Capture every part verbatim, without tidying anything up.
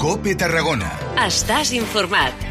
COPE Tarragona. Estàs informat.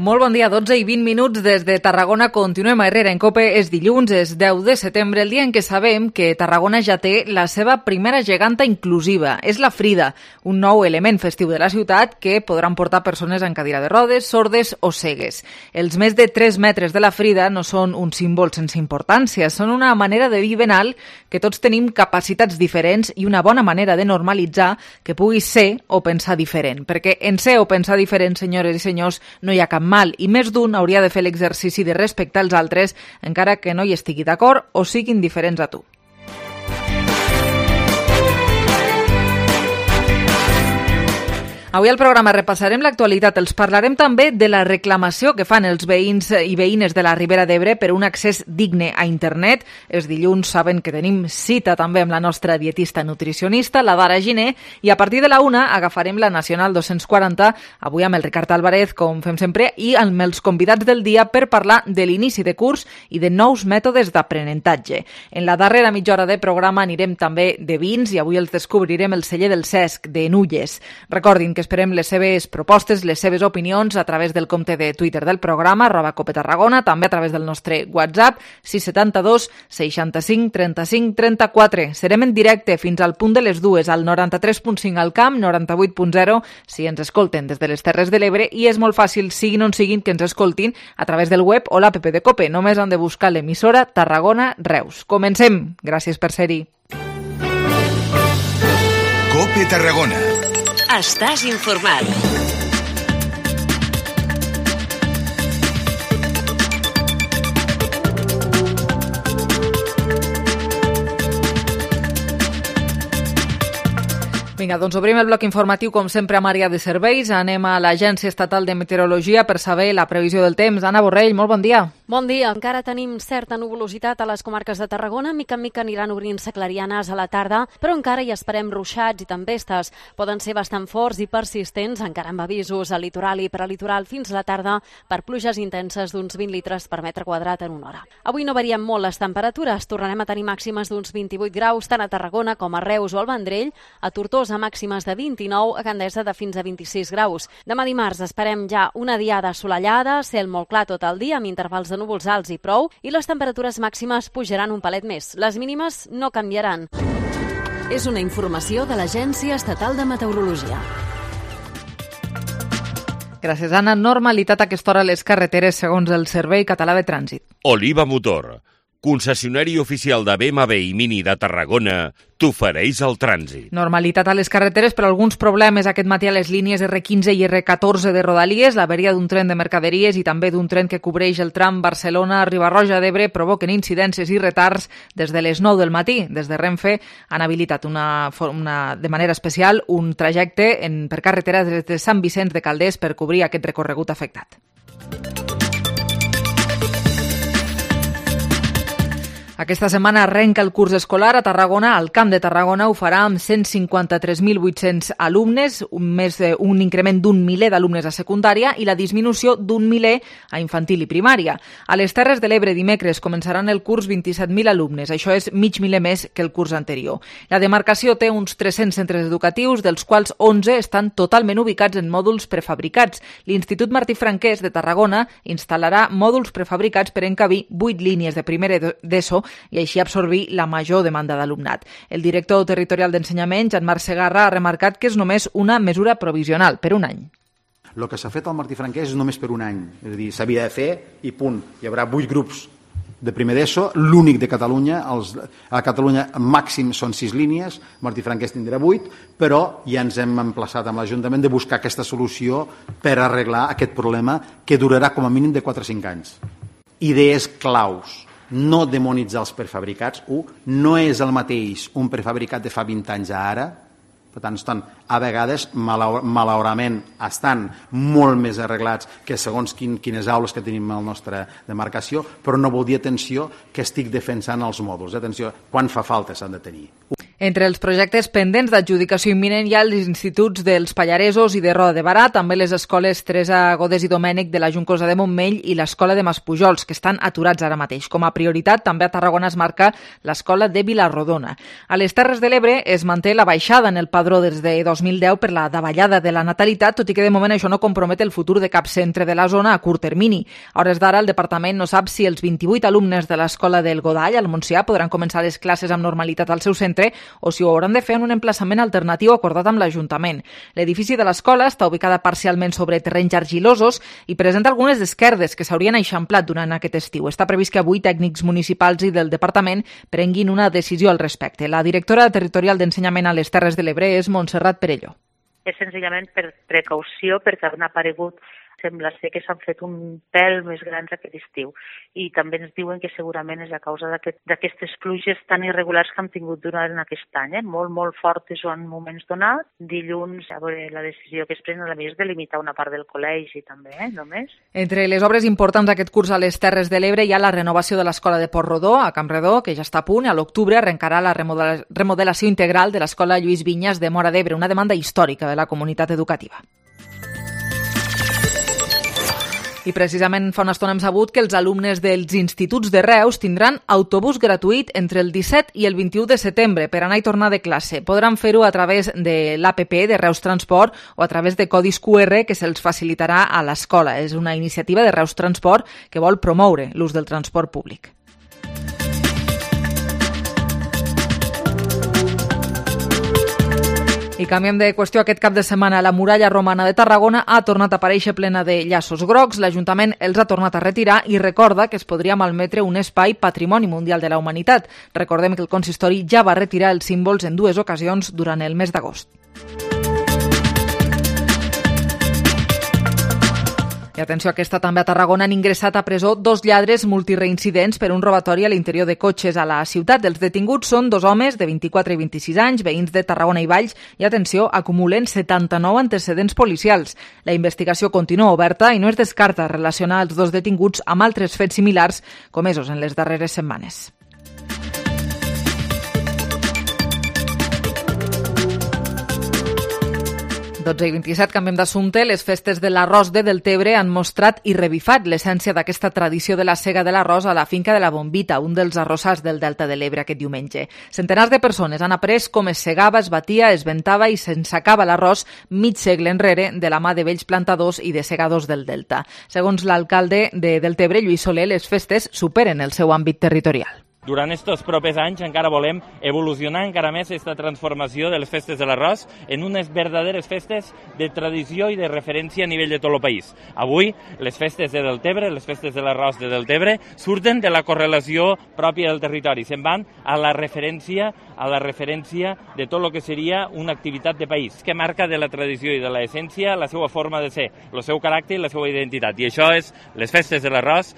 Molt bon dia, dotze i vint minuts des de Tarragona. Continuem a Herrera en COPE. És dilluns, és deu de setembre, el dia en què sabem que Tarragona ja té la seva primera geganta inclusiva. És la Frida, un nou element festiu de la ciutat que podran portar persones en cadira de rodes, sordes o cegues. Els més de tres metres de la Frida no són un símbol sense importància, són una manera de dir ben alt que tots tenim capacitats diferents i una bona manera de normalitzar que puguis ser o pensar diferent. Perquè en ser o pensar diferent, senyores i senyors, no hi ha cap mal, i més d'un hauria de fer l'exercici de respectar els altres encara que no hi estigui d'acord o siguin diferents a tu. Avui al programa repassarem l'actualitat. Els parlarem també de la reclamació que fan els veïns i veïnes de la Ribera d'Ebre per un accés digne a internet. Els dilluns saben que tenim cita també amb la nostra dietista nutricionista, la Dara Giner, i a partir de la una agafarem la Nacional dos-cents quaranta, avui amb el Ricard Álvarez, com fem sempre, i amb els convidats del dia per parlar de l'inici de curs i de nous mètodes d'aprenentatge. En la darrera mitja hora de programa anirem també de vins i avui els descobrirem el celler del Cesc, de Nulles. Recordin que esperem les seves propostes, les seves opinions a través del compte de Twitter del programa, arroba Cope Tarragona, també a través del nostre WhatsApp, sis setanta dos seixanta-cinc trenta-cinc trenta-quatre. Serem en directe fins al punt de les dues, al noranta-tres punt cinc al Camp, noranta-vuit punt zero, si ens escolten des de les Terres de l'Ebre, i és molt fàcil, siguin on siguin, que ens escoltin a través del web o l'app de Cope. Només han de buscar l'emissora Tarragona Reus. Comencem. Gràcies per ser-hi. COPE Tarragona. Estàs informat. Vinga, doncs obrim el bloc informatiu, com sempre, amb àrea de serveis. Anem a l'Agència Estatal de Meteorologia per saber la previsió del temps. Anna Borrell, molt bon dia. Bon dia. Encara tenim certa nuvolositat a les comarques de Tarragona. Mica en mica aniran obrint-se clarianes a la tarda, però encara hi esperem ruixats i tempestes. Poden ser bastant forts i persistents, encara amb avisos al litoral i prelitoral fins a la tarda per pluges intenses d'uns vint litres per metre quadrat en una hora. Avui no varien molt les temperatures. Tornarem a tenir màximes d'uns vint-i-vuit graus, tant a Tarragona com a Reus o al Vendrell, a Tortosa a màximes de vint-i-nou, a Gandesa de fins a vint-i-sis graus. Demà dimarts esperem ja una diada assolellada, cel molt clar tot el dia, amb intervals de núvols alts i prou, i les temperatures màximes pujaran un palet més. Les mínimes no canviaran. És una informació de l'Agència Estatal de Meteorologia. Gràcies, Anna. Normalitat a aquesta hora a les carreteres segons el Servei Català de Trànsit. Oliva Motor, concessionari oficial de B M W i Mini de Tarragona, t'ofereix el trànsit. Normalitat a les carreteres, però alguns problemes aquest matí a les línies erre quinze i erre catorze de Rodalies. L'averia d'un tren de mercaderies i també d'un tren que cobreix el tram Barcelona-Riba-roja d'Ebre provoquen incidències i retards des de les nou del matí. Des de Renfe han habilitat una, una, de manera especial un trajecte en, per carretera des de Sant Vicenç de Calders per cobrir aquest recorregut afectat. Aquesta setmana arrenca el curs escolar a Tarragona. Al Camp de Tarragona ho farà amb cent cinquanta-tres mil vuit-cents alumnes, un, més, un increment d'un miler d'alumnes a secundària i la disminució d'un miler a infantil i primària. A les Terres de l'Ebre dimecres començaran el curs vint-i-set mil alumnes, això és mig miler més que el curs anterior. La demarcació té uns tres-cents centres educatius, dels quals onze estan totalment ubicats en mòduls prefabricats. L'Institut Martí Franquès de Tarragona instal·larà mòduls prefabricats per encabir vuit línies de primer d'ESO i així absorbir la major demanda d'alumnat. El director territorial d'ensenyament, Jean-Marc Segarra, ha remarcat que és només una mesura provisional, per un any. El que s'ha fet al Martí Franquès és només per un any, és a dir, s'havia de fer i punt. Hi haurà vuit grups de primer d'ESO, l'únic de Catalunya. Els, a Catalunya màxim són sis línies, Martí Franquès tindrà vuit, però ja ens hem emplaçat amb l'Ajuntament de buscar aquesta solució per arreglar aquest problema que durarà com a mínim de quatre a cinc anys. Idees claus. No demonitzar els prefabricats. Un, no és el mateix un prefabricat de fa vint anys a ara. Per tant, estan, a vegades, malauradament, estan molt més arreglats que segons quin, quines aules que tenim a la nostra demarcació, però no vol dir, atenció, que estic defensant els mòduls. Atenció, quan fa falta s'han de tenir. Entre els projectes pendents d'adjudicació imminent hi ha els instituts dels Pallaresos i de Roda de Barà, també les escoles Teresa Godés i Domènec de la Juncosa de Montmell i l'escola de Maspujols, que estan aturats ara mateix. Com a prioritat, també a Tarragona es marca l'escola de Vilarrodona. A les Terres de l'Ebre es manté la baixada en el padró des de dos mil deu per la davallada de la natalitat, tot i que de moment això no compromet el futur de cap centre de la zona a curt termini. A hores d'ara, el departament no sap si els vint-i-vuit alumnes de l'escola del Godall, al Montsià, podran començar les classes amb normalitat al seu centre o si ho hauran de fer en un emplaçament alternatiu acordat amb l'Ajuntament. L'edifici de l'escola està ubicada parcialment sobre terrenys argilosos i presenta algunes esquerdes que s'haurien eixamplat durant aquest estiu. Està previst que avui tècnics municipals i del departament prenguin una decisió al respecte. La directora territorial d'Ensenyament a les Terres de l'Ebre és Montserrat Perelló. És senzillament per precaució, perquè han aparegut, sembla ser que s'han fet un pèl més grans aquest estiu. I també ens diuen que segurament és a causa d'aquestes pluges tan irregulars que hem tingut durant aquest any, eh? molt, molt fortes o en moments donats. Dilluns, a veure, la decisió que es pren a més de limitar una part del col·legi també, eh? només. Entre les obres importants d'aquest curs a les Terres de l'Ebre hi ha la renovació de l'escola de Port-rodó, a Campredó, que ja està a punt. A l'octubre arrencarà la remodelació integral de l'escola Lluís Vinyes de Móra d'Ebre, una demanda històrica de la comunitat educativa. I precisament fa una estona hem sabut que els alumnes dels instituts de Reus tindran autobús gratuït entre el disset i el vint-i-u de setembre per anar i tornar de classe. Podran fer-ho a través de l'A P P de Reus Transport o a través de codis Q R que se'ls facilitarà a l'escola. És una iniciativa de Reus Transport que vol promoure l'ús del transport públic. I canviem de qüestió. Aquest cap de setmana la muralla romana de Tarragona ha tornat a aparèixer plena de llaços grocs. L'Ajuntament els ha tornat a retirar i recorda que es podria malmetre un espai patrimoni mundial de la humanitat. Recordem que el consistori ja va retirar els símbols en dues ocasions durant el mes d'agost. I atenció, aquesta també a Tarragona han ingressat a presó dos lladres multireincidents per un robatori a l'interior de cotxes a la ciutat. Els detinguts són dos homes de vint-i-quatre i vint-i-sis anys, veïns de Tarragona i Valls, i atenció, acumulen setanta-nou antecedents policials. La investigació continua oberta i no es descarta relacionar els dos detinguts amb altres fets similars comesos en les darreres setmanes. dotze i vint-i-set, canviem d'assumpte. Les festes de l'arròs de Deltebre han mostrat i revifat l'essència d'aquesta tradició de la sega de l'arròs a la finca de la Bombita, un dels arrossars del Delta de l'Ebre aquest diumenge. Centenars de persones han après com es segava, es batia, es ventava i s'ensacava l'arròs mig segle enrere de la mà de vells plantadors i de segadors del Delta. Segons l'alcalde de Deltebre, Lluís Soler, les festes superen el seu àmbit territorial. Durant aquests propers anys encara volem evolucionar encara més aquesta transformació de les festes de l'arròs en unes verdaderes festes de tradició i de referència a nivell de tot el país. Avui, les festes de Deltebre, les festes de l'arròs de Deltebre, surten de la correlació pròpia del territori, se'n van a la referència a la referència de tot el que seria una activitat de país, que marca de la tradició i de l'essència la seva forma de ser, el seu caràcter i la seva identitat. I això és les festes de l'arròs.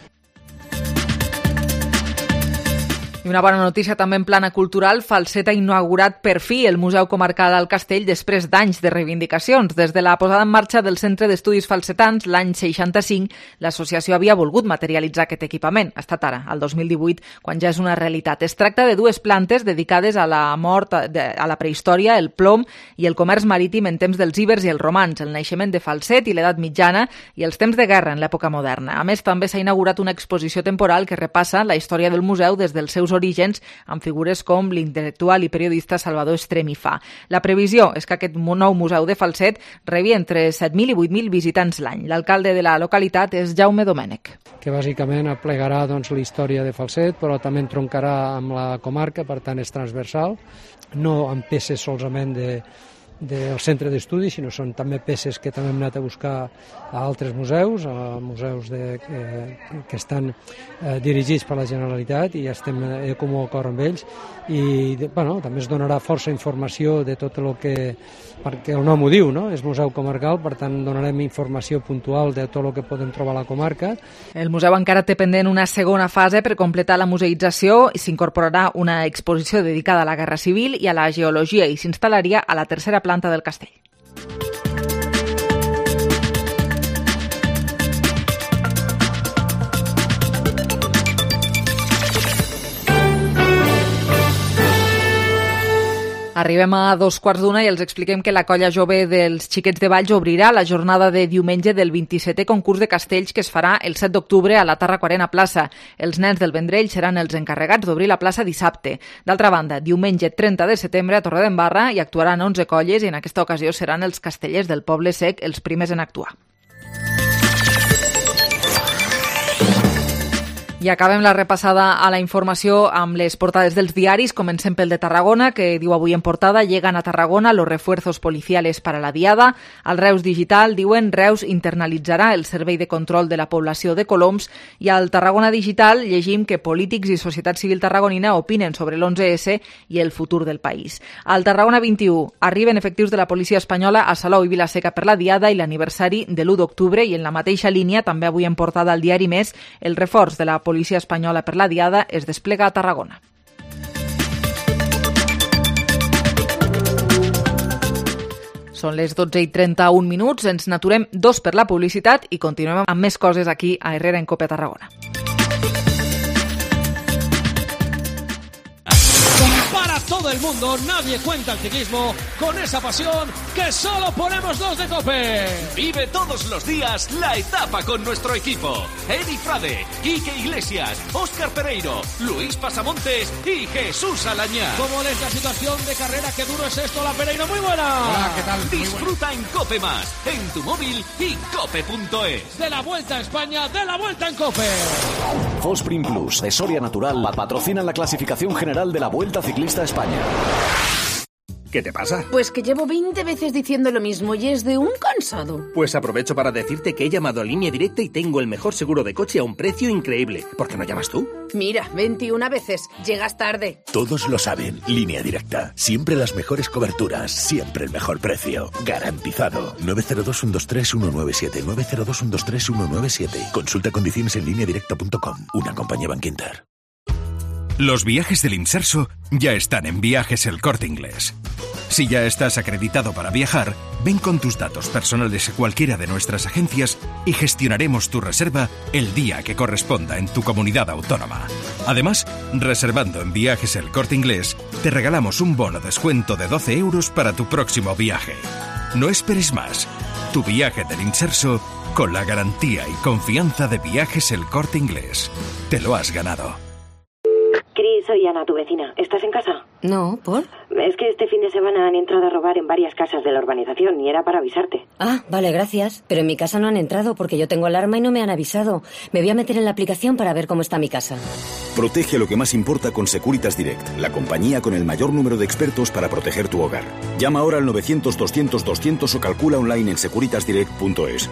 I una bona notícia també en plana cultural. Falset ha inaugurat per fi el Museu Comarcal al Castell després d'anys de reivindicacions. Des de la posada en marxa del Centre d'Estudis Falsetans l'any seixanta-cinc, l'associació havia volgut materialitzar aquest equipament. Ha estat ara, el dos mil divuit, quan ja és una realitat. Es tracta de dues plantes dedicades a la mort, a la prehistòria, el plom i el comerç marítim en temps dels ibers i els romans, el naixement de Falset i l'edat mitjana i els temps de guerra en l'època moderna. A més, també s'ha inaugurat una exposició temporal que repassa la història del museu des dels seus orígens amb figures com l'intel·lectual i periodista Salvador Estremifà. La previsió és que aquest nou museu de Falset rebi entre set mil i vuit mil visitants l'any. L'alcalde de la localitat és Jaume Domènech. Que bàsicament aplegarà doncs, la història de Falset, però també entroncarà amb la comarca, per tant és transversal, no amb peces solament de del centre d'estudis, sinó són també peces que també hem anat a buscar a altres museus, a museus de, que, que estan eh, dirigits per la Generalitat i estem eh, comú acord amb ells i bueno, també es donarà força informació de tot el que, perquè el nom ho diu, no? És museu comarcal, per tant donarem informació puntual de tot el que podem trobar a la comarca. El museu encara té pendent una segona fase per completar la museïtzació i s'incorporarà una exposició dedicada a la Guerra Civil i a la geologia i s'instal·laria a la tercera planta del castell. Arribem a dos quarts d'una i els expliquem que la colla jove dels Xiquets de Valls obrirà la jornada de diumenge del vint-i-setè concurs de castells que es farà el set d'octubre a la Tarraco-Arena Plaça. Els nens del Vendrell seran els encarregats d'obrir la plaça dissabte. D'altra banda, diumenge trenta de setembre a Torredembarra hi actuaran onze colles i en aquesta ocasió seran els castellers del Poble Sec els primers en actuar. I acabem la repassada a la informació amb les portades dels diaris. Comencem pel de Tarragona, que diu avui en portada: llegan a Tarragona los refuerzos policiales para la diada. Al Reus Digital diuen Reus internalitzarà el servei de control de la població de Coloms. I al Tarragona Digital llegim que polítics i societat civil tarragonina opinen sobre l'onze esse i el futur del país. Al Tarragona vint-i-u arriben efectius de la policia espanyola a Salou i Vilaseca per la diada i l'aniversari de l'u d'octubre, i en la mateixa línia, també avui en portada al diari Més, el reforç de la policia policia espanyola per la diada es desplega a Tarragona. Són les dotze i trenta-un minuts, ens n'aturem dos per la publicitat i continuem amb més coses aquí a Herrera en Cope a Tarragona. Para todo el mundo, nadie cuenta el ciclismo con esa pasión que solo ponemos los de COPE. Vive todos los días la etapa con nuestro equipo. Edi Frade, Quique Iglesias, Óscar Pereiro, Luis Pasamontes y Jesús Alañá. ¿Cómo es la situación de carrera? ¿Qué duro es esto? La Pereiro, muy buena. Hola, ¿qué tal? Disfruta en COPE Más, en tu móvil y cope punto es. De la Vuelta a España, de la Vuelta en COPE. Fosprin Plus de Soria Natural patrocina la clasificación general de la Vuelta Ciclista a España. ¿Qué te pasa? Pues que llevo veinte veces diciendo lo mismo y es de un cansado. Pues aprovecho para decirte que he llamado a Línea Directa y tengo el mejor seguro de coche a un precio increíble. ¿Por qué no llamas tú? Mira, veintiuna veces. Llegas tarde. Todos lo saben. Línea Directa. Siempre las mejores coberturas. Siempre el mejor precio. Garantizado. nueve cero dos, uno dos tres, uno nueve siete. nueve cero dos, uno dos tres, uno nueve siete. Consulta condiciones en línea directa punto com. Una compañía Bankinter. Los viajes del Inserso ya están en Viajes El Corte Inglés. Si ya estás acreditado para viajar, ven con tus datos personales a cualquiera de nuestras agencias y gestionaremos tu reserva el día que corresponda en tu comunidad autónoma. Además, reservando en Viajes El Corte Inglés, te regalamos un bono descuento de doce euros para tu próximo viaje. No esperes más. Tu viaje del Inserso con la garantía y confianza de Viajes El Corte Inglés. Te lo has ganado. Cris, soy Ana, tu vecina. ¿Estás en casa? No, ¿por? Es que este fin de semana han entrado a robar en varias casas de la urbanización y era para avisarte. Ah, vale, gracias. Pero en mi casa no han entrado porque yo tengo alarma y no me han avisado. Me voy a meter en la aplicación para ver cómo está mi casa. Protege lo que más importa con Securitas Direct, la compañía con el mayor número de expertos para proteger tu hogar. Llama ahora al novecientos, doscientos, doscientos o calcula online en securitas direct punto es.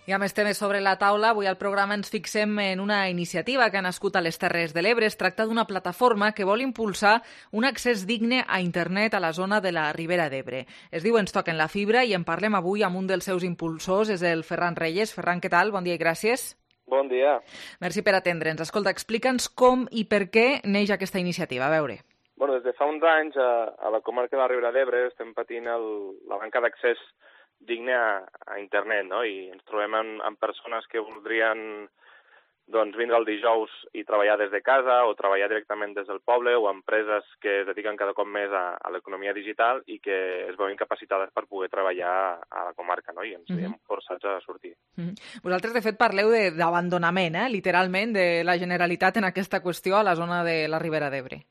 I a més temes sobre la taula, avui al programa ens fixem en una iniciativa que ha nascut a les Terres de l'Ebre. Es tracta d'una plataforma que vol impulsar un accés digne a internet a la zona de la Ribera d'Ebre. Es diu Ens toquen la fibra i en parlem avui amb un dels seus impulsors, és el Ferran Reyes. Ferran, què tal? Bon dia i gràcies. Bon dia. Merci per atendre'ns. Escolta, explica'ns com i per què neix aquesta iniciativa. A veure. Bueno, des de fa uns anys a, a la comarca de la Ribera d'Ebre estem patint el, la manca d'accés digne a, a internet, no? I ens trobem amb, amb persones que voldrien doncs, vindre el dijous i treballar des de casa o treballar directament des del poble, o empreses que es dediquen cada cop més a, a l'economia digital i que es veuen capacitades per poder treballar a la comarca, no? I ens veiem mm-hmm. forçats a sortir. Mm-hmm. Vosaltres, de fet, parleu de, d'abandonament, eh? literalment, de la Generalitat en aquesta qüestió a la zona de la Ribera d'Ebre.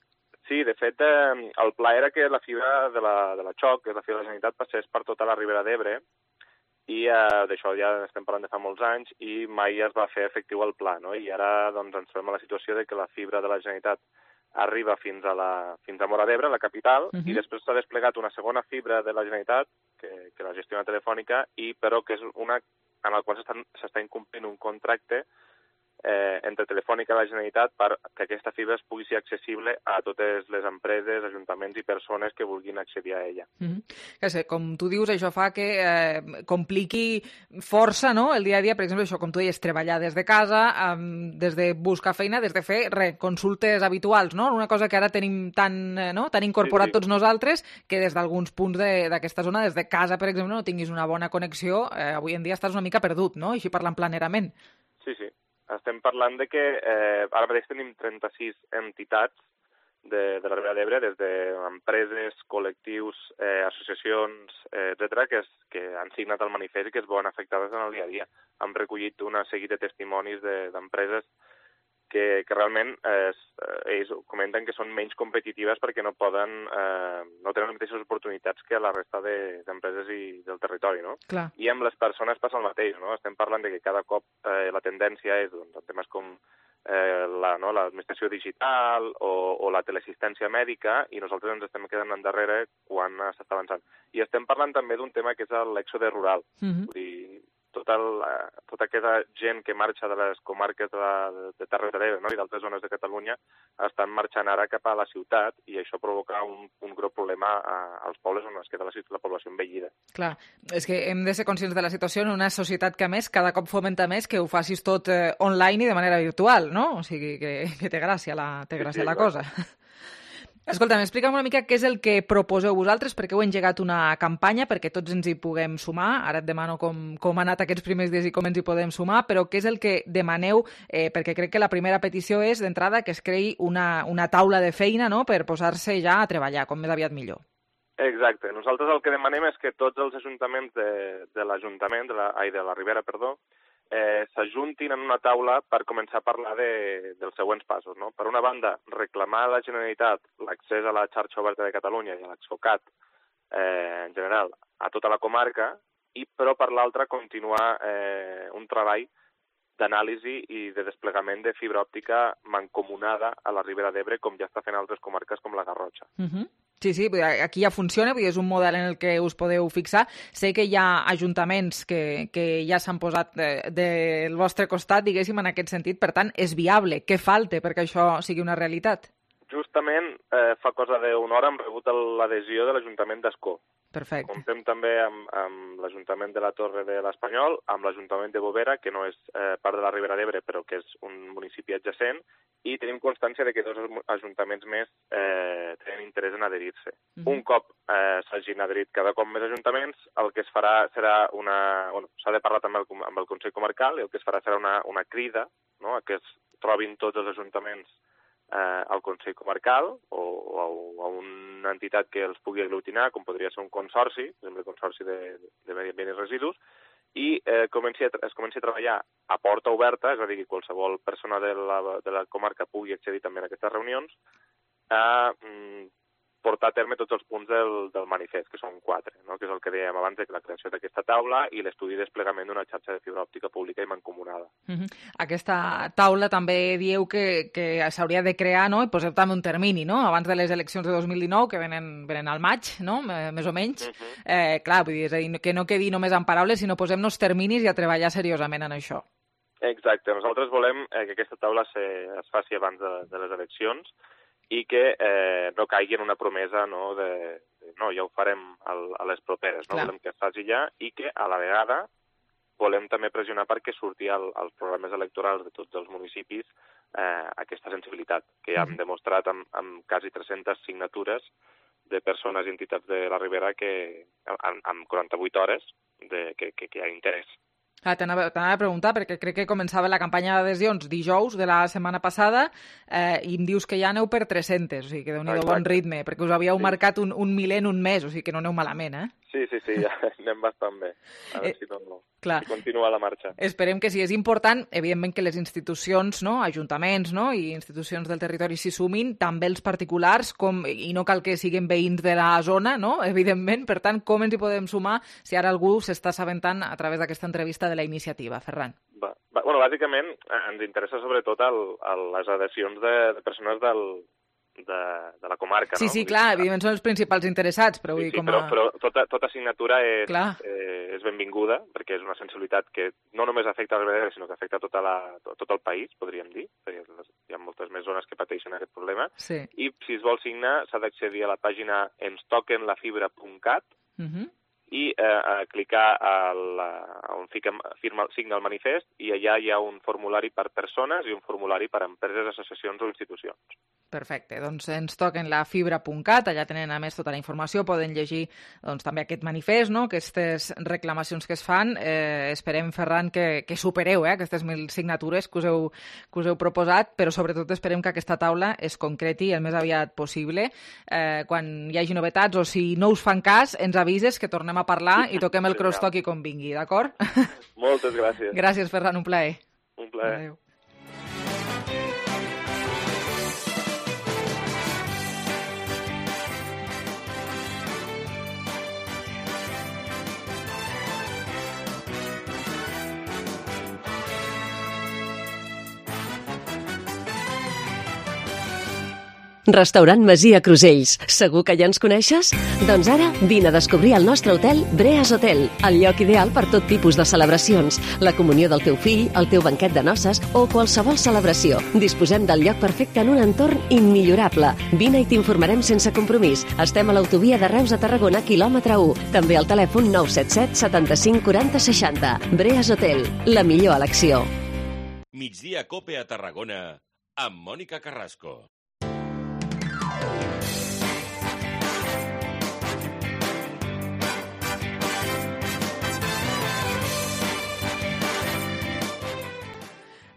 Sí, de fet, eh, el pla era que la fibra de la, de la Xoc, que és la fibra de la Generalitat, passés per tota la Ribera d'Ebre, i eh, d'això ja estem parlant de fa molts anys, i mai es va fer efectiu el pla, no? I ara doncs, ens trobem a la situació de que la fibra de la Generalitat arriba fins a, la, fins a Móra d'Ebre, la capital, uh-huh. i després s'ha desplegat una segona fibra de la Generalitat, que, que la gestiona Telefònica, i però que és una en la qual s'està, s'està incomplint un contracte eh, entre Telefònica i la Generalitat perquè aquesta fibra es pugui ser accessible a totes les empreses, ajuntaments i persones que vulguin accedir a ella. Mm-hmm. Que sé, com tu dius, això fa que eh, compliqui força, no?, el dia a dia, per exemple, això, com tu deies, treballar des de casa, eh, des de buscar feina, des de fer re, consultes habituals, no?, una cosa que ara tenim tan, eh, no?, tan incorporat sí, sí. tots nosaltres, que des d'alguns punts d'aquesta zona, des de casa, per exemple, no tinguis una bona connexió, eh, avui en dia estàs una mica perdut, no?, així parlant planerament. Sí, sí. Estem parlant de que eh, ara mateix tenim trenta-sis entitats de, de la Ribera d'Ebre, des d'empreses, col·lectius, eh, associacions, eh, etcètera, que, es, que han signat el manifest i que es veuen afectades en el dia a dia. Han recollit una seguit de testimonis d'empreses de, que, que realment eh, ells comenten que són menys competitives perquè no poden, eh, no tenen les mateixes oportunitats que la resta d'empreses de, i del territori, no? Clar. I amb les persones passa el mateix, no? Estem parlant de que cada cop eh, la tendència és doncs, en temes com eh, la, no, l'administració digital o, o la teleassistència mèdica i nosaltres ens estem quedant endarrere quan s'està avançant. I estem parlant també d'un tema que és l'èxode rural. Mm-hmm. Vull dir, tota, la, tota aquesta gent que marxa de les comarques de, la, de Terres de l'Ebre, no?, i d'altres zones de Catalunya estan marxant ara cap a la ciutat i això provoca un, un greu problema a, als pobles on es queda la, la població envellida. Clar, és que hem de ser conscients de la situació en una societat que, a més, cada cop fomenta més que ho facis tot eh, online i de manera virtual, no? O sigui, que, que té gràcia la, té gràcia sí, sí, la cosa. Escolta, m'explica'm una mica què és el que proposeu vosaltres, perquè heu engegat una campanya perquè tots ens hi puguem sumar. Ara et demano com, com ha anat aquests primers dies i com ens hi podem sumar, però què és el que demaneu? Eh, perquè crec que la primera petició és, d'entrada, que es creï una, una taula de feina, no?, per posar-se ja a treballar, com més aviat millor. Exacte. Nosaltres el que demanem és que tots els ajuntaments de, de l'Ajuntament, de, la, ai, de la Ribera, perdó, Eh, s'ajuntin en una taula per començar a parlar de, dels següents passos, no? Per una banda, reclamar a la Generalitat l'accés a la xarxa oberta de Catalunya i a l'Exfocat eh, en general a tota la comarca, i però per l'altra continuar eh, un treball d'anàlisi i de desplegament de fibra òptica mancomunada a la Ribera d'Ebre, com ja està fent altres comarques com la Garrotxa. Uh-huh. Sí, sí, aquí ja funciona, és un model en el que us podeu fixar. Sé que hi ha ajuntaments que, que ja s'han posat de, del vostre costat, diguéssim, en aquest sentit. Per tant, és viable. Què falta perquè això sigui una realitat? Justament eh, fa cosa d'una hora hem rebut l'adhesió de l'Ajuntament d'Ascó. Perfecte. Comptem també amb, amb l'Ajuntament de la Torre de l'Espanyol, amb l'Ajuntament de Bovera, que no és eh, part de la Ribera d'Ebre, però que és un municipi adjacent, i tenim constància de que dos ajuntaments més eh, tenen interès en adherir-se. Mm-hmm. Un cop eh, s'hagin adherit cada cop més ajuntaments, el que es farà serà una... Bueno, s'ha de parlar també amb el Consell Comarcal, i el que es farà serà una, una crida, no?, a que es trobin tots els ajuntaments eh, al Consell Comarcal o, o, o a una entitat que els pugui aglutinar, com podria ser un consorci, per exemple, el Consorci de, de Medi Ambient i Residus, i eh, comenci a, es comenci a treballar a porta oberta, és a dir, que qualsevol persona de la, de la comarca pugui accedir també a aquestes reunions, a mm, portar a terme tots els punts del, del manifest, que són quatre, no?, que és el que dèiem abans, de la creació d'aquesta taula i l'estudi i desplegament d'una xarxa de fibra òptica pública i mancomunada. Uh-huh. Aquesta taula també dieu que, que s'hauria de crear, no?, i poseu també un termini, no?, abans de les eleccions de dos mil dinou, que venen, venen al maig, no?, més o menys. Uh-huh. eh, clar, vull dir, és a dir, que no quedi només en paraules, sinó posem-nos terminis i a treballar seriosament en això. Exacte. Nosaltres volem eh, que aquesta taula se, es faci abans de, de les eleccions, i que eh, no caigui en una promesa, no, de, de no, ja ho farem al, a les properes, no? Clar. Volem que es faci ja, i que a la vegada volem també pressionar perquè surti al, als programes electorals de tots els municipis eh, aquesta sensibilitat, que ja hem demostrat amb, amb quasi tres-centes signatures de persones i entitats de la Ribera que amb, amb quaranta-vuit hores de, que, que, que hi ha interès. Ah, T'anava a preguntar, perquè crec que començava la campanya d'adhesions dijous de la setmana passada eh, i em dius que ja aneu per tres-centes, o sigui que déu-n'hi-do bon ritme, perquè us havíeu sí. marcat un, un miler en un mes, o sigui que no aneu malament, eh? Sí, sí, sí, ja anem bastant bé. A veure eh, si no, no. Clar. Si continua la marxa. Esperem que sí. És important, evidentment, que les institucions, no?, ajuntaments, no?, i institucions del territori s'hi sumin, també els particulars, com, i no cal que siguin veïns de la zona, no?, evidentment. Per tant, com ens hi podem sumar si ara algú s'està assabentant a través d'aquesta entrevista de la iniciativa? Ferran. Va, va, bueno, bàsicament ens interessa sobretot el, el, les adhesions de, de persones del, de, de la comarca. Sí, no? sí, clar, evidentment són els principals interessats, però vull sí, dir com a... Però, però tota, tota assignatura és, eh, és benvinguda, perquè és una sensibilitat que no només afecta la Ribera d'Ebre, sinó que afecta tota la, tot, tot el país, podríem dir, perquè hi ha moltes més zones que pateixen aquest problema. Sí. I si es vol signar, s'ha d'accedir a la pàgina ens toquen la fibra punt cat uh -huh. i eh, clicar a la, on fica, firma, signa el manifest, i allà hi ha un formulari per persones i un formulari per empreses, associacions o institucions. Perfecte, doncs ens toquen la fibra punt cat, allà tenen a més tota la informació, poden llegir doncs, també aquest manifest, no? Aquestes reclamacions que es fan. Eh, esperem, Ferran, que, que supereu eh, aquestes mil signatures que us, heu, que us heu proposat, però sobretot esperem que aquesta taula es concreti el més aviat possible. Eh, quan hi hagi novetats o si no us fan cas, ens avises que tornem a parlar i toquem el crosstalk com vingui, d'acord? Moltes gràcies. Gràcies, Ferran, un plaer. Un plaer. Adéu. Restaurant Masia Crusells. Segur que ja ens coneixes? Doncs ara vine a descobrir el nostre hotel Breas Hotel, el lloc ideal per tot tipus de celebracions, la comunió del teu fill, el teu banquet de noces o qualsevol celebració. Disposem del lloc perfecte en un entorn immillorable. Vine i t'informarem sense compromís. Estem a l'autovia de Reus a Tarragona, quilòmetre u. També al telèfon nou set set setanta-cinc quaranta seixanta. Breas Hotel, la millor elecció. Migdia Cope a Tarragona amb Mònica Carrasco.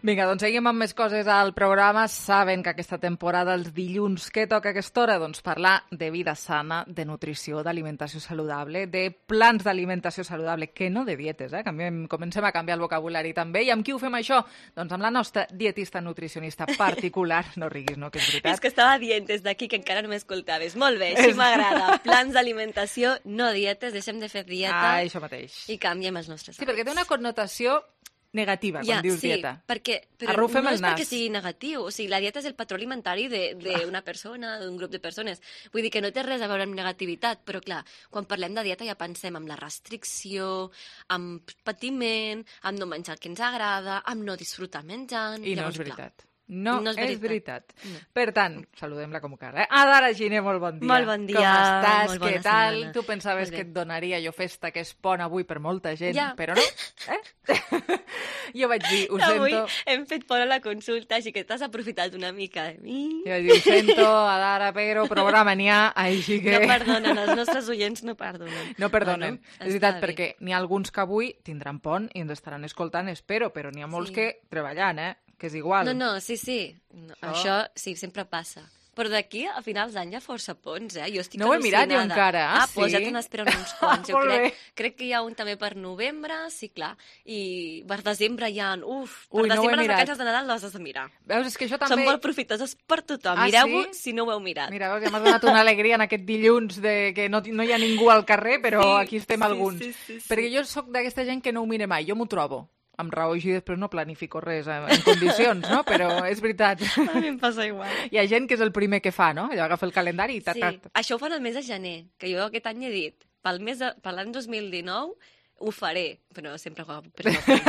Vinga, doncs seguim amb més coses al programa. Saben que aquesta temporada, els dilluns, què toca a aquesta hora? Doncs parlar de vida sana, de nutrició, d'alimentació saludable, de plans d'alimentació saludable, que no de dietes, eh? Canviem, comencem a canviar el vocabulari també. I amb qui ho fem això? Doncs amb la nostra dietista nutricionista particular. No riguis, no? Que és veritat. És que estava dient des d'aquí que encara no m'escoltaves. Molt bé, així m'agrada. Plans d'alimentació, no dietes, deixem de fer dieta. Ah, això mateix. I canviem els nostres hàbits. Sí, perquè té una connotació negativa, quan ja, dius sí, dieta. Perquè, però Arrufem no el és nas. perquè sigui negatiu. O sigui, la dieta és el patró alimentari d'una persona, d'un grup de persones. Vull dir que no té res a veure amb negativitat, però clar, quan parlem de dieta ja pensem en la restricció, amb patiment, amb no menjar el que ens agrada, amb no disfrutar menjant. I no Llavors, és veritat. Clar, No, no és veritat. és veritat. No. Per tant, saludem-la com cal. Eh? Adara Giner, molt bon dia. Molt bon dia. Com estàs? Molt bona Què tal? setmana. Tu pensaves Molt que bé. et donaria jo festa, que és pont avui per molta gent, Ja. però no. Eh? Jo vaig dir, ho Avui sento. hem fet fora la consulta, així que t'has aprofitat una mica de mi. Jo vaig dir, ho sento, Adara, però programa n'hi ha, així que... No perdonen, els nostres oients no perdonen. No perdonen. Bueno, és veritat, està bé. perquè n'hi ha alguns que avui tindran pont i ens estaran escoltant, espero, però n'hi ha molts Sí. que treballant, eh? Que és igual. No, no, sí, sí. No, Això- això... sí, sempre passa. Però d'aquí a finals d'any hi ha força ponts, eh? Jo estic No ho he mirat jo al·lucinada. encara. Ah, Sí? doncs ja te n'esperen uns quants. Jo Molt crec, bé. crec que hi ha un també per novembre, sí, clar. I per desembre hi ha... Uf, per Ui, no ho he desembre les mirat. vacances de Nadal les has de mirar. Veus, és que això també... Són molt profitoses per tothom. Ah, Mireu-ho sí? si no ho heu mirat. Mira, veus, ja m'has donat una alegria en aquest dilluns de que no, no hi ha ningú al carrer, però Sí, aquí estem sí, alguns. sí, sí, sí. Perquè jo sóc d'aquesta gent que no ho mire mai, jo m'ho trobo. Amb raó així després no planifico res en, en condicions, no? Però és veritat. A mi em passa igual. Hi ha gent que és el primer que fa, no? Allò agafa el calendari i ta, Sí, ta, ta. això ho fan el mes de gener, que jo aquest any he dit, pel mes de, per l'any dos mil dinou ho faré, però sempre ho hago per no fer.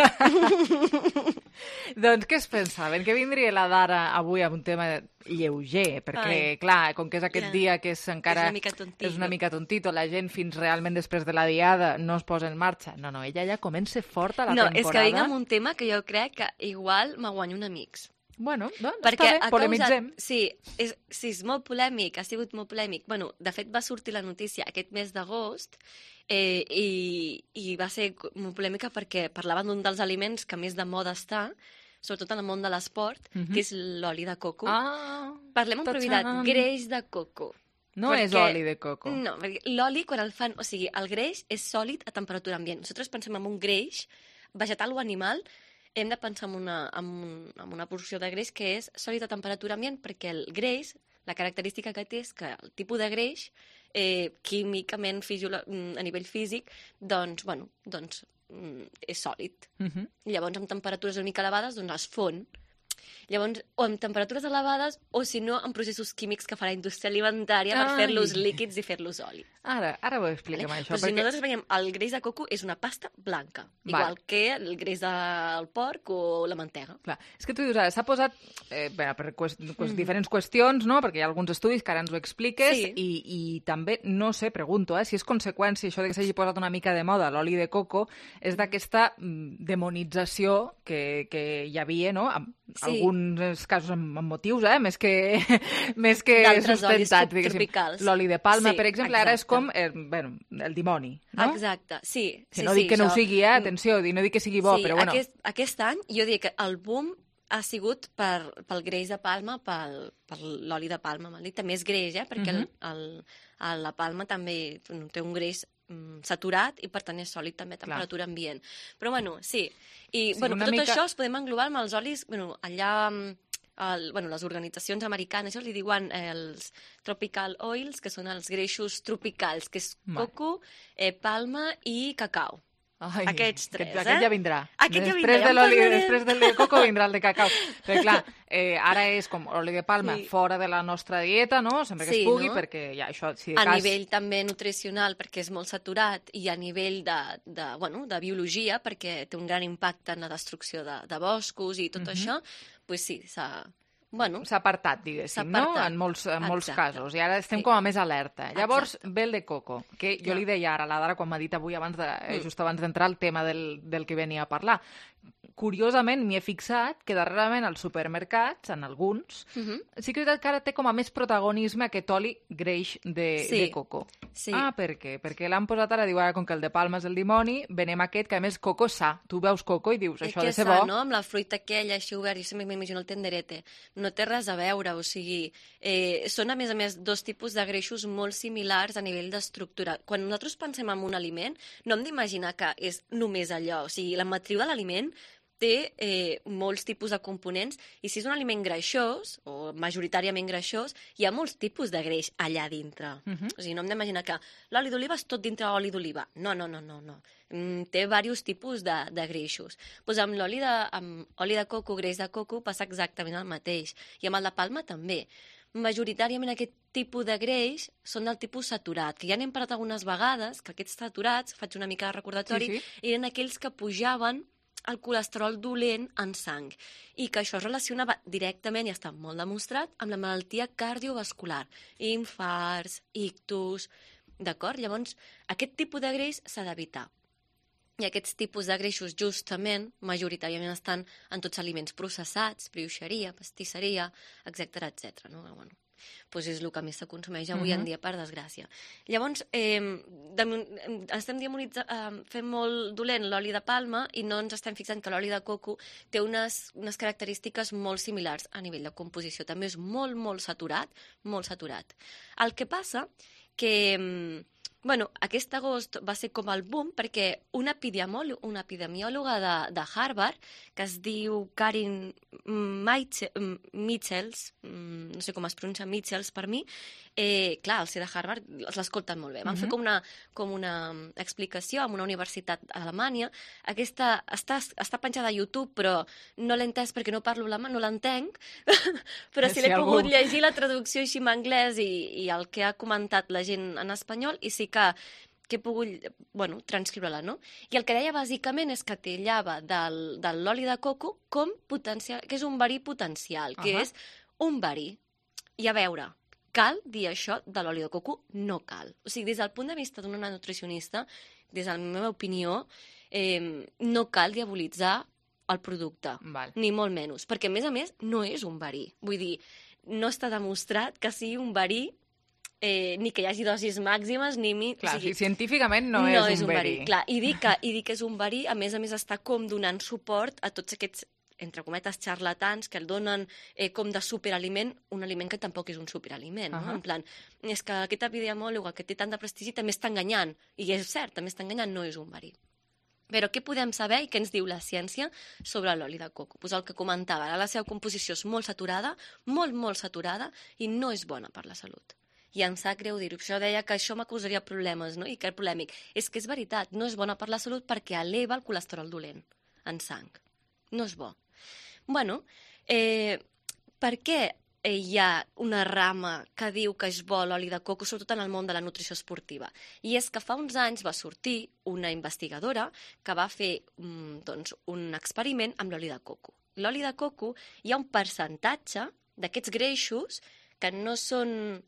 Doncs què es pensaven? Que vindria la Dara avui amb un tema lleuger, perquè, Ai. clar, com que és aquest Ja. dia que és encara... És una mica tontito. És una mica tontito, la gent fins realment després de la diada no es posa en marxa. No, no, ella ja comença forta la No, temporada. és que vinc amb un tema que jo crec que igual me guanyo un amics. Bueno, doncs Perquè està bé, ha polemitzem. Causat, sí, és, sí, és molt polèmic, ha sigut molt polèmic. Bueno, de fet, va sortir la notícia aquest mes d'agost eh, i, i va ser molt polèmica perquè parlaven d'un dels aliments que més de moda està, sobretot en el món de l'esport, Mhm. que és l'oli de coco. Ah, Parlem amb propietat, ta-txan. greix de coco. No és oli de coco. No, perquè l'oli, quan el fan... O sigui, el greix és sòlid a temperatura ambient. Nosaltres pensem en un greix vegetal o animal, hem de pensar en una, en, un, en una porció de greix que és sòlid a temperatura ambient, perquè el greix, la característica que té és que el tipus de greix, eh, químicament, fisiolo... a nivell físic, doncs, bueno, doncs, mm, és sòlid. Mhm. I llavors, amb temperatures una mica elevades, doncs es fon. Llavors, o amb temperatures elevades, o si no, amb processos químics que fa la indústria alimentària per Ai. fer-los líquids i fer-los oli. Ara, ara ho expliquem, Vale? això. Però si nosaltres veiem, el greix de coco és una pasta blanca, Val. igual que el greix del porc o la mantega. Clar, és que tu dius, ara, s'ha posat eh, bé, per qüest, qüest, Mm. diferents qüestions, no? Perquè hi ha alguns estudis que ara ens ho expliques, Sí. i, i també, no sé, pregunto, eh, si és conseqüència, això de que s'hagi posat una mica de moda l'oli de coco, és d'aquesta mm, demonització que, que hi havia, no? En Sí. alguns casos amb, amb motius, eh? Més que, més que D'altres olis sustentats, diguéssim. tropicals. L'oli de palma, Sí, per exemple, ara és exacte. com eh, bueno, el dimoni, no? Exacte, sí. Que sí, no sí, dic que no això- ho sigui, eh? Atenció, no dic que sigui bo, sí, però bueno. Aquest, aquest any jo diria que el boom ha sigut per, pel greix de palma, pel, per l'oli de palma, m'han dit. També és greix, eh? Perquè Mhm. el, el, el, la palma també bueno, té un greix mm, saturat i per tant és sòlid també a temperatura ambient. Però bueno, sí. I Sí, bueno, una tot mica- això es podem englobar amb els olis, bueno, allà mm, el, bueno, les organitzacions americanes, això li diuen eh, els tropical oils, que són els greixos tropicals, que és Vale. coco, eh, palma i cacau. Ai, Aquests tres, aquest, eh? Aquest ja vindrà. Aquest ja després vindrà, ja de en l'oli, parlarem. després del de coco vindrà el de cacau. Però clar, eh, ara és com oli de palma Sí. fora de la nostra dieta, no? Sempre que Sí, es pugui, no? perquè ja això, si de A cas... nivell també nutricional, perquè és molt saturat, i a nivell de, de, bueno, de biologia, perquè té un gran impacte en la destrucció de, de boscos i tot Mhm. això, doncs sí, s'ha... Bueno, s'ha apartat, diguéssim, no? apartat. En molts, en molts Exacte. casos. I ara estem Sí. com a més alerta. Llavors, Exacte. ve el de coco, que jo Clar. li deia ara a la Dara, quan m'ha dit avui, abans de, eh, Mm. just abans d'entrar, el tema del, del que venia a parlar. Curiosament, m'hi he fixat que darrerament als supermercats, en alguns, Mhm. sí que és veritat que ara té com a més protagonisme aquest oli greix de, Sí. de coco. Sí. Ah, per què? Perquè l'han posat ara, diu, ara, com que el de palma és el dimoni, venem aquest, que a més coco sa. Tu veus coco i dius, I això ha que de ser sa, bo. no? Amb la fruita aquella així obert, jo sempre m'imagino el tenderete. No té res a veure, o sigui, eh, són a més a més dos tipus de greixos molt similars a nivell d'estructura. Quan nosaltres pensem en un aliment, no hem d'imaginar que és només allò, o sigui, la matriu de l'aliment té eh, molts tipus de components, i si és un aliment greixós, o majoritàriament greixós, hi ha molts tipus de greix allà dintre. Mhm. O sigui, no hem d'imaginar que l'oli d'oliva és tot dintre l'oli d'oliva. No, no, no, no, no. Mm, té diversos tipus de, de greixos. Pues amb l'oli de, amb oli de coco, greix de coco, passa exactament el mateix. I amb el de palma també. Majoritàriament aquest tipus de greix són del tipus saturat, que ja n'hem parlat algunes vegades, que aquests saturats, faig una mica de recordatori, Sí, sí. eren aquells que pujaven el colesterol dolent en sang, i que això es relacionava directament, i està molt demostrat, amb la malaltia cardiovascular, infarts, ictus, d'acord? Llavors, aquest tipus de greix s'ha d'evitar. I aquests tipus de greixos, justament, majoritàriament estan en tots aliments processats, brioixeria, pastisseria, etcètera, etcètera. No? Bueno, doncs és el que més se consumeix avui en Mhm. dia, per desgràcia. Llavors, eh, de, estem demonitzant, eh, fent molt dolent l'oli de palma, i no ens estem fixant que l'oli de coco té unes, unes característiques molt similars a nivell de composició. També és molt, molt saturat, molt saturat. El que passa que... Bueno, aquest agost va ser com el boom perquè una epidemiòloga, una epidemiòloga de, de Harvard, que es diu Karin Michels, no sé com es pronuncia Michels per mi, eh, clar, el C de Harvard l'escolten molt bé. Van Mhm. fer com una, com una explicació en una universitat a Alemanya. Aquesta està, està penjada a YouTube, però no l'he entès perquè no parlo alemany, no l'entenc, però sí Si l'he algú- pogut llegir la traducció així en anglès i, i el que ha comentat la gent en espanyol, i sí que que he pogut, bueno, transcriure-la, no? I el que deia bàsicament és que tillava del, de l'oli de coco com potencial, que és un verí potencial, que Ahà. és un verí. I a veure, cal dir això de l'oli de coco? No cal. O sigui, des del punt de vista d'una nutricionista, des de la meva opinió, eh, no cal diabolitzar el producte, Val. ni molt menys, perquè a més a més no és un verí. Vull dir, no està demostrat que sigui un verí, eh, ni que hi hagi dosis màximes, ni... Mi... Clar, o sigui, si científicament no, és un verí. Clar, i dir, que, i dir que és un verí, a més a més està com donant suport a tots aquests, entre cometes, xarlatans que el donen eh, com de superaliment, un aliment que tampoc és un superaliment, uh -huh. no? En plan, és que aquest epidemiòleg que té tant de prestigi també està enganyant, i és cert, també està enganyant, no és un verí. Però què podem saber i què ens diu la ciència sobre l'oli de coco? Pues el que comentava, ara la seva composició és molt saturada, molt, molt saturada, i no és bona per la salut. I em sap greu dir-ho. Això deia que això m'acusaria problemes, no? I que era polèmic. És que és veritat, no és bona per la salut perquè eleva el colesterol dolent en sang. No és bo. Bueno, Eh, per què hi ha una rama que diu que és bo l'oli de coco, sobretot en el món de la nutrició esportiva? I és que fa uns anys va sortir una investigadora que va fer doncs, un experiment amb l'oli de coco. L'oli de coco hi ha un percentatge d'aquests greixos que no són...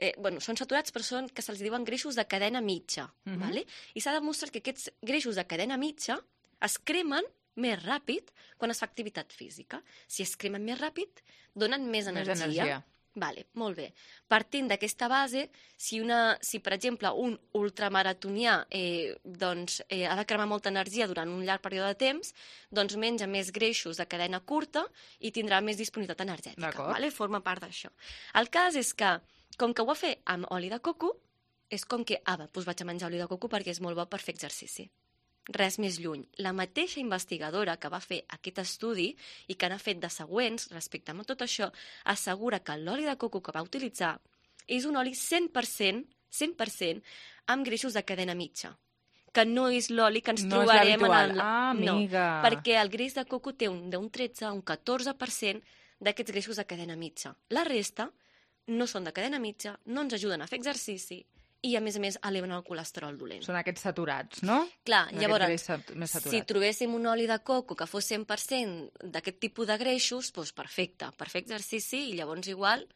Eh, bueno, són saturats, però són que se'ls diuen greixos de cadena mitja. Uh-huh. Vale? I s'ha demostrat que aquests greixos de cadena mitja es cremen més ràpid quan es fa activitat física. Si es cremen més ràpid, donen més energia. Més energia. Vale, molt bé. Partint d'aquesta base, si, una, si per exemple un ultramaratonià eh, doncs, eh, ha de cremar molta energia durant un llarg període de temps, doncs menja més greixos de cadena curta i tindrà més disponibilitat energètica. Vale? Forma part d'això. El cas és que, com que ho va fer amb oli de coco, és com que, ah, va, doncs vaig a menjar oli de coco perquè és molt bo per fer exercici. Res més lluny. La mateixa investigadora que va fer aquest estudi i que n'ha fet de següents respecte a tot això, assegura que l'oli de coco que va utilitzar és un oli cent per cent, cent per cent amb greixos de cadena mitja, que no és l'oli que ens no trobarem en el... Ah, amiga. No, perquè el greix de coco té un, d'un tretze a un catorze per cent d'aquests greixos de cadena mitja. La resta no són de cadena mitja, no ens ajuden a fer exercici, i, a més a més, eleven el colesterol dolent. Són aquests saturats, no? Clar, llavors, més si trobéssim un oli de coco que fos cent per cent d'aquest tipus de greixos, doncs perfecte, per fer exercici, i llavors igual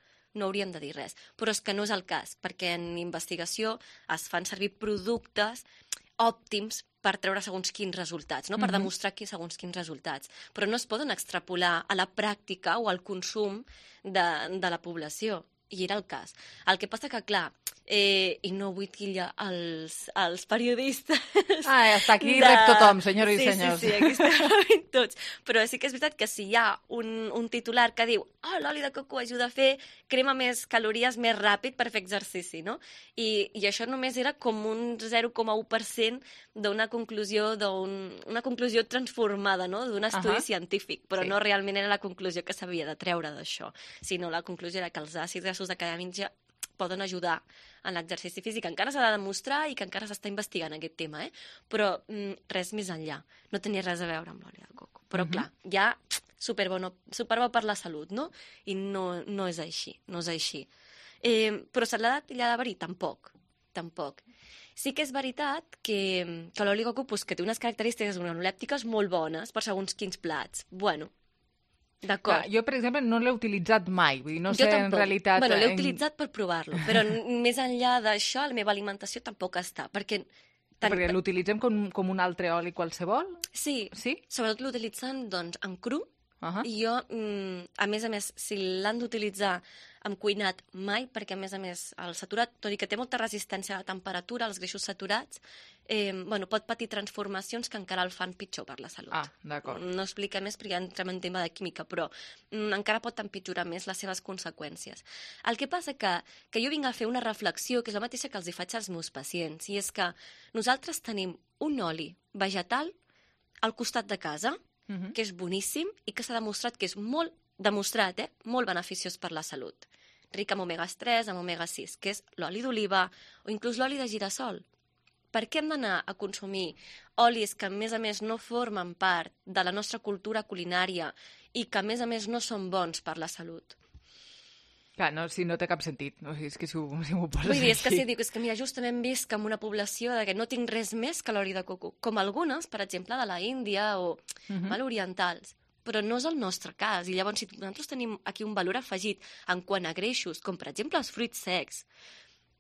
no hauríem de dir res. Però és que no és el cas, perquè en investigació es fan servir productes òptims per treure segons quins resultats, no? Per Mhm. demostrar qui segons quins resultats. Però no es poden extrapolar a la pràctica o al consum de, de la població. I era el cas. El que passa que, clar, eh, i no vull tillar els, els periodistes... Ah, hasta aquí de... rep tothom, senyores sí, i senyors. Sí, sí, aquí estem rebent tots. Però sí que és veritat que si hi ha un, un titular que diu oh, l'oli de coco ajuda a fer crema més calories més ràpid per fer exercici, no? I, i això només era com un zero coma u per cent d'una conclusió, d'un, una conclusió transformada, no? D'un estudi Ahà. científic, però Sí. no realment era la conclusió que s'havia de treure d'això, sinó la conclusió era que els àcids grassos de cadena mitja poden ajudar en l'exercici físic. Encara s'ha de demostrar i que encara s'està investigant aquest tema, eh? Però mm, res més enllà. No tenia res a veure amb l'oli de coco. Però, Mhm. clar, ja superbo, no, superbo per la salut, no? I no, no és així, no és així. Eh, però se l'ha de tillar de verí? Tampoc, tampoc. Sí que és veritat que, que l'oli de coco pues, que té unes característiques organolèptiques molt bones per segons quins plats. Bueno, d'acord. Clar, jo, per exemple, no l'he utilitzat mai. Vull dir, no Jo sé tampoc. en realitat... Bueno, l'he en- utilitzat per provar-lo, però n- més enllà d'això, la meva alimentació tampoc està, perquè... Tant... Perquè l'utilitzem com, com un altre oli qualsevol? Sí, sí? Sobretot l'utilitzen doncs, en cru, Uh-huh. i jo, mm, a més a més, si l'han d'utilitzar amb cuinat mai, perquè a més a més el saturat, tot i que té molta resistència a la temperatura, els greixos saturats, eh, bueno, pot patir transformacions que encara el fan pitjor per la salut. Ah, d'acord. No explica més perquè ja entrem en tema de química, però mm, encara pot empitjorar més les seves conseqüències. El que passa que, que jo vinc a fer una reflexió, que és la mateixa que els hi faig als meus pacients, i és que nosaltres tenim un oli vegetal al costat de casa, Mhm. que és boníssim i que s'ha demostrat que és molt, demostrat, eh, molt beneficiós per la salut. Ric amb omega tres, amb omega sis, que és l'oli d'oliva o inclús l'oli de girassol. Per què hem d'anar a consumir olis que, a més a més, no formen part de la nostra cultura culinària i que, a més a més, no són bons per la salut? Clar, no, sí, no té cap sentit. No, és que si ho, si ho poses Vull dir, és que així... si dic, és que mira, justament visc en una població de que no tinc res més que l'oli de coco, com algunes, per exemple, de la Índia o Mhm. mal orientals, però no és el nostre cas. I llavors, si nosaltres tenim aquí un valor afegit en quant a greixos, com per exemple els fruits secs,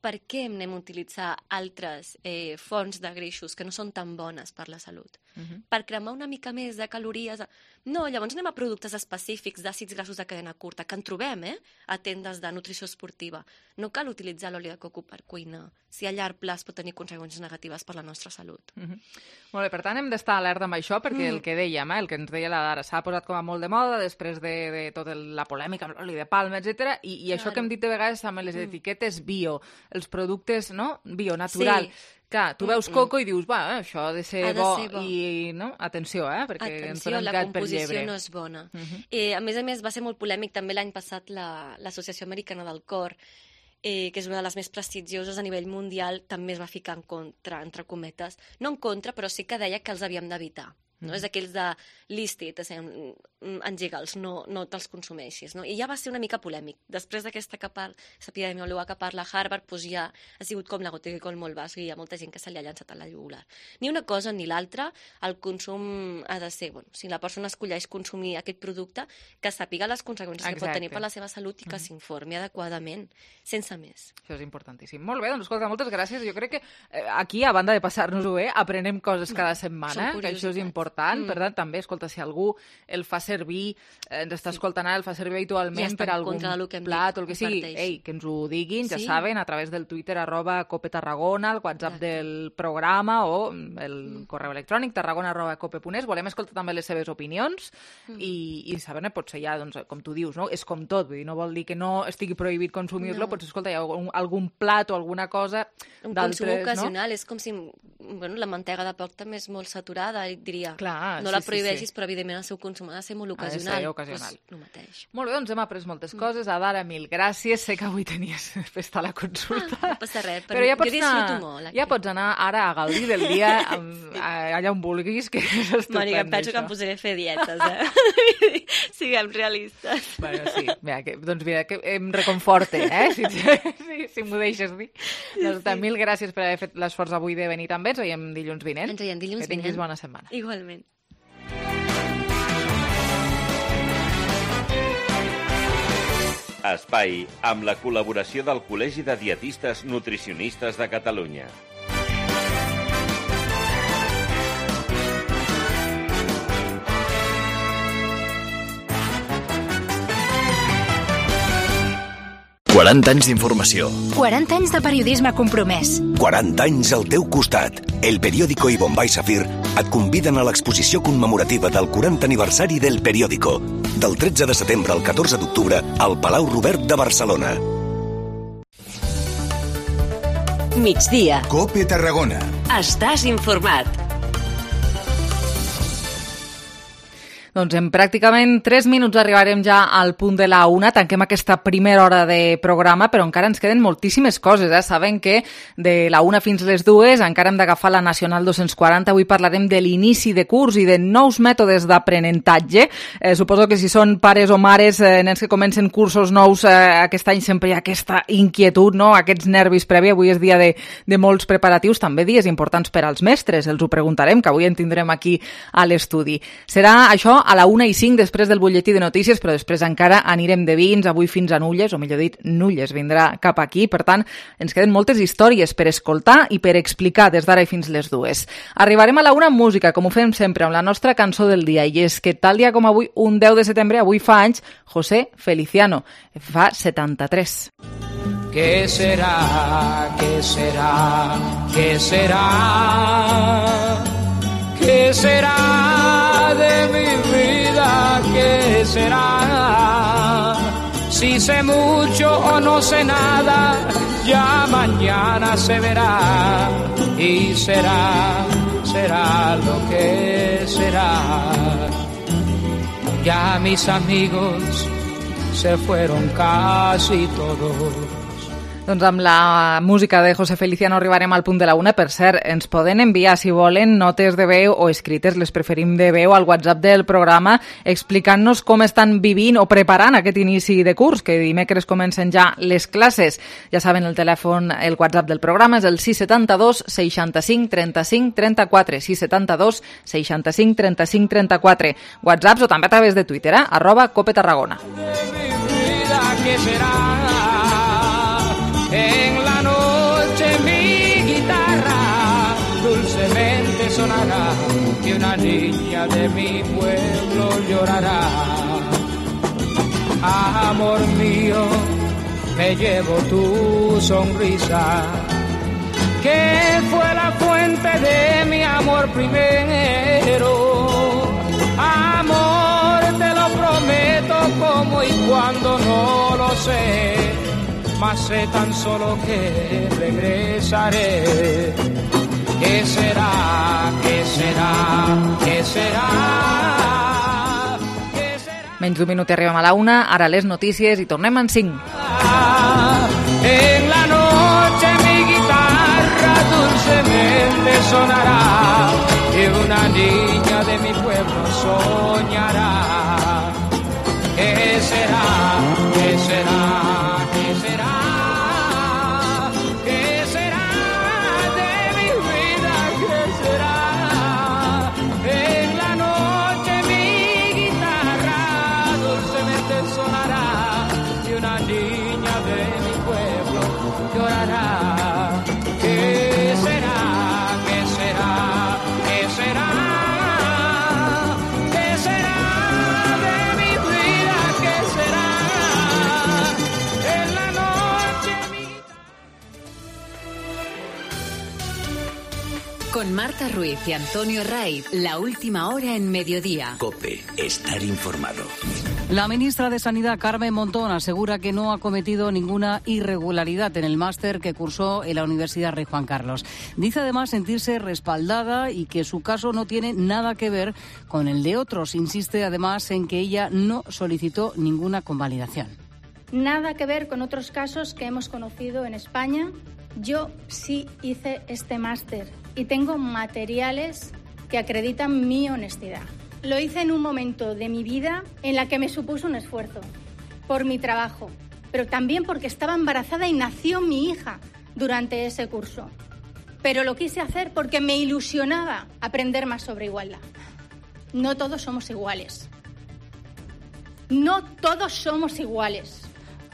per què hem anem a utilitzar altres eh, fonts de greixos que no són tan bones per la salut? Mhm. Per cremar una mica més de calories... No, llavors anem a productes específics d'àcids grassos de cadena curta, que en trobem, eh?, a tendes de nutrició esportiva. No cal utilitzar l'oli de coco per cuinar, si a llarg plaç pot tenir conseqüències negatives per la nostra salut. Mhm. Molt bé, per tant, hem d'estar alerta amb això, perquè Mm. el que dèiem, eh, el que ens deia la Dara, s'ha posat com a molt de moda després de, de tota la polèmica amb l'oli de palma, etcètera. I, i això Claro. que hem dit de vegades amb les Mm. etiquetes bio, els productes, no?, bio, natural. Sí. Clar, tu veus Mm-mm. coco i dius, va, eh, això ha de ser, Ha de bo, ser bo. i, no?, atenció, eh, perquè ens Atenció, donem la gat per composició llebre. no és bona. Mhm. Eh, a més a més, va ser molt polèmic també l'any passat la- l'Associació Americana del Cor, eh, que és una de les més prestigioses a nivell mundial, també es va ficar en contra, entre cometes. No en contra, però sí que deia que els havíem d'evitar. no? És d'aquells de lístit, engega'ls, no, no te'ls consumeixis, no? I ja va ser una mica polèmic. Després d'aquesta epidemiòloga que parla a Harvard, doncs ja ha sigut com la gota que col molt basc i hi ha molta gent que se li ha llançat a la jugular. Ni una cosa ni l'altra, el consum ha de ser, bueno, si la persona escolleix consumir aquest producte, que sàpiga les conseqüències Exacte. que pot tenir per la seva salut i que mm. s'informi adequadament, sense més. Això és importantíssim. Molt bé, doncs escolta, moltes gràcies. Jo crec que aquí, a banda de passar-nos-ho bé, aprenem coses cada setmana, que això és important. Mm. Per tant, també, escolta, si algú el fa servir, ens està sí. escoltant ara, el fa servir habitualment ja per algun plat o el que sigui, ei, que ens ho diguin, ja sí. saben, a través del Twitter, arroba Cope Tarragona, el WhatsApp Exacte. del programa o el mm. correu electrònic, tarragona arroba cope punt es. Volem escoltar també les seves opinions mm. i, i saber-ne, potser ja, doncs, com tu dius, no? És com tot, vull dir, no vol dir que no estigui prohibit consumir-lo, no. potser, escolta, hi ha algun, algun plat o alguna cosa un d'altres, consum ocasional, no? És com si, bueno, la mantega de porc també és molt saturada, diria. Clar, no sí, la prohibeixis, sí, sí. però evidentment el seu consum ha de ser molt ocasional. Ha de ser ocasional. Pues, el mateix. Molt bé, doncs hem après moltes coses. Adara, mil gràcies. Sé que avui tenies festa a la consulta. Ah, no passa res, però, però ja jo disfruto anar, molt. Aquí. Ja pots anar ara a gaudir del dia amb, sí. allà on vulguis, que és estupend. Mònica, em penso això. que em posaré a fer dietes, eh? Siguem realistes. Bueno, sí. Mira, que, doncs mira, que em reconforte, eh? Si, si, si m'ho deixes dir. Sí, doncs, sí. Mil gràcies per haver fet l'esforç avui de venir també. Ens veiem dilluns vinent. Ens veiem dilluns vinent. Que tinguis bona setmana. Igualment. Espai amb la col·laboració del Col·legi de Dietistes Nutricionistes de Catalunya. quaranta anys d'informació. quaranta anys de periodisme compromès. quaranta anys al teu costat. El Periódico i Bombay Safir et conviden a l'exposició commemorativa del quaranta aniversari del Periódico, del tretze de setembre al catorze d'octubre al Palau Robert de Barcelona. Migdia. Cope Tarragona. Estàs informat. Doncs en pràcticament tres minuts arribarem ja al punt de la una, tanquem aquesta primera hora de programa, però encara ens queden moltíssimes coses. Eh? Saben que de la una fins les dues encara hem d'agafar la Nacional dos-cents quaranta. Avui parlarem de l'inici de curs i de nous mètodes d'aprenentatge. Eh, suposo que si són pares o mares, eh, nens que comencen cursos nous, eh, aquest any sempre hi ha aquesta inquietud, no? Aquests nervis previ. Avui és dia de, de molts preparatius, també dies importants per als mestres. Els ho preguntarem, que avui en tindrem aquí a l'estudi. Serà això a la una i cinc després del butlletí de notícies, però després encara anirem de vins, avui fins a Nulles, o millor dit, Nulles vindrà cap aquí. Per tant, ens queden moltes històries per escoltar i per explicar des d'ara i fins les dues. Arribarem a la una amb música, com ho fem sempre, amb la nostra cançó del dia, i és que tal dia com avui, un deu de setembre, avui fa anys, José Feliciano, fa setanta-tres. ¿Qué será? ¿Qué será? ¿Qué será? ¿Qué será de mi vida? ¿Qué será? Si sé mucho o no sé nada, ya mañana se verá. Y será, será lo que será. Ya mis amigos se fueron casi todos. Doncs amb la música de José Feliciano arribarem al punt de la una. Per cert, ens poden enviar, si volen, notes de veu o escrites, les preferim de veu, al WhatsApp del programa, explicant-nos com estan vivint o preparant aquest inici de curs, que dimecres comencen ja les classes. Ja saben, el telèfon, el WhatsApp del programa és el sis set dos, seixanta-cinc, trenta-cinc, trenta-quatre, sis set dos, seixanta-cinc, trenta-cinc, trenta-quatre. WhatsApps o també a través de Twitter, eh? arroba Cope Tarragona. En la noche mi guitarra dulcemente sonará y una niña de mi pueblo llorará. Amor mío, me llevo tu sonrisa, que fue la fuente de mi amor primero. Amor, te lo prometo, como y cuando no lo sé, mas sé tan solo que regresaré. ¿Qué será? ¿Qué será? ¿Qué será? ¿Qué será? Menys d'un minut i arribem a la una, ara les notícies i tornem en cinc. En la noche mi guitarra dulcemente sonará y una niña de mi Con Marta Ruiz y Antonio Raiz, la última hora en mediodía. COPE, estar informado. La ministra de Sanidad, Carmen Montón, asegura que no ha cometido ninguna irregularidad en el máster que cursó en la Universidad Rey Juan Carlos. Dice además sentirse respaldada y que su caso no tiene nada que ver con el de otros. Insiste además en que ella no solicitó ninguna convalidación. Nada que ver con otros casos que hemos conocido en España. Yo sí hice este máster y tengo materiales que acreditan mi honestidad. Lo hice en un momento de mi vida en la que me supuso un esfuerzo, por mi trabajo, pero también porque estaba embarazada y nació mi hija durante ese curso. Pero lo quise hacer porque me ilusionaba aprender más sobre igualdad. No todos somos iguales. No todos somos iguales.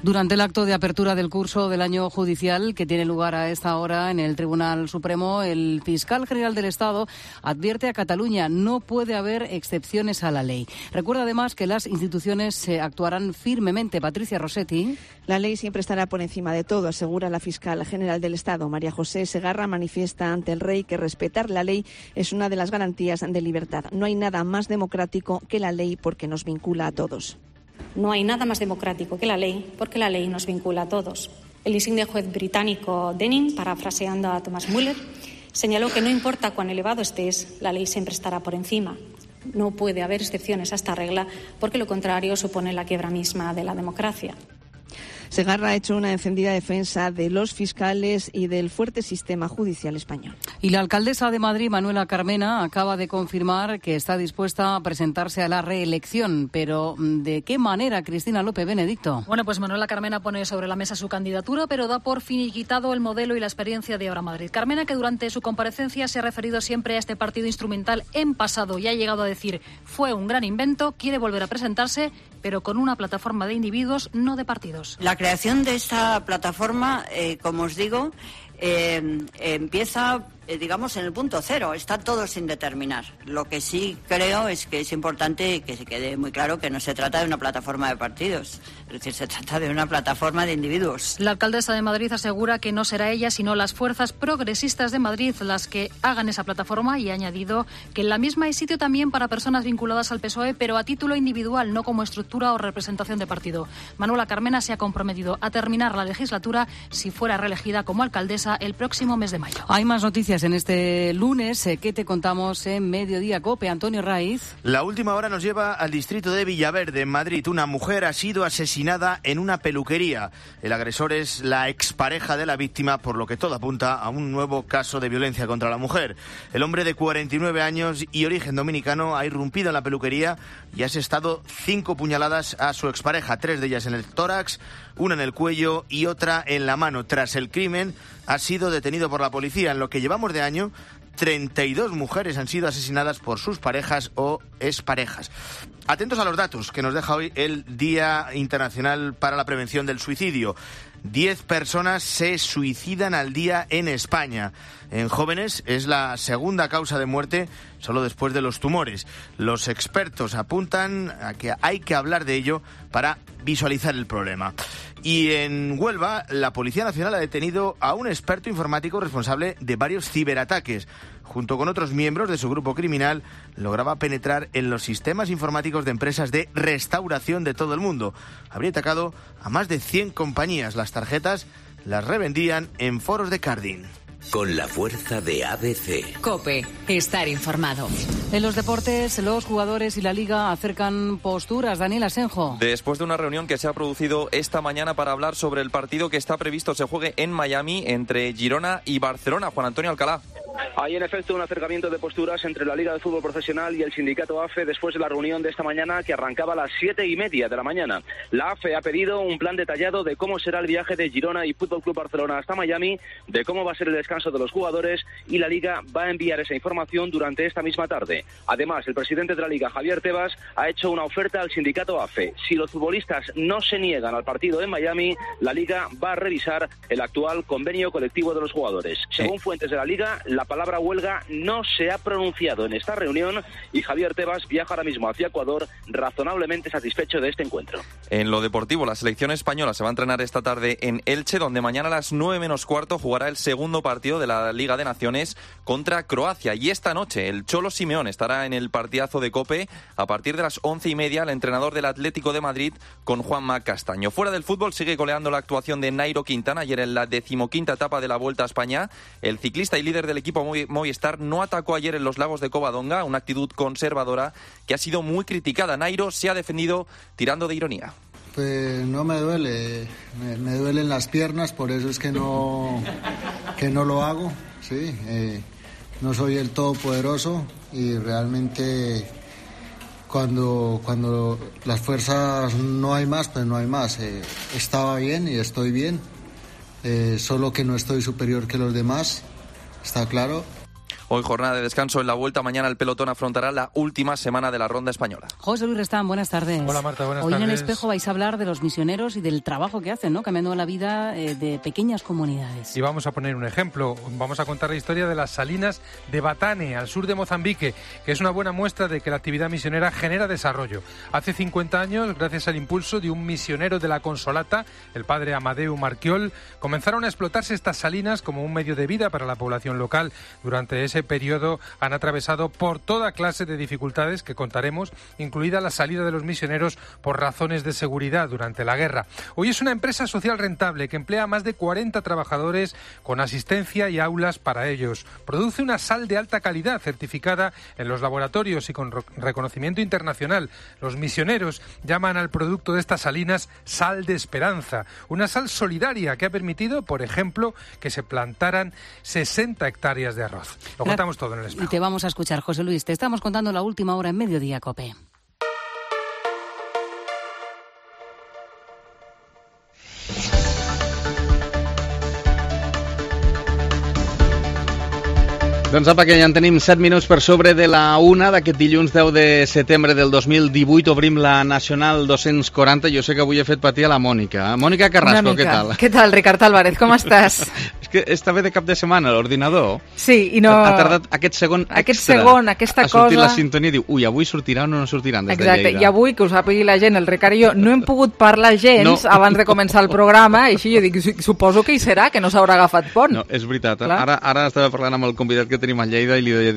Durante el acto de apertura del curso del año judicial que tiene lugar a esta hora en el Tribunal Supremo, el fiscal general del Estado advierte a Cataluña no puede haber excepciones a la ley. Recuerda además que las instituciones actuarán firmemente. Patricia Rossetti. La ley siempre estará por encima de todo, asegura la fiscal general del Estado. María José Segarra manifiesta ante el rey que respetar la ley es una de las garantías de libertad. No hay nada más democrático que la ley porque nos vincula a todos. No hay nada más democrático que la ley, porque la ley nos vincula a todos. El insigne juez británico Denning, parafraseando a Thomas Muller, señaló que no importa cuán elevado estés, la ley siempre estará por encima. No puede haber excepciones a esta regla, porque lo contrario supone la quiebra misma de la democracia. Segarra ha hecho una encendida defensa de los fiscales y del fuerte sistema judicial español. Y la alcaldesa de Madrid, Manuela Carmena, acaba de confirmar que está dispuesta a presentarse a la reelección. Pero ¿de qué manera, Cristina López Benedicto? Bueno, pues Manuela Carmena pone sobre la mesa su candidatura, pero da por finiquitado el modelo y la experiencia de Ahora Madrid. Carmena, que durante su comparecencia se ha referido siempre a este partido instrumental en pasado y ha llegado a decir fue un gran invento, quiere volver a presentarse, pero con una plataforma de individuos, no de partidos. La creación de esta plataforma, eh, como os digo, eh, empieza, eh, digamos, en el punto cero. Está todo sin determinar. Lo que sí creo es que es importante que se quede muy claro que no se trata de una plataforma de partidos. Es decir, se trata de una plataforma de individuos. La alcaldesa de Madrid asegura que no será ella, sino las fuerzas progresistas de Madrid las que hagan esa plataforma, y ha añadido que en la misma hay sitio también para personas vinculadas al P S O E, pero a título individual, no como estructura o representación de partido. Manuela Carmena se ha comprometido a terminar la legislatura si fuera reelegida como alcaldesa el próximo mes de mayo. Hay más noticias en este lunes eh, que te contamos en Mediodía COPE. Antonio Raiz. La última hora nos lleva al distrito de Villaverde, en Madrid. Una mujer ha sido asesinada en una peluquería. El agresor es la expareja de la víctima, por lo que todo apunta a un nuevo caso de violencia contra la mujer. El hombre de cuarenta y nueve años y origen dominicano ha irrumpido en la peluquería y ha asestado cinco puñaladas a su expareja, tres de ellas en el tórax, una en el cuello y otra en la mano. Tras el crimen, ha sido detenido por la policía. En lo que llevamos de año, treinta y dos mujeres han sido asesinadas por sus parejas o exparejas. Atentos a los datos que nos deja hoy el Día Internacional para la Prevención del Suicidio. Diez personas se suicidan al día en España. En jóvenes es la segunda causa de muerte, solo después de los tumores. Los expertos apuntan a que hay que hablar de ello para visualizar el problema. Y en Huelva, la Policía Nacional ha detenido a un experto informático responsable de varios ciberataques. Junto con otros miembros de su grupo criminal, lograba penetrar en los sistemas informáticos de empresas de restauración de todo el mundo. Habría atacado a más de cien compañías. Las tarjetas las revendían en foros de carding. Con la fuerza de A B C. COPE, estar informado. En los deportes, los jugadores y la Liga acercan posturas. Daniel Asenjo. Después de una reunión que se ha producido esta mañana para hablar sobre el partido que está previsto se juegue en Miami entre Girona y Barcelona. Juan Antonio Alcalá. Hay en efecto un acercamiento de posturas entre la Liga de Fútbol Profesional y el sindicato A F E después de la reunión de esta mañana que arrancaba a las siete y media de la mañana. La A F E ha pedido un plan detallado de cómo será el viaje de Girona y Fútbol Club Barcelona hasta Miami, de cómo va a ser el descanso de los jugadores, y la Liga va a enviar esa información durante esta misma tarde. Además, el presidente de la Liga, Javier Tebas, ha hecho una oferta al sindicato A F E. Si los futbolistas no se niegan al partido en Miami, la Liga va a revisar el actual convenio colectivo de los jugadores. Según fuentes de la Liga, la palabra palabra huelga no se ha pronunciado en esta reunión y Javier Tebas viaja ahora mismo hacia Ecuador razonablemente satisfecho de este encuentro. En lo deportivo, la selección española se va a entrenar esta tarde en Elche, donde mañana a las nueve menos cuarto jugará el segundo partido de la Liga de Naciones contra Croacia. Y esta noche el Cholo Simeone estará en el partidazo de COPE a partir de las once y media, el entrenador del Atlético de Madrid con Juanma Castaño. Fuera del fútbol sigue goleando la actuación de Nairo Quintana. Ayer en la decimoquinta etapa de la Vuelta a España, el ciclista y líder del equipo Movistar no atacó ayer en los lagos de Covadonga, una actitud conservadora que ha sido muy criticada. Nairo se ha defendido tirando de ironía. Pues no me duele, me, me duelen las piernas, por eso es que no, que no lo hago, sí, eh, no soy el todopoderoso y realmente cuando, cuando las fuerzas no hay más, pues no hay más. Eh, estaba bien y estoy bien, eh, solo que no estoy superior que los demás, está claro. Hoy jornada de descanso en la Vuelta. Mañana el pelotón afrontará la última semana de la ronda española. José Luis Restán, buenas tardes. Hola Marta, buenas Hoy tardes. en El Espejo vais a hablar de los misioneros y del trabajo que hacen, ¿no? Cambiando la vida eh, de pequeñas comunidades. Y vamos a poner un ejemplo. Vamos a contar la historia de las salinas de Batane, al sur de Mozambique, que es una buena muestra de que la actividad misionera genera desarrollo. Hace cincuenta años, gracias al impulso de un misionero de la Consolata, el padre Amadeu Marquiol, comenzaron a explotarse estas salinas como un medio de vida para la población local. Durante ese periodo han atravesado por toda clase de dificultades que contaremos, incluida la salida de los misioneros por razones de seguridad durante la guerra. Hoy es una empresa social rentable que emplea a más de cuarenta trabajadores con asistencia y aulas para ellos. Produce una sal de alta calidad certificada en los laboratorios y con reconocimiento internacional. Los misioneros llaman al producto de estas salinas sal de esperanza, una sal solidaria que ha permitido, por ejemplo, que se plantaran sesenta hectáreas de arroz. Lo contamos todo en El Espejo. Y te vamos a escuchar, José Luis. Te estamos contando la última hora en Mediodía COPE. Doncs apa, que ja en tenim set minuts per sobre de la una d'aquest dilluns deu de setembre del dos mil divuit. Obrim la Nacional dos-cents quaranta. Jo sé que avui he fet patir a la Mònica. Mònica Carrasco, què tal? Què tal, Ricard Álvarez, com estàs? És que estava de cap de setmana l'ordinador. Sí, i no... Ha tardat aquest segon aquest extra segon, aquesta a sortir cosa... la sintonia i diu, ui, avui sortiran o no sortiran des Exacte. de Lleida. I avui, que ho sàpigui la gent, el Ricard i jo no hem pogut parlar gens no. abans de començar el programa, i així jo dic, suposo que hi serà, que no s'haurà agafat pont. No, és veritat. Clar. Ara, ara estava parlant amb el convidat que tenim a Lleida i li deia,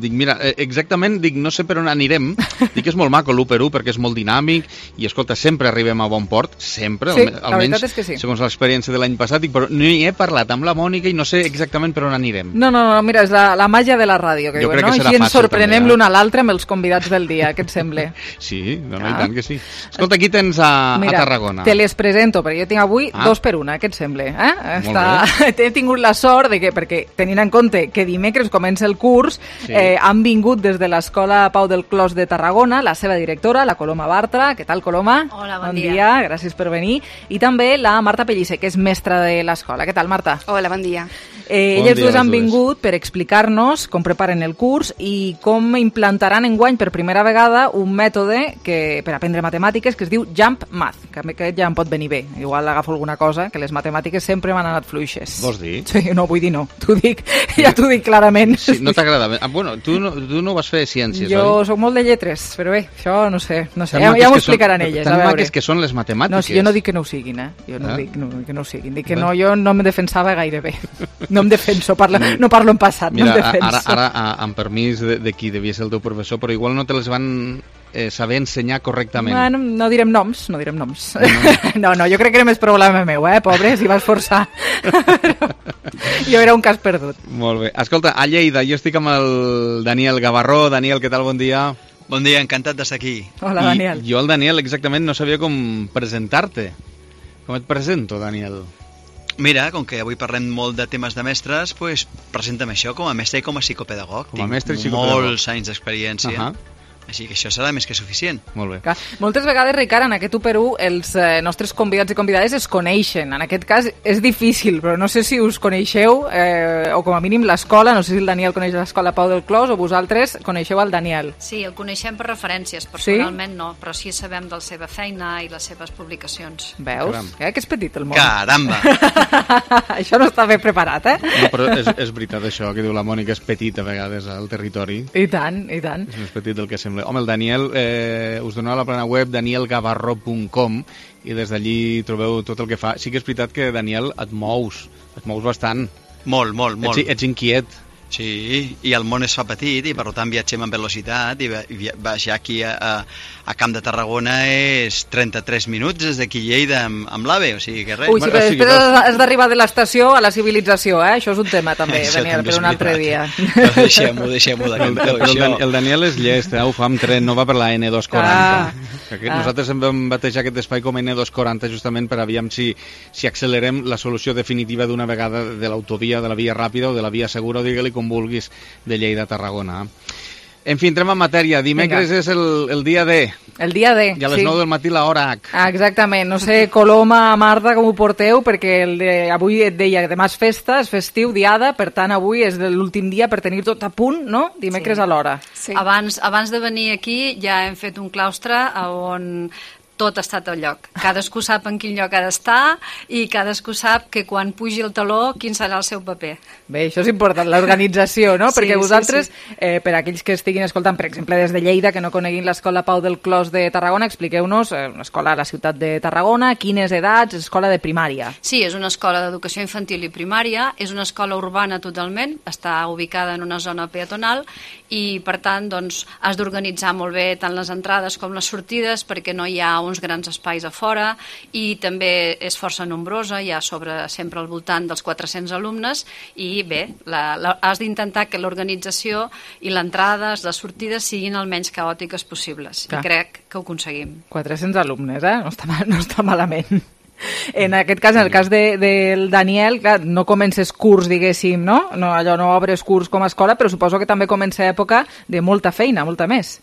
dic, mira, exactament, dic, no sé per on anirem, dic que és molt maco l'u per u perquè és molt dinàmic i, escolta, sempre arribem a bon port, sempre, sí, almenys, almenys és que sí. segons l'experiència de l'any passat, dic, però no hi he parlat amb la Mònica i no sé exactament per on anirem. No, no, no, mira, és la, la màgia de la ràdio, que jo diuen, crec no? que serà Així ens fàcil, sorprenem també, l'un a l'altre amb els convidats del dia, què et sembla? Sí, no, no, Ah. i tant que sí. Escolta, aquí tens a, Mira, a Tarragona. te les presento, perquè jo tinc avui Ah. dos per una, què et sembla? Eh? Molt Està... He tingut la sort de que, perquè tenint en compte que dimecres comença el curs, Sí. eh, han vingut des de l'Escola Pau del Clos de Tarragona, la seva directora, la Coloma Bartra. Què tal, Coloma? Hola, bon, bon dia. dia. Gràcies per venir. I també la Marta Pellicer, que és mestra de l'escola. Què tal, Marta? Hola, bon dia. Eh, Bon elles dia, dues les han dues. vingut per explicar-nos com preparen el curs i com implantaran enguany per primera vegada un mètode que per aprendre matemàtiques que es diu Jump Math, que aquest ja em pot venir bé. Igual agafo alguna cosa, que les matemàtiques sempre m'han anat fluixes. Vols dir? Sí, no, vull dir no. T'ho dic, ja t'ho dic clarament. Sí, no t'agrada? Ah, bueno, tu no, tu no vas fer ciències, Jo oi? sóc molt de lletres, però bé, això no sé, no sé. Tan Ja, maques ja m'ho que són- explicaran elles, tan a veure. maques que són les matemàtiques. No, si jo no dic que no ho siguin, eh? Jo no Ah. dic no, que no ho siguin. Dic que Bueno. no, jo no em defensava gaire bé. No em defenso, parlo, no parlo en passat, Mira, no em defenso. ara, ara a- amb permís de, de qui devia ser el teu professor, però igual no te les van eh, saber ensenyar correctament. Bueno, no direm noms, no direm noms. No, no, jo crec que era més problema meu, eh, pobre, s'hi va esforçar. Jo era un cas perdut. Molt bé. Escolta, a Lleida, jo estic amb el Daniel Gavarró. Daniel, què tal? Bon dia. Bon dia, encantat d'estar aquí. Hola, I Daniel. jo, el Daniel, exactament no sabia com presentar-te. Com et presento, Daniel? Mira, com que avui parlem molt de temes de mestres, pues, presenta'm això com a mestre i com a psicopedagog. Com a mestre i Tinc psicopedagog. molts anys d'experiència. Uh -huh. Així que això serà més que suficient. Molt bé. Clar. Moltes vegades, Ricard, en aquest u per u els eh, nostres convidats i convidades es coneixen. En aquest cas és difícil, però no sé si us coneixeu, eh, o com a mínim l'escola, no sé si el Daniel coneix l'escola Pau del Clos o vosaltres coneixeu el Daniel. Sí, el coneixem per referències, personalment sí? no, però sí sabem de la seva feina i les seves publicacions. Veus? Eh, que és petit el món. Caramba! Això no està ben preparat, eh? No, però és, és veritat això que diu la Mònica, és petit a vegades al territori. I tant, i tant. És més petit del que sembla. Home, el Daniel, eh, us doneu la plana web daniel gavarró punt com i des d'allí trobeu tot el que fa. Sí que és veritat que, Daniel, et mous, et mous bastant. Molt, molt, molt. Ets, ets inquiet. Sí, i el món es fa petit i per tant viatgem amb velocitat i baixar aquí a, a, a Camp de Tarragona és trenta-tres minuts des d'aquí Lleida amb, amb l'AVE, o sigui que res. Ui, sí, però després has d'arribar de l'estació a la civilització, eh? Això és un tema també, Això Daniel, també per un altre dia. Però deixem-ho, deixem-ho de el, el, el, el Daniel és llest, eh? Ho fa amb tren, no va per la ene dos quaranta. Ah, ah. Nosaltres hem vam batejar aquest espai com ene dos quaranta justament per aviam si, si accelerem la solució definitiva d'una vegada de l'autovia, de la via ràpida o de la via segura, o digue-li com vulguis, de Lleida a Tarragona. En fi, entrem en matèria. Dimecres Vinga. és el, el dia D. El dia D, I a les sí. nou del matí l'hora H. Ah, exactament. No sé, Coloma, Marta, com ho porteu, perquè el de, avui et deia que demà és festa, és festiu, diada, per tant avui és l'últim dia per tenir tot a punt, no? Dimecres sí. a l'hora. Sí. Abans, abans de venir aquí ja hem fet un claustre on tot ha estat al lloc. Cadascú sap en quin lloc ha d'estar i cadascú sap que quan pugi el taló quin serà el seu paper. Bé, això és important, l'organització, no? Sí, Perquè vosaltres, sí, sí. Eh, per aquells que estiguin escoltant, per exemple, des de Lleida, que no coneguin l'escola Pau del Clos de Tarragona, expliqueu-nos, eh, una escola a la ciutat de Tarragona, quines edats, escola de primària. Sí, és una escola d'educació infantil i primària, és una escola urbana totalment, està ubicada en una zona peatonal i, per tant, doncs, has d'organitzar molt bé tant les entrades com les sortides perquè no hi ha uns grans espais a fora i també és força nombrosa, hi ha sobre sempre al voltant dels quatre-cents alumnes i bé, la, la, has d'intentar que l'organització i l'entrada, les sortides siguin el menys caòtiques possibles. Clar. I crec que ho aconseguim. quatre-cents alumnes, eh? No està, no està malament. En aquest cas, en el cas de, del Daniel, clar, no comences curs, diguéssim, no? no? Allò no obres curs com a escola, però suposo que també comença època de molta feina, molta més.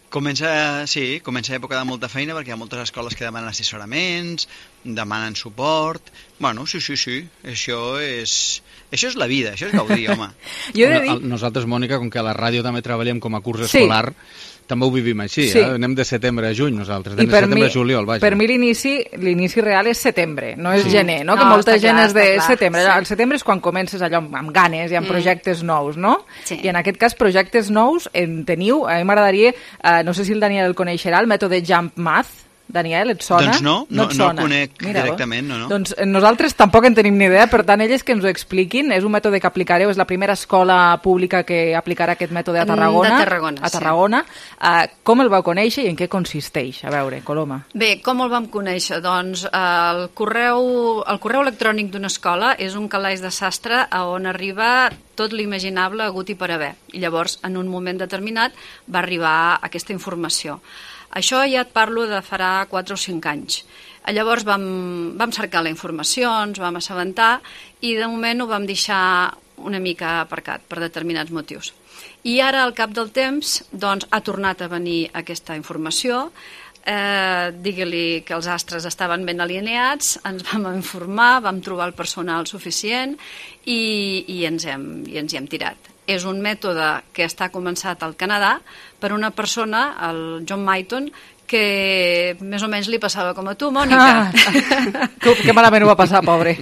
Comença, sí, comença època de molta feina perquè hi ha moltes escoles que demanen assessoraments, demanen suport. Bueno, sí, sí, sí, això és, això és la vida, això és gaudir, home. Jo he de dir... Nosaltres, Mònica, com que a la ràdio també treballem com a curs escolar, sí. també ho vivim així, sí. eh? Anem de setembre a juny nosaltres, de setembre mi, a juliol, vaja. Per mi l'inici l'inici real és setembre, no és sí. gener, no? no? Que molta gent clar, és de clar, setembre. Sí. El setembre és quan comences allò amb, amb ganes i amb mm. projectes nous, no? Sí. I en aquest cas, projectes nous en teniu. A mi m'agradaria, eh, no sé si el Daniel el coneixerà, el mètode Jump Math. Daniel, et sona? Doncs no, no, no, no el conec Mira, directament, no, no. Doncs nosaltres tampoc en tenim ni idea, per tant, elles que ens ho expliquin. És un mètode que aplicareu, és la primera escola pública que aplicarà aquest mètode a Tarragona. De Tarragona, a Tarragona. Sí. Uh, com el vau conèixer i en què consisteix? A veure, Coloma. Bé, com el vam conèixer? Doncs el correu, el correu electrònic d'una escola és un calaix de sastre on arriba tot l'imaginable hagut i per haver. I llavors, en un moment determinat, va arribar aquesta informació. Això ja et parlo de farà quatre o cinc anys. Llavors vam, vam cercar la informació, ens vam assabentar i de moment ho vam deixar una mica aparcat per determinats motius. I ara, al cap del temps, doncs, ha tornat a venir aquesta informació. Eh, digue-li que els astres estaven ben alineats, ens vam informar, vam trobar el personal suficient i, i, ens hem, i ens hi hem tirat. És un mètode que està començat al Canadà per una persona, el John Mayton, que més o menys li passava com a tu, Mònica. Ah, que, que malament ho va passar, pobre.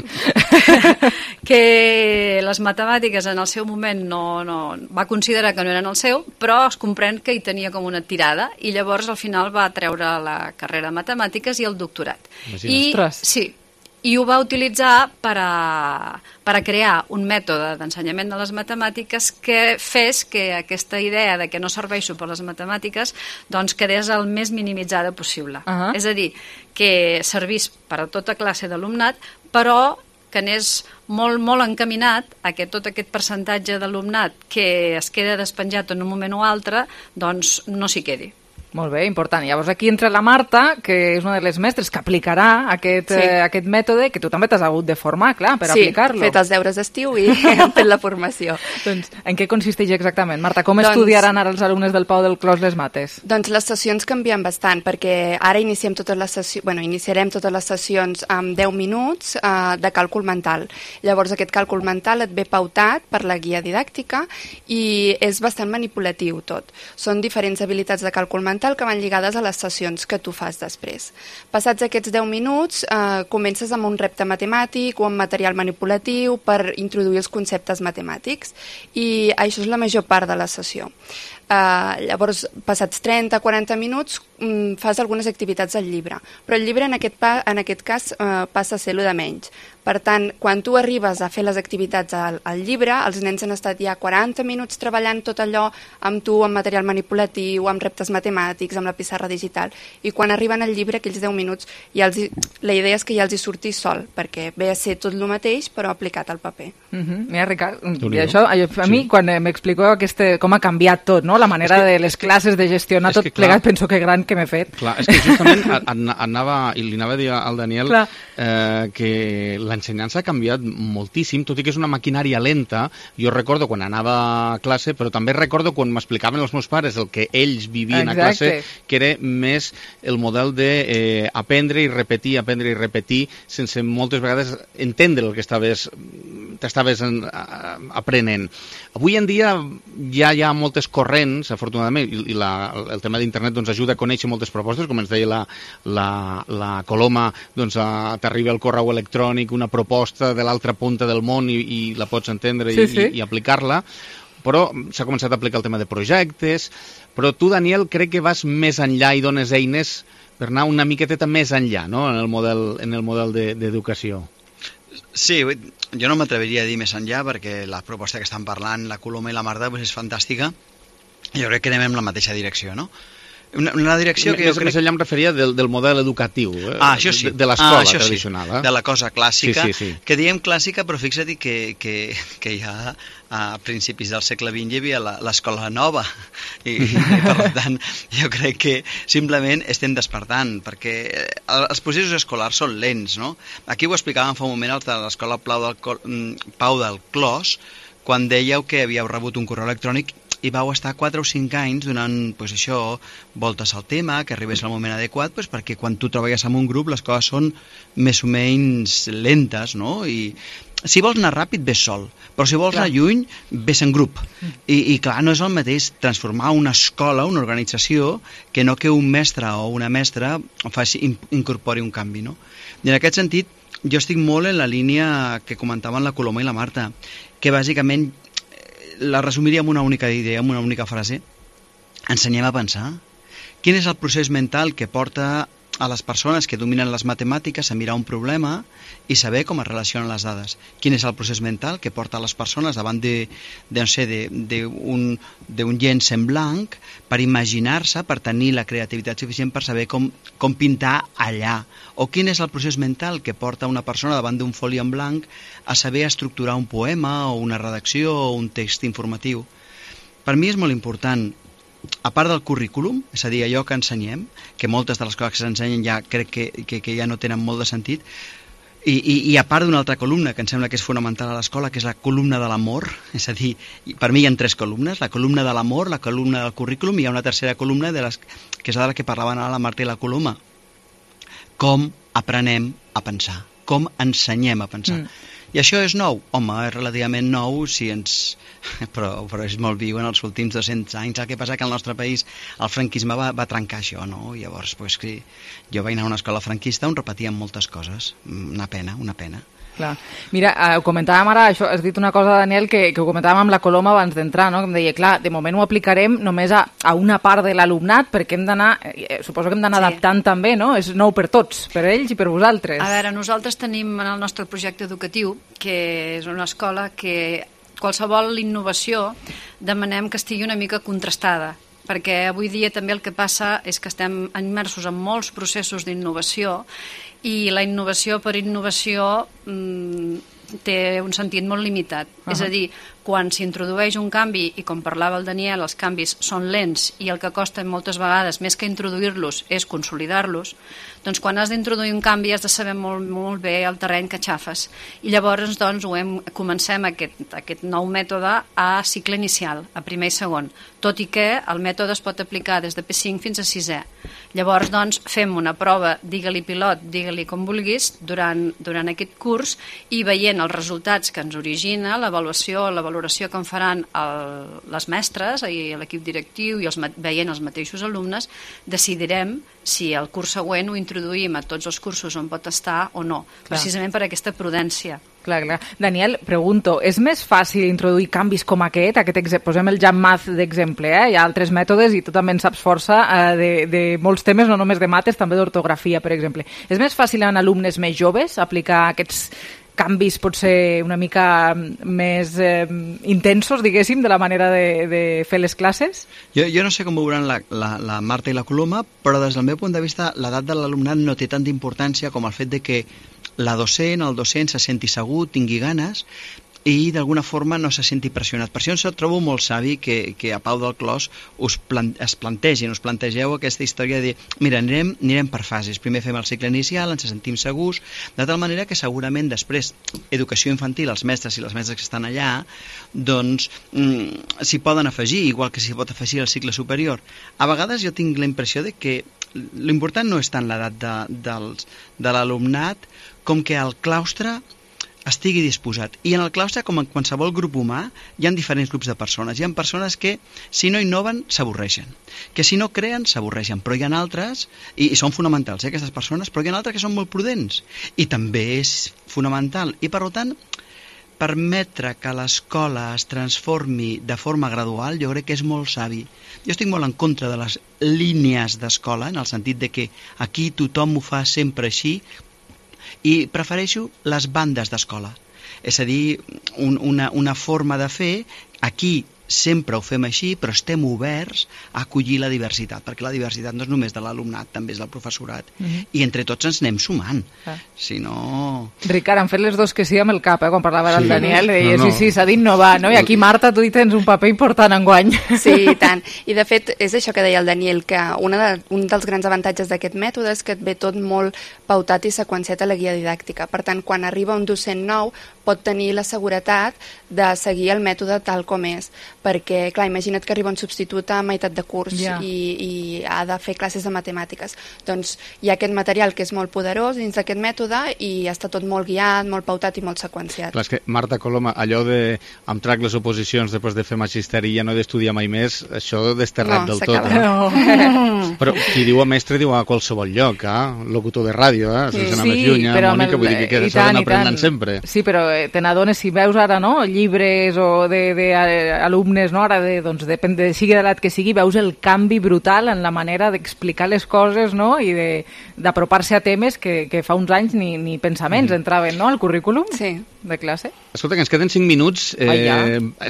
Que les matemàtiques en el seu moment no, no, va considerar que no eren el seu, però es comprèn que hi tenia com una tirada i llavors al final va treure la carrera de matemàtiques i el doctorat. I, sí, i ho va utilitzar per a, per a crear un mètode d'ensenyament de les matemàtiques que fes que aquesta idea de que no serveixo per les matemàtiques doncs quedés el més minimitzada possible. Uh-huh. És a dir, que servís per a tota classe d'alumnat, però que anés molt, molt encaminat a que tot aquest percentatge d'alumnat que es queda despenjat en un moment o altre, doncs no s'hi quedi. Molt bé, important. Llavors aquí entra la Marta, que és una de les mestres que aplicarà aquest, Sí. eh, aquest mètode, que tu també t'has hagut de formar, clar, per sí, aplicar-lo. Sí, fet els deures d'estiu i hem fet la formació. Doncs en què consisteix exactament? Marta, com Doncs- estudiaran ara els alumnes del Pau del Clos les mates? Doncs les sessions canvien bastant, perquè ara iniciem totes les sessions, bueno, iniciarem totes les sessions amb deu minuts eh, de càlcul mental. Llavors aquest càlcul mental et ve pautat per la guia didàctica i és bastant manipulatiu tot. Són diferents habilitats de càlcul mental que van lligades a les sessions que tu fas després. Passats aquests deu minuts, eh, comences amb un repte matemàtic o amb material manipulatiu per introduir els conceptes matemàtics i això és la major part de la sessió. Uh, llavors, passats trenta a quaranta minuts, um, fas algunes activitats al llibre, però el llibre en aquest, pa, en aquest cas uh, passa a ser el de menys. Per tant, quan tu arribes a fer les activitats al, al llibre, els nens han estat ja quaranta minuts treballant tot allò amb tu, amb material manipulatiu, amb reptes matemàtics, amb la pissarra digital, i quan arriben al llibre, aquells deu minuts, ja els hi, la idea és que ja els hi surti sol, perquè ve a ser tot el mateix, però aplicat al paper. Uh -huh. Mira, Ricard, i això, a mi, sí. quan m'explico este, com ha canviat tot, no? La manera que, de les classes, de gestionar tot plegat, penso que gran que m'he fet. Clar, és que justament anava, i li anava a dir al Daniel eh, que l'ensenyança ha canviat moltíssim, tot i que és una maquinària lenta. Jo recordo quan anava a classe, però també recordo quan m'explicaven els meus pares el que ells vivien Exacte. a classe, que era més el model de eh, aprendre i repetir, aprendre i repetir, sense moltes vegades entendre el que estaves t'estaves aprenent. Avui en dia ja hi ha moltes corrents, afortunadament, i la, el tema d'internet doncs, ajuda a conèixer moltes propostes, com ens deia la, la, la Coloma, doncs, t'arriba el correu electrònic, una proposta de l'altra punta del món i, i la pots entendre sí, i, sí. i, i aplicar-la, però s'ha començat a aplicar el tema de projectes, però tu, Daniel, crec que vas més enllà i dones eines per anar una miqueteta més enllà, no?, en el model, en el model d'educació. De, Sí, jo no m'atreviria a dir més enllà perquè la proposta que estan parlant, la Coloma i la Marta, pues és fantàstica. Jo crec que anem en la mateixa direcció, no? Una, una direcció que més, jo crec... Més enllà em referia del, del model educatiu, eh? ah, això sí. de, de l'escola ah, tradicional. Sí. Eh? De la cosa clàssica, sí, sí, sí. que diem clàssica, però fixa't que, que, que ja a principis del segle vint hi havia l'escola nova, i, i per tant jo crec que simplement estem despertant, perquè els processos escolars són lents, no? Aquí ho explicàvem fa un moment els de l'escola Pau del, Pau del Clos, quan dèieu que havíeu rebut un correu electrònic i vau estar quatre o cinc anys donant, pues, això, voltes al tema, que arribés al moment adequat, pues, perquè quan tu treballes en un grup les coses són més o menys lentes, no? I si vols anar ràpid, ves sol, però si vols clar. anar lluny, ves en grup. I, I clar, no és el mateix transformar una escola, una organització, que no que un mestre o una mestra faci, incorpori un canvi, no? I en aquest sentit, jo estic molt en la línia que comentaven la Coloma i la Marta, que bàsicament la resumiria amb una única idea, amb una única frase. Ensenyem a pensar. Quin és el procés mental que porta a les persones que dominen les matemàtiques a mirar un problema i saber com es relacionen les dades? Quin és el procés mental que porta a les persones davant de, de no sé, d'un llenç en blanc per imaginar-se, per tenir la creativitat suficient per saber com, com pintar allà? O quin és el procés mental que porta una persona davant d'un foli en blanc a saber estructurar un poema o una redacció o un text informatiu? Per mi és molt important, a part del currículum, és a dir, allò que ensenyem, que moltes de les coses que s'ensenyen ja crec que, que, que ja no tenen molt de sentit, i, i, i a part d'una altra columna que em sembla que és fonamental a l'escola, que és la columna de l'amor, és a dir, per mi hi ha tres columnes, la columna de l'amor, la columna del currículum, i hi ha una tercera columna de les, que és de la que parlaven ara la Marta i la Coloma. Com aprenem a pensar, com ensenyem a pensar. Mm. I això és nou? Home, és relativament nou, si ens... però, però és molt viu en els últims dos-cents anys. El que passa que al nostre país el franquisme va, va trencar això, no? Llavors, pues, que jo vaig anar a una escola franquista on repetíem moltes coses. Una pena, una pena. Clar. Mira, eh, ho comentàvem ara, això, has dit una cosa, Daniel, que, que ho comentàvem amb la Coloma abans d'entrar, no? Que em deia, clar, de moment ho aplicarem només a, a una part de l'alumnat, perquè hem d'anar, eh, suposo que hem d'anar sí. adaptant també, no? És nou per tots, per ells i per vosaltres. A veure, nosaltres tenim en el nostre projecte educatiu, que és una escola que qualsevol innovació demanem que estigui una mica contrastada, perquè avui dia també el que passa és que estem immersos en molts processos d'innovació i la innovació per innovació mmm, té un sentit molt limitat. Uh-huh. És a dir, quan s'introdueix un canvi, i com parlava el Daniel, els canvis són lents i el que costa moltes vegades, més que introduir-los, és consolidar-los, doncs quan has d'introduir un canvi has de saber molt, molt bé el terreny que xafes. I llavors doncs, ho hem, comencem aquest, aquest nou mètode a cicle inicial, a primer i segon, tot i que el mètode es pot aplicar des de P cinc fins a sisè. Llavors, doncs, fem una prova, digue-li pilot, digue-li com vulguis, durant, durant aquest curs, i veient els resultats que ens origina, l'avaluació, la valoració que en faran el, les mestres i l'equip directiu i els, veient els mateixos alumnes, decidirem si el curs següent ho introduïm a tots els cursos on pot estar o no, clar, precisament per aquesta prudència. Clar, clar. Daniel, pregunto, és més fàcil introduir canvis com aquest? aquest exemple, posem el Jammath d'exemple, eh? Hi ha altres mètodes i tu també en saps força eh, de, de molts temes, no només de mates, també d'ortografia, per exemple. És més fàcil en alumnes més joves aplicar aquests canvis potser una mica més eh, intensos, diguéssim, de la manera de, de fer les classes? Jo, jo no sé com veuran la, la, la Marta i la Coloma, però des del meu punt de vista l'edat de l'alumnat no té tanta importància com el fet de que la docent, el docent se senti segur, tingui ganes i d'alguna forma no se senti pressionat. Per això em trobo molt savi que, que a Pau del Clos us plan, es plantegin, us plantegeu aquesta història de dir, mira, anirem, anirem per fases. Primer fem el cicle inicial, ens sentim segurs, de tal manera que segurament després, educació infantil, els mestres i les mestres que estan allà, doncs mm, s'hi poden afegir, igual que s'hi pot afegir el cicle superior. A vegades jo tinc la impressió de que l'important no és tant l'edat de, dels, de l'alumnat com que el claustre estigui disposat. I en el claustre, com en qualsevol grup humà, hi ha diferents grups de persones. Hi ha persones que, si no innoven, s'avorreixen. Que si no creen, s'avorreixen. Però hi ha altres, i, i són fonamentals, eh, aquestes persones, però hi ha altres que són molt prudents. I també és fonamental. I, per tant, permetre que l'escola es transformi de forma gradual, jo crec que és molt savi. Jo estic molt en contra de les línies d'escola, en el sentit de que aquí tothom ho fa sempre així, i prefereixo les bandes d'escola. És a dir, un, una, una forma de fer, aquí sempre ho fem així, però estem oberts a acollir la diversitat, perquè la diversitat no és només de l'alumnat, també és del professorat. Mm-hmm. I entre tots ens anem sumant. Ah. Si no... Ricard, han fet les dos que sí amb el cap, eh, quan parlava sí. del Daniel, deia, no, no. sí, sí, s'ha d'innovar, no? I aquí, Marta, tu hi tens un paper important enguany. Sí, i tant. I, de fet, és això que deia el Daniel, que una de, un dels grans avantatges d'aquest mètode és que et ve tot molt pautat i seqüenciat a la guia didàctica. Per tant, quan arriba un docent nou, pot tenir la seguretat de seguir el mètode tal com és, perquè, clar, imagina't que arriba un substitut a meitat de curs yeah. i, i ha de fer classes de matemàtiques. Doncs hi ha aquest material que és molt poderós dins d'aquest mètode i està tot molt guiat, molt pautat i molt seqüenciat. Clar, és que, Marta Coloma, allò de em trac les oposicions després de fer magisteri i ja no he d'estudiar mai més, això desterrat no, del tot. Eh? No. Però qui diu a mestre diu a qualsevol lloc, eh? Locutor de ràdio, eh? sense sí, anar més lluny, eh? Mònica, el... vull dir que, que s'ha d'anar aprenent sempre. Sí, però te n'adones si veus ara, no?, llibres o d'alumnes, no?, ara, de, doncs, depèn de sigui de l'edat que sigui, veus el canvi brutal en la manera d'explicar les coses, no?, i d'apropar-se a temes que, que fa uns anys ni, ni pensaments mm. entraven, no?, al currículum sí. de classe. Escolta, que ens queden cinc minuts. Eh, ah, ja.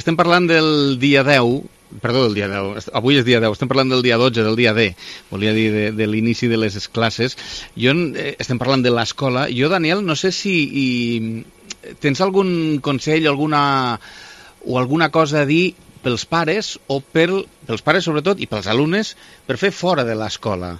Estem parlant del dia deu, perdó, del dia deu, avui és dia deu, estem parlant del dia dotze, del dia D, volia dir de, de l'inici de les classes. Jo, eh, estem parlant de l'escola. Jo, Daniel, no sé si i, tens algun consell alguna, o alguna cosa a dir pels pares, o per, pels pares sobretot, i pels alumnes, per fer fora de l'escola.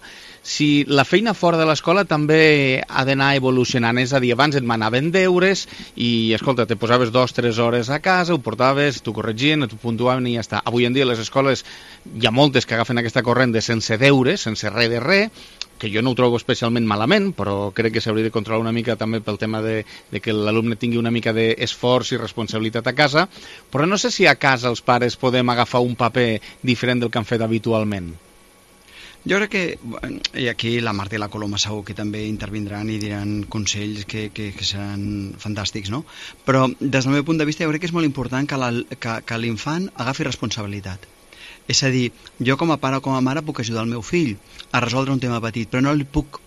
Si la feina fora de l'escola també ha d'anar evolucionant, és a dir, abans et manaven deures i, escolta, te posaves dos o tres hores a casa, ho portaves, t'ho corregien, t'ho puntuaven i ja està. Avui en dia les escoles hi ha moltes que agafen aquesta corrent de sense deures, sense res de res, que jo no ho trobo especialment malament, però crec que s'hauria de controlar una mica també pel tema de, de que l'alumne tingui una mica d'esforç i responsabilitat a casa, però no sé si a casa els pares podem agafar un paper diferent del que han fet habitualment. Jo crec que, i aquí la Marta i la Coloma segur que també intervindran i diran consells que, que, que seran fantàstics, no? Però des del meu punt de vista jo crec que és molt important que, la, que, que l'infant agafi responsabilitat. És a dir, jo com a pare o com a mare puc ajudar el meu fill a resoldre un tema petit, però no li puc...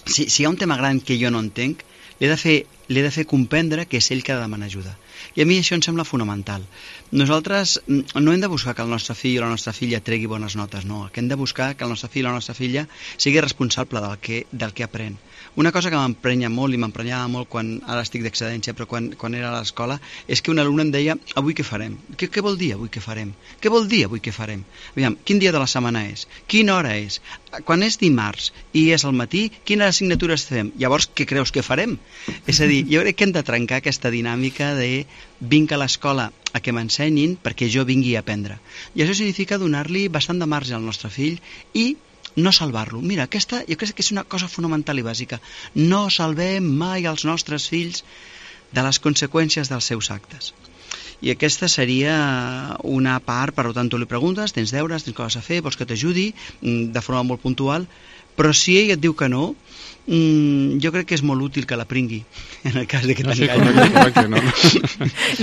Si, si hi ha un tema gran que jo no entenc, li he de fer, li he de fer comprendre que és ell que ha de demanar ajuda. I a mi això em sembla fonamental. Nosaltres no hem de buscar que el nostre fill o la nostra filla tregui bones notes, no. El que hem de buscar que el nostre fill o la nostra filla sigui responsable del que, del que aprèn. Una cosa que m'emprenya molt i m'emprenyava molt quan ara estic d'excedència, però quan, quan era a l'escola, és que un alumne em deia, avui què farem? Què, què vol dir avui què farem? Què vol dir avui què farem? Aviam, quin dia de la setmana és? Quina hora és? Quan és dimarts i és al matí, quines assignatures fem? Llavors, què creus que farem? És a dir, jo crec que hem de trencar aquesta dinàmica de vinc a l'escola a que m'ensenyin perquè jo vingui a aprendre. I això significa donar-li bastant de marge al nostre fill i no salvar-lo. Mira, aquesta jo crec que és una cosa fonamental i bàsica. No salvem mai els nostres fills de les conseqüències dels seus actes. I aquesta seria una part, per tant, tu li preguntes, tens deures, tens coses a fer, vols que t'ajudi, de forma molt puntual, però si ell et diu que no, Mm, jo crec que és molt útil que la pringui en el cas de que t'enganyi. No, no,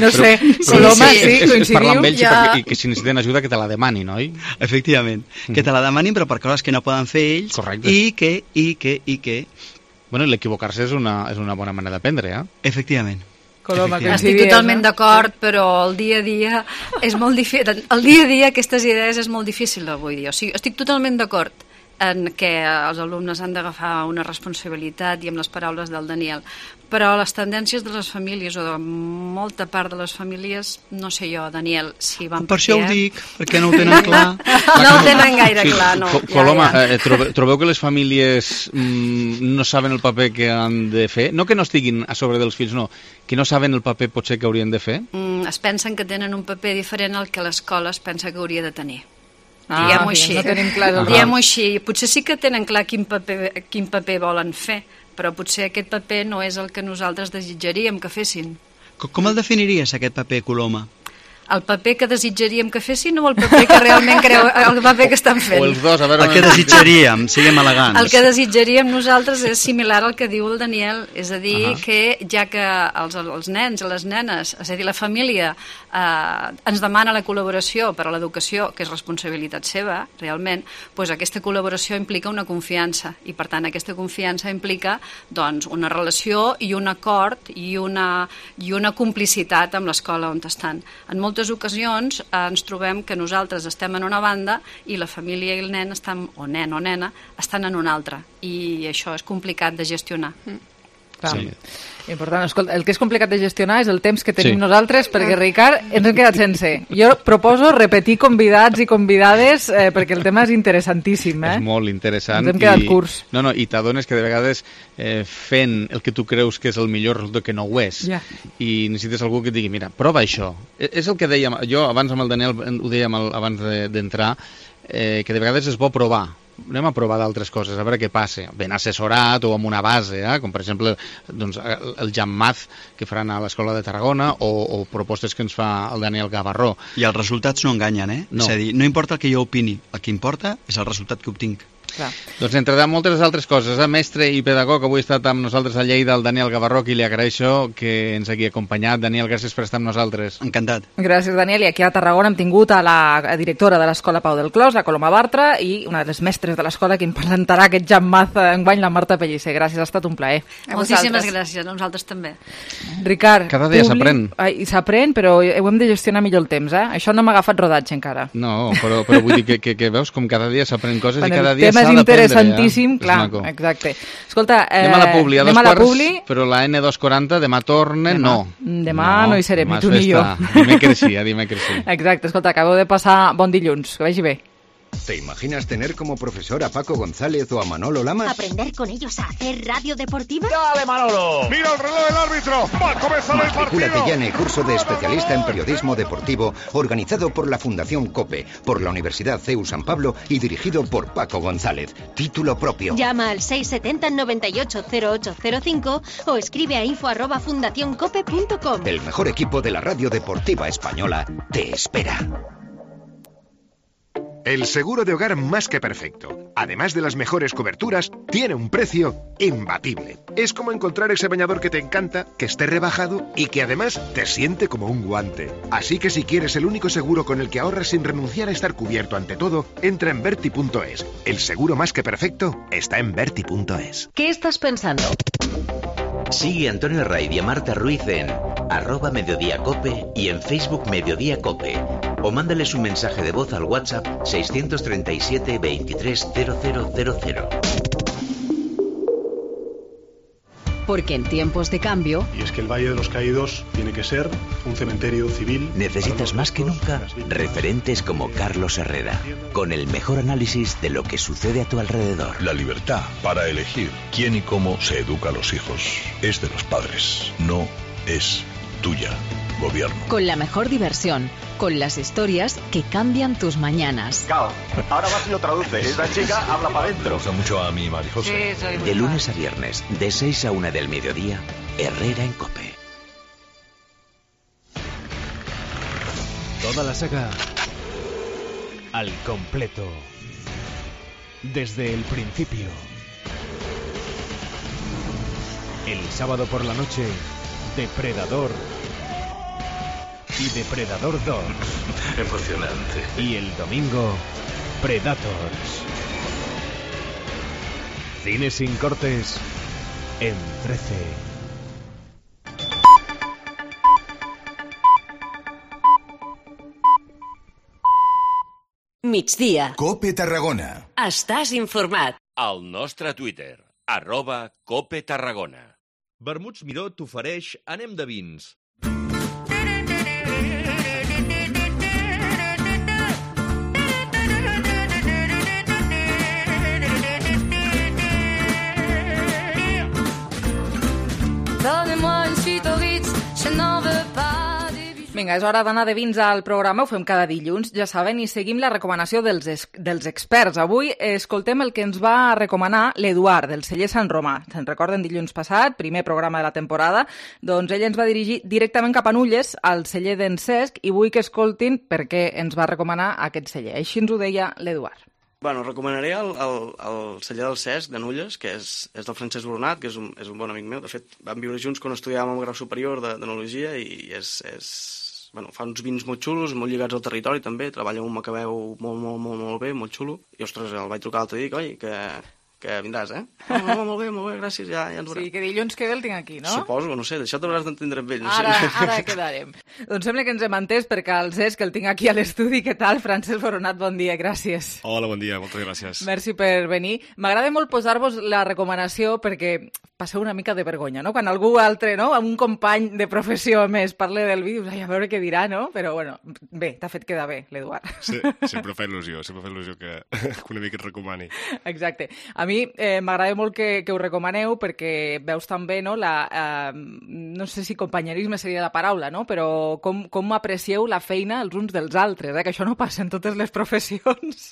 no sé, Coloma, sí, sí, coincidiu? Parlar amb ells ja... i, i que si necessiten ajuda que te la demanin, oi? Efectivament, mm. que te la demanin però per coses que no poden fer ells. Correcte. i que, i que, i que... Bueno, l'equivocar-se és una, és una bona manera d'aprendre, eh? Efectivament. Coloma, estic totalment d'acord, però el dia a dia és molt difícil. El dia a dia aquestes idees és molt difícil avui dia. O sigui, estic totalment d'acord en què els alumnes han d'agafar una responsabilitat i amb les paraules del Daniel, però les tendències de les famílies o de molta part de les famílies, no sé jo, Daniel, si van per això ho dic, perquè no ho tenen clar. No ho tenen gaire sí, clar, no. Coloma, ja, ja. Eh, trobe, trobeu que les famílies mm, no saben el paper que han de fer? No que no estiguin a sobre dels fills, no, que no saben el paper potser que haurien de fer? Mm, es pensen que tenen un paper diferent al que l'escola es pensa que hauria de tenir. Ah, diguem-ho així. No tenim clar el diguem-ho així. Potser sí que tenen clar quin paper, quin paper volen fer, però potser aquest paper no és el que nosaltres desitjaríem que fessin. Com el definiries, aquest paper, Coloma? El paper que desitjaríem que fessin o el paper que realment creu, el paper que estan fent? O els dos, a veure... El que desitjaríem, siguem elegants. El que desitjaríem nosaltres és similar al que diu el Daniel, és a dir, uh -huh. que ja que els, els nens i les nenes, és a dir, la família eh, ens demana la col·laboració per a l'educació, que és responsabilitat seva, realment, doncs aquesta col·laboració implica una confiança, i per tant aquesta confiança implica doncs, una relació i un acord i una, i una complicitat amb l'escola on estan. En moltes ocasions eh, ens trobem que nosaltres estem en una banda i la família i el nen estan, o nen o nena estan en una altra, i això és complicat de gestionar. Mm. Sí. Important. Escolta, el que és complicat de gestionar és el temps que tenim sí. nosaltres, perquè, Ricard, ens hem quedat sense. Jo proposo repetir convidats i convidades eh, perquè el tema és interessantíssim. Eh? És molt interessant. Ens hem quedat i, curts. No, no, i t'adones que de vegades eh, fent el que tu creus que és el millor resulta que no ho és. Ja. I necessites algú que et digui, mira, prova això. És el que dèiem, jo abans amb el Daniel ho dèiem abans d'entrar, eh, que de vegades és bo provar. Anem a provar d'altres coses, a veure què passa. Ben assessorat o amb una base, eh? Com per exemple doncs, el Jammath que faran a l'Escola de Tarragona o, o propostes que ens fa el Daniel Gavarró. I els resultats no enganyen, eh? No. És a dir, no importa el que jo opini, el que importa és el resultat que obtinc. Clar. Doncs entre moltes altres coses, eh? Mestre i pedagog, avui ha estat amb nosaltres a Lleida el Daniel Gavarró, i li agraeixo que ens hagi acompanyat. Daniel, gràcies per estar amb nosaltres. Encantat. Gràcies, Daniel. I aquí a Tarragona hem tingut a la directora de l'Escola Pau del Clos, la Coloma Bartra, i una de les mestres de l'escola que em presentarà aquest Jammath enguany, la Marta Pellicer. Gràcies, ha estat un plaer. Moltíssimes gràcies, a nosaltres també. Ricard, cada dia s'aprèn. S'aprèn, però ho hem de gestionar millor el temps, eh? Això no m'ha agafat rodatge encara. No, però, però vull dir que, que, que veus com cada dia s'aprèn coses bueno, i cada dia s'ha d'aprendre. El tema és interessantíssim, clar, exacte. Escolta, eh, anem a la Publi, a dos a la quarts, Publi. Però la ene dos quaranta demà torna, demà. no. Demà no, no hi serem, ni tu ni jo. Dimecres sí, dimecres sí. Exacte, escolta, acabo de passar bon dilluns, que vagi bé. ¿Te imaginas tener como profesor a Paco González o a Manolo Lamas? ¿Aprender con ellos a hacer radio deportiva? ¡Dale, Manolo! ¡Mira el reloj del árbitro! ¡Va a comenzar el partido! Matricúlate ya en el curso de especialista en periodismo deportivo organizado por la Fundación COPE, por la Universidad C E U San Pablo y dirigido por Paco González. Título propio. Llama al seis setenta noventa y ocho cero ocho cero cinco o escribe a info arroba fundacioncope punto com. El mejor equipo de la radio deportiva española te espera. El seguro de hogar más que perfecto, además de las mejores coberturas, tiene un precio imbatible. Es como encontrar ese bañador que te encanta, que esté rebajado y que además te siente como un guante. Así que si quieres el único seguro con el que ahorras sin renunciar a estar cubierto ante todo, entra en Berti punto es. El seguro más que perfecto está en Berti punto es. ¿Qué estás pensando? Sigue a Antonio Raid y a Marta Ruiz en arroba Mediodía Cope y en Facebook Mediodía Cope. O mándales un mensaje de voz al WhatsApp seiscientos treinta y siete veintitrés cero cero cero cero. Porque en tiempos de cambio... Y es que el Valle de los Caídos tiene que ser un cementerio civil... Necesitas más que nunca referentes como Carlos Herrera, con el mejor análisis de lo que sucede a tu alrededor. La libertad para elegir quién y cómo se educa a los hijos es de los padres, no es tuya, gobierno. Con la mejor diversión, con las historias que cambian tus mañanas. Cao, ahora vas y lo traduce. Esta chica habla para adentro. Me gusta mucho a mi María José. Sí, soy muy De lunes a viernes, de seis a una del mediodía, Herrera en Cope. Toda la saga al completo. Desde el principio. El sábado por la noche, Depredador y Depredador dos. Emocionante. Y el domingo, Predators. Cine sin cortes en trece. Migdia. Cope Tarragona. Estàs informat. Al nostre Twitter, arroba Cope Tarragona. Vermuts Miró t'ofereix Anem de vins. Donnez-moi une suite au Ritz, je n'en veux pas. Vinga, és hora d'anar de vins al programa, ho fem cada dilluns, ja saben, i seguim la recomanació dels, es dels experts. Avui escoltem el que ens va recomanar l'Eduard, del celler Sant Romà. Se'n recorden dilluns passat, primer programa de la temporada? Doncs ell ens va dirigir directament cap a Nulles, al celler d'en Cesc, i vull que escoltin per què ens va recomanar aquest celler. Així ens ho deia l'Eduard. Bueno, recomanaré el, el, el celler del Cesc, de Nulles, que és, és del Francesc Boronat, que és un, és un bon amic meu. De fet, vam viure junts quan estudiàvem el grau superior d'enologia i és... és bueno, fa uns vins molt xulos, molt lligats al territori també, treballa amb un macabeu molt, molt, molt, molt bé, molt xulo, i ostres, el vaig trucar l'altre dia i dic, oi, que, que vindràs, eh? Oh, no, molt bé, molt bé, gràcies, ja, ja ens veurem. Sí, que dilluns que ve el tinc aquí, no? Suposo, no sé, d'això t'hauràs d'entendre amb ell. No ara, sé. ara quedarem. Doncs sembla que ens hem entès perquè el Cesc el tinc aquí a l'estudi. Què tal, Francesc Boronat? Bon dia, gràcies. Hola, bon dia, moltes gràcies. Merci per venir. M'agrada molt posar-vos la recomanació perquè passeu una mica de vergonya, no? Quan algú altre, no? Un company de professió més parla del vi, dius, ai, a veure què dirà, no? Però, bueno, bé, t'ha fet quedar bé, l'Eduard. Sí, sempre fa il·lusió, sempre fa il·lusió que, que una mica et recomani. Exacte. A mi eh, m'agrada molt que, que ho recomaneu perquè veus també, no? La, eh, no sé si companyerisme seria la paraula, no? Però com, com aprecieu la feina els uns dels altres, eh? Que això no passa en totes les professions.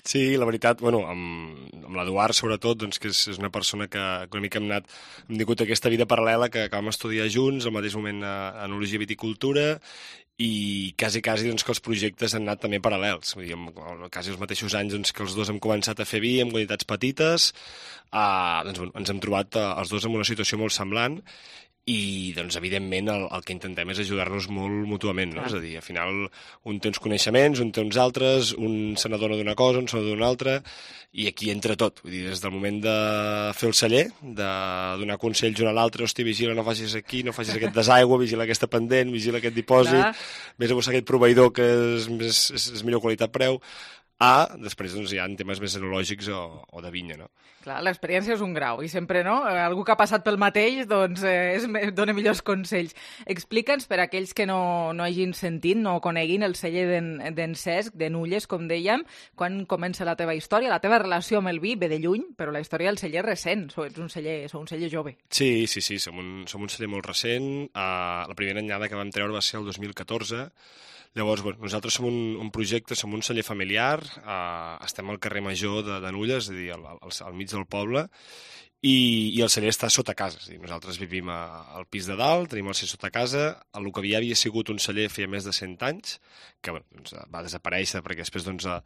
Sí, la veritat, bueno, amb, amb l'Eduard sobretot, doncs que és, és una persona que, que una mica hem anat, hem tingut aquesta vida paral·lela que, que vam estudiar junts, al mateix moment a, a enologia i viticultura, i quasi, quasi doncs, que els projectes han anat també paral·lels. Vull dir, en, quasi els mateixos anys doncs, que els dos hem començat a fer vi en quantitats petites, eh, doncs, bueno, ens hem trobat eh, els dos en una situació molt semblant, i, doncs, evidentment, el, el que intentem és ajudar-nos molt mútuament, no? És a dir, al final, un té uns coneixements, un té uns altres, un se n'adona d'una cosa, un se n'adona d'una altra, i aquí entra tot. Vull dir, des del moment de fer el celler, de donar consells un a l'altre, hosti, vigila, no facis aquí, no facis aquest desaigua, vigila aquesta pendent, vigila aquest dipòsit, vés a buscar aquest proveïdor que és, és, és, és millor qualitat-preu, a, després, doncs, hi ha temes més enològics o, o de vinya, no? Clar, l'experiència és un grau, i sempre, no? Algú que ha passat pel mateix, doncs, eh, és, dona millors consells. Explica'ns, per a aquells que no, no hagin sentit, no coneguin el celler d'en Cesc, de Nulles, com dèiem, quan comença la teva història, la teva relació amb el vi ve de lluny, però la història del celler és recent, ets un celler, sou un celler jove. Sí, sí, sí, som un, som un celler molt recent. Uh, la primera anyada que vam treure va ser el dos mil catorze. Llavors, bueno, nosaltres som un, un projecte, som un celler familiar, eh, estem al carrer Major de, de Nulles, és a dir, al, al, al mig del poble, i, i el celler està sota casa. És a dir, nosaltres vivim a, al pis de dalt, tenim el celler sota casa, el que havia, havia sigut un celler feia més de cent anys, que bueno, doncs, va desaparèixer perquè després doncs, a,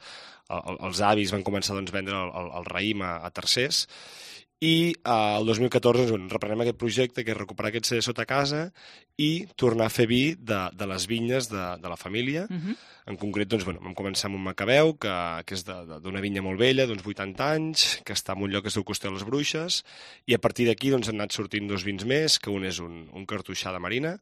a, els avis van començar doncs, a vendre el, el, el raïm a, a tercers, i eh, el dos mil catorze doncs, reprenem aquest projecte que és recuperar aquest celler sota casa i tornar a fer vi de, de les vinyes de, de la família. Uh-huh. En concret, doncs, bueno, vam començar amb un macabeu, que, que és d'una vinya molt vella, d'uns vuitanta anys, que està en un lloc que es diu Costell de les Bruixes, vins, i a partir d'aquí doncs, han anat sortint dos vins més, que un és un, un cartoixà de marina,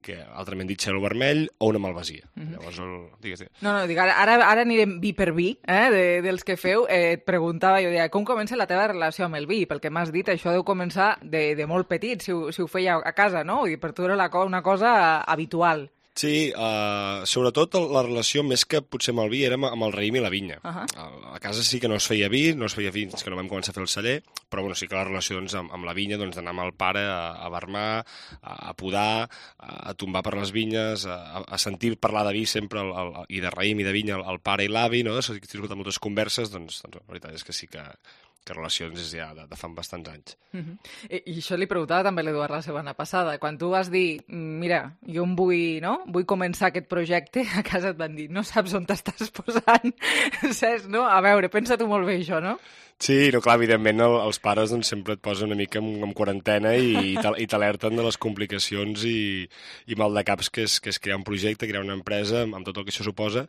que altrament dit cel vermell, o una malvasia. Mm -hmm. Llavors, el... digues, digues. No, no, dic, ara, ara anirem vi per vi, eh, de, dels que feu. Eh, et preguntava, jo deia, com comença la teva relació amb el vi? Pel que m'has dit, això deu començar de, de molt petit, si ho, si ho feia a casa, no? I per tu era la, una cosa habitual. Sí, uh, sobretot la relació, més que potser amb el vi, era amb el raïm i la vinya. Uh -huh. A casa sí que no es feia vi, no es feia vi fins que no vam començar a fer el celler, però bueno, sí que la relació doncs, amb, amb la vinya, doncs, d'anar amb el pare a, a barmar, a, a podar, a, a tombar per les vinyes, a, a sentir parlar de vi sempre, el, el, i de raïm i de vinya, el, el pare i l'avi, no? Si he tingut moltes converses, doncs, doncs la veritat és que sí que... que relacions és ja de, de fa bastants anys. Uh -huh. I, I això li preguntava també a l'Eduard la setmana passada. Quan tu vas dir, mira, jo em vull, no? vull començar aquest projecte, a casa et van dir, no saps on t'estàs posant, saps, no? A veure, pensa-t'ho molt bé, això, no? Sí, no, clar, evidentment el, els pares doncs, sempre et posen una mica en, en quarantena i, i t'alerten de les complicacions i, i mal de caps que és, que és crear un projecte, crear una empresa, amb, amb tot el que això suposa,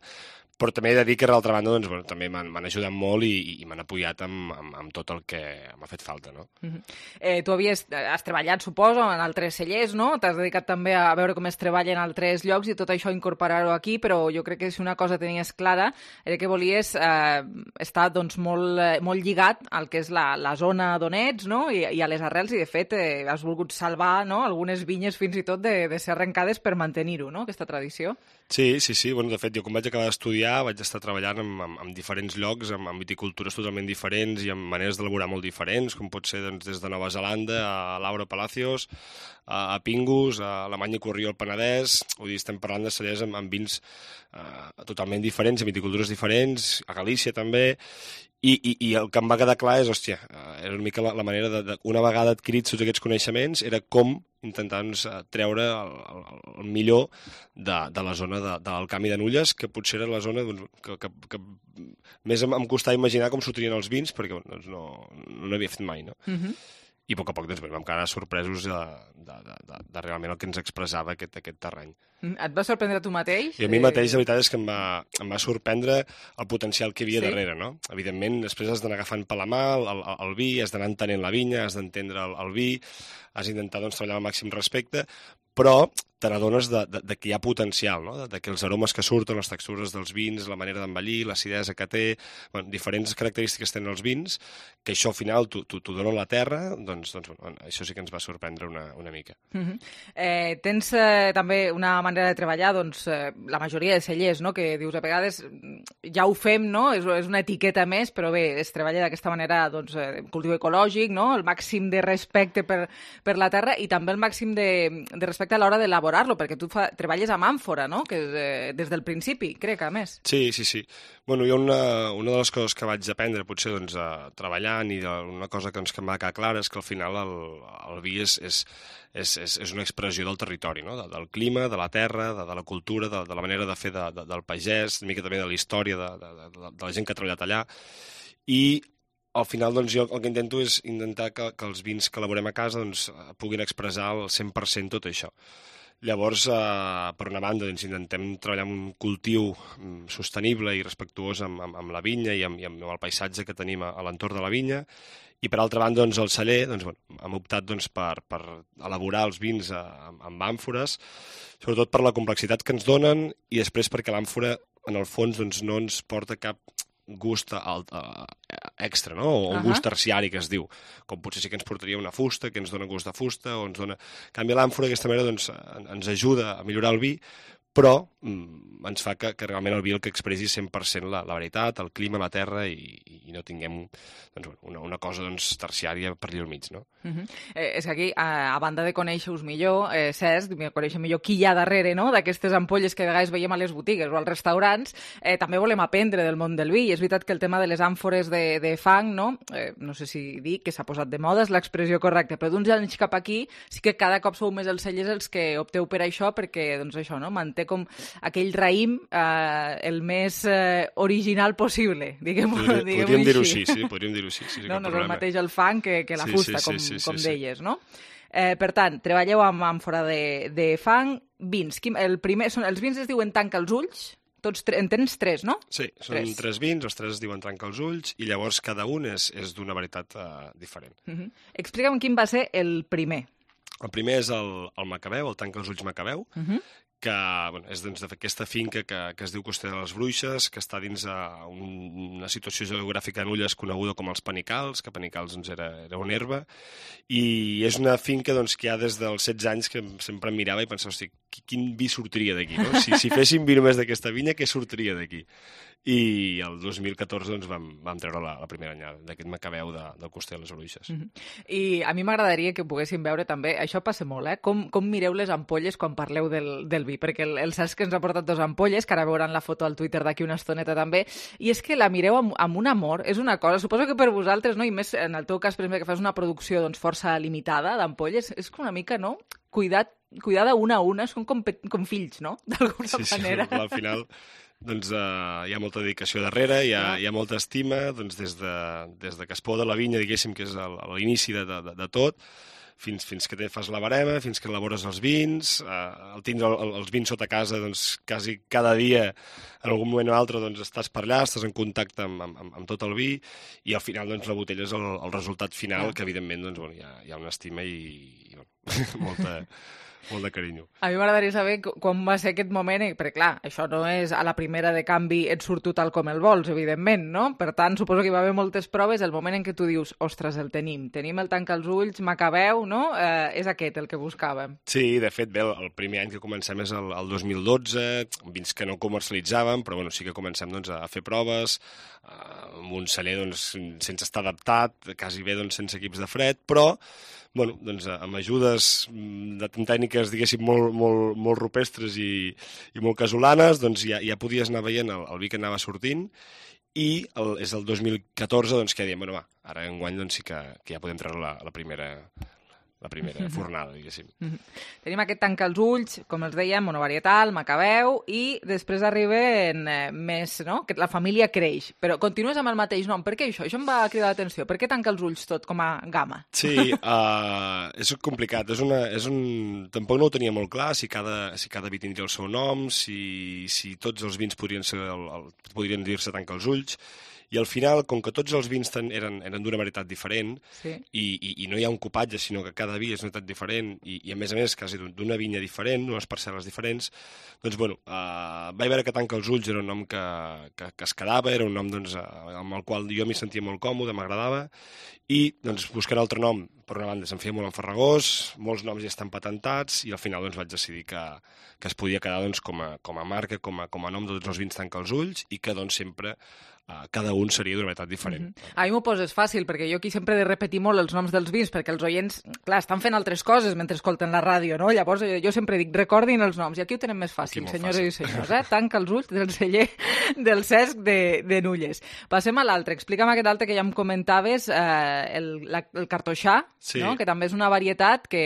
però també he de dir que, d'altra banda, doncs, bueno, també m'han ajudat molt i, i m'han apoyat amb, amb, amb tot el que m'ha fet falta, no? Uh-huh. eh, tu havies, has treballat, suposo, en altres cellers, no? T'has dedicat també a veure com es treballa en altres llocs i tot això incorporar-ho aquí, però jo crec que si una cosa tenies clara era que volies eh, estar doncs, molt, molt lligat al que és la, la zona d'on ets, no? I, i a les arrels, i de fet eh, has volgut salvar, no? Algunes vinyes fins i tot de, de ser arrencades per mantenir-ho, no? Aquesta tradició. Sí, sí, sí. Bueno, de fet, jo quan vaig acabar d'estudiar vaig estar treballant en, en, en diferents llocs, amb, amb viticultures totalment diferents i amb maneres d'elaborar molt diferents, com pot ser doncs, des de Nova Zelanda a Laura Palacios, a, a Pingus, a Alemanya Corrió al Penedès. Vull dir, estem parlant de cellers amb, amb vins eh, totalment diferents, amb viticultures diferents, a Galícia també. I, i, i el que em va quedar clar és, hòstia, era una mica la, la manera de, de, una vegada adquirits tots aquests coneixements, era com intentar doncs, treure el, el, el millor de, de la zona de, de l'Alcamí de Nulles, que potser era la zona doncs, que, que, que més em, em costava imaginar com sortirien els vins, perquè doncs, no, no n'havia fet mai, no? Uh-huh. I a poc a poc doncs, vam quedar sorpresos de, de, de, de, de realment el que ens expressava aquest, aquest terreny. Et va sorprendre tu mateix? I a mi mateix, la veritat és que em va, em va sorprendre el potencial que hi havia sí. darrere, no? Evidentment, després has d'anar agafant per la mà el, el, el vi, has d'anar entenent la vinya, has d'entendre el, el vi, has d'intentar doncs, treballar al màxim respecte, però te n'adones de, de, de que hi ha potencial, no? de, de que els aromes que surten, les textures dels vins, la manera d'envellir, l'acidesa que té, bueno, diferents característiques tenen els vins, que això al final t'ho dona la terra, doncs, doncs bueno, això sí que ens va sorprendre una, una mica. Uh -huh. eh, tens eh, també una manera de treballar, doncs, eh, la majoria de cellers, no? que dius a vegades ja ho fem, no? és, és una etiqueta més, però bé, es treballa d'aquesta manera, doncs, eh, cultiu ecològic, no? el màxim de respecte per, per la terra i també el màxim de, de respecte a l'hora d'elaborar elaborar-lo, perquè tu fa, treballes amb àmfora, no? Que és, eh, des del principi, crec, a més. Sí, sí, sí. Bueno, hi ha una, una de les coses que vaig aprendre, potser, doncs, a, treballant, i de, una cosa que ens que em va quedar clara és que al final el, el vi és, és, és, és, és una expressió del territori, no? De, del clima, de la terra, de, de la cultura, de, de la manera de fer de, de, del pagès, una mica també de la història de, de, de, de la gent que ha treballat allà. I al final, doncs, jo el que intento és intentar que, que els vins que elaborem a casa doncs, puguin expressar al cent per cent tot això. Llavors, eh, per una banda, doncs, intentem treballar amb un cultiu sostenible i respectuós amb, amb, amb la vinya i amb, i amb el paisatge que tenim a, a l'entorn de la vinya. I, per altra banda, doncs, el celler, doncs, bueno, hem optat doncs, per, per elaborar els vins amb, amb àmfores, sobretot per la complexitat que ens donen i després perquè l'àmfora, en el fons, doncs, no ens porta cap gust alt, uh, extra, no? O un uh-huh. gust terciari, que es diu. Com potser sí que ens portaria una fusta, que ens dona gust de fusta, o ens dona... En canvi, l'àmfora, d'aquesta manera, doncs, ens ajuda a millorar el vi, però mm, ens fa que, que realment el vi el que expressi cent per cent la, la veritat, el clima, la terra, i, i no tinguem doncs, una, una cosa doncs, terciària per allà al mig, no? Uh-huh. eh, és que aquí, a, a banda de conèixer-vos millor, eh, Cesc, conèixer millor qui hi ha darrere, no?, d'aquestes ampolles que a vegades veiem a les botigues o als restaurants, eh, també volem aprendre del món del vi, i és veritat que el tema de les àmfores de, de fang, no?, eh, no sé si dir que s'ha posat de moda, és l'expressió correcta, però d'uns anys cap aquí sí que cada cop sou més els cellers els que opteu per això, perquè, doncs això, no?, manté com aquell raïm eh, el més eh, original possible, diguem-ho Podria, diguem podríem dir-ho així, sí, podríem dir-ho així. Sí, no, no és el mateix el fang que, que la sí, fusta, sí, com, sí, sí, com sí, deies, no? Eh, per tant, treballeu amb àmfora de, de fang, vins. El primer, són, els vins es diuen tanca els ulls, Tots tre... En tens tres, no? Sí, són tres, tres vins, els tres es diuen Tanca els ulls, i llavors cada un és, és d'una varietat uh, diferent. Uh -huh. Explica'm quin va ser el primer. El primer és el, el Macabeu, el Tanca els ulls Macabeu, uh -huh. que bueno, és doncs, d'aquesta finca que, que es diu Coster de les Bruixes, que està dins uh, un, una situació geogràfica a Nulles coneguda com els Panicals, que Panicals doncs, era, era una herba, i és una finca doncs, que hi ha des dels setze anys que sempre em mirava i pensava, hosti, quin vi sortiria d'aquí, no? Si, si féssim vi només d'aquesta vinya, què sortiria d'aquí? I el dos mil catorze doncs, vam, vam treure la, la primera anyada d'aquest Macabeu de, del Coster de les Bruixes. Mm-hmm. I a mi m'agradaria que poguéssim veure també, això passa molt, eh? Com, com mireu les ampolles quan parleu del, del vi, perquè el, el Cesc ens ha portat dos ampolles, que ara veuran la foto al Twitter d'aquí una estoneta també, i és que la mireu amb, amb un amor, és una cosa, suposo que per vosaltres, no? I més en el teu cas, per exemple, que fas una producció doncs, força limitada d'ampolles, és una mica, no?, cuidat, cuidada una a una, són com, com fills, no?, d'alguna sí, manera. Sí, al final doncs, uh, hi ha molta dedicació darrere, hi ha, hi ha molta estima, doncs, des, de, des de que es poda la vinya, diguéssim, que és l'inici de, de, de tot, fins, fins que te fas la barema, fins que elabores els vins, uh, el tindre el, els vins sota casa, doncs, quasi cada dia, en algun moment o altre, doncs, estàs per allà, estàs en contacte amb, amb, amb tot el vi, i al final, doncs, la botella és el, el resultat final, yeah. que evidentment, doncs, bueno, hi ha, hi ha una estima i, i bueno, molta... molt de carinyo. A mi m'agradaria saber quan va ser aquest moment, perquè clar, això no és a la primera de canvi et surt tu tal com el vols, evidentment, no? Per tant, suposo que hi va haver moltes proves, el moment en què tu dius, ostres, el tenim, tenim el Tanca els ulls, Macabeu, no? Eh, és aquest el que buscàvem. Sí, de fet, bé, el primer any que comencem és el, el dos mil dotze, vins que no comercialitzàvem, però bueno, sí que comencem doncs, a fer proves, eh, amb un celler doncs, sense estar adaptat, quasi bé doncs, sense equips de fred, però bueno, doncs, amb ajudes de tècniques, diguéssim, molt, molt, molt rupestres i, i molt casolanes, doncs ja, ja podies anar veient el, el vi que anava sortint, i el, és el dos mil catorze doncs, que diem, bueno, va, ara enguany doncs, sí que, que ja podem treure la, la primera... la primera fornada, diguéssim. Mm-hmm. Tenim aquest Tanca els ulls, com els dèiem, monovarietal, Macabeu, i després arriben eh, més, no?, que la família creix. Però continues amb el mateix nom. Per què això? Això em va cridar l'atenció. Per què Tanca els ulls tot com a gamma? Sí, uh, és complicat. És una, és un... Tampoc no ho tenia molt clar, si cada, si cada vi tindria el seu nom, si, si tots els vins podrien, ser el, el, podrien dir-se Tanca els ulls. I al final, com que tots els vins ten, eren, eren d'una varietat diferent, sí. i, i, i no hi ha un copatge, sinó que cada vi és una varietat diferent, i, i a més a més, quasi d'una vinya diferent, unes parcel·les diferents, doncs, bueno, uh, vaig veure que Tanca els ulls era un nom que, que, que es quedava, era un nom doncs, uh, amb el qual jo m'hi sentia molt còmode, m'agradava, i doncs, buscant altre nom, per una banda, se'm feia molt enfarragós, molts noms ja estan patentats, i al final doncs, vaig decidir que, que es podia quedar doncs, com, a, com a marca, com a, com a nom de tots els vins Tanca els ulls, i que doncs, sempre Uh, cada un seria d'una varietat diferent. Mm-hmm. A mi m'ho poses fàcil, perquè jo aquí sempre he de repetir molt els noms dels vins, perquè els oients, clar, estan fent altres coses mentre escolten la ràdio, no? Llavors jo, jo sempre dic, recordin els noms, i aquí ho tenen més fàcil, senyores fàcil. I senyors, eh? Tanca els ulls del celler del Cesc de, de Nulles. Passem a l'altre, explica'm aquest altre que ja em comentaves, eh, el, la, el cartoixà, sí. No? Que també és una varietat que,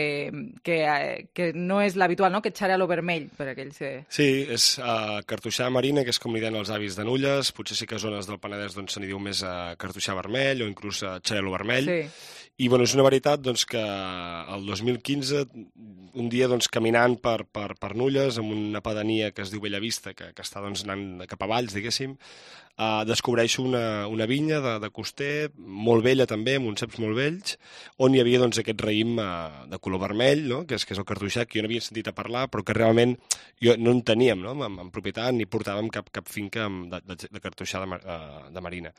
que, eh, que no és l'habitual, no? Que xarel·lo vermell, per aquells que... Sí, és uh, cartoixà marina, que és com li deien els avis de Nulles, potser sí que zones del Penedès doncs, se n'hi diu més a cartoixà vermell o inclús a xarel·lo vermell. Sí. I bueno, és una varietat doncs, que el dos mil quinze, un dia doncs, caminant per, per, per Nulles, amb una pedania que es diu Bellavista, que, que està doncs, anant cap a Valls, diguéssim, uh, descobreixo una, una vinya de, de coster, molt vella també, amb uns ceps molt vells, on hi havia doncs, aquest raïm uh, de color vermell, no? que, és, que és el cartoixà, que jo no havia sentit a parlar, però que realment jo, no en teníem no? en, en propietat, ni portàvem cap, cap finca de, de, de cartoixà de, uh, de marina.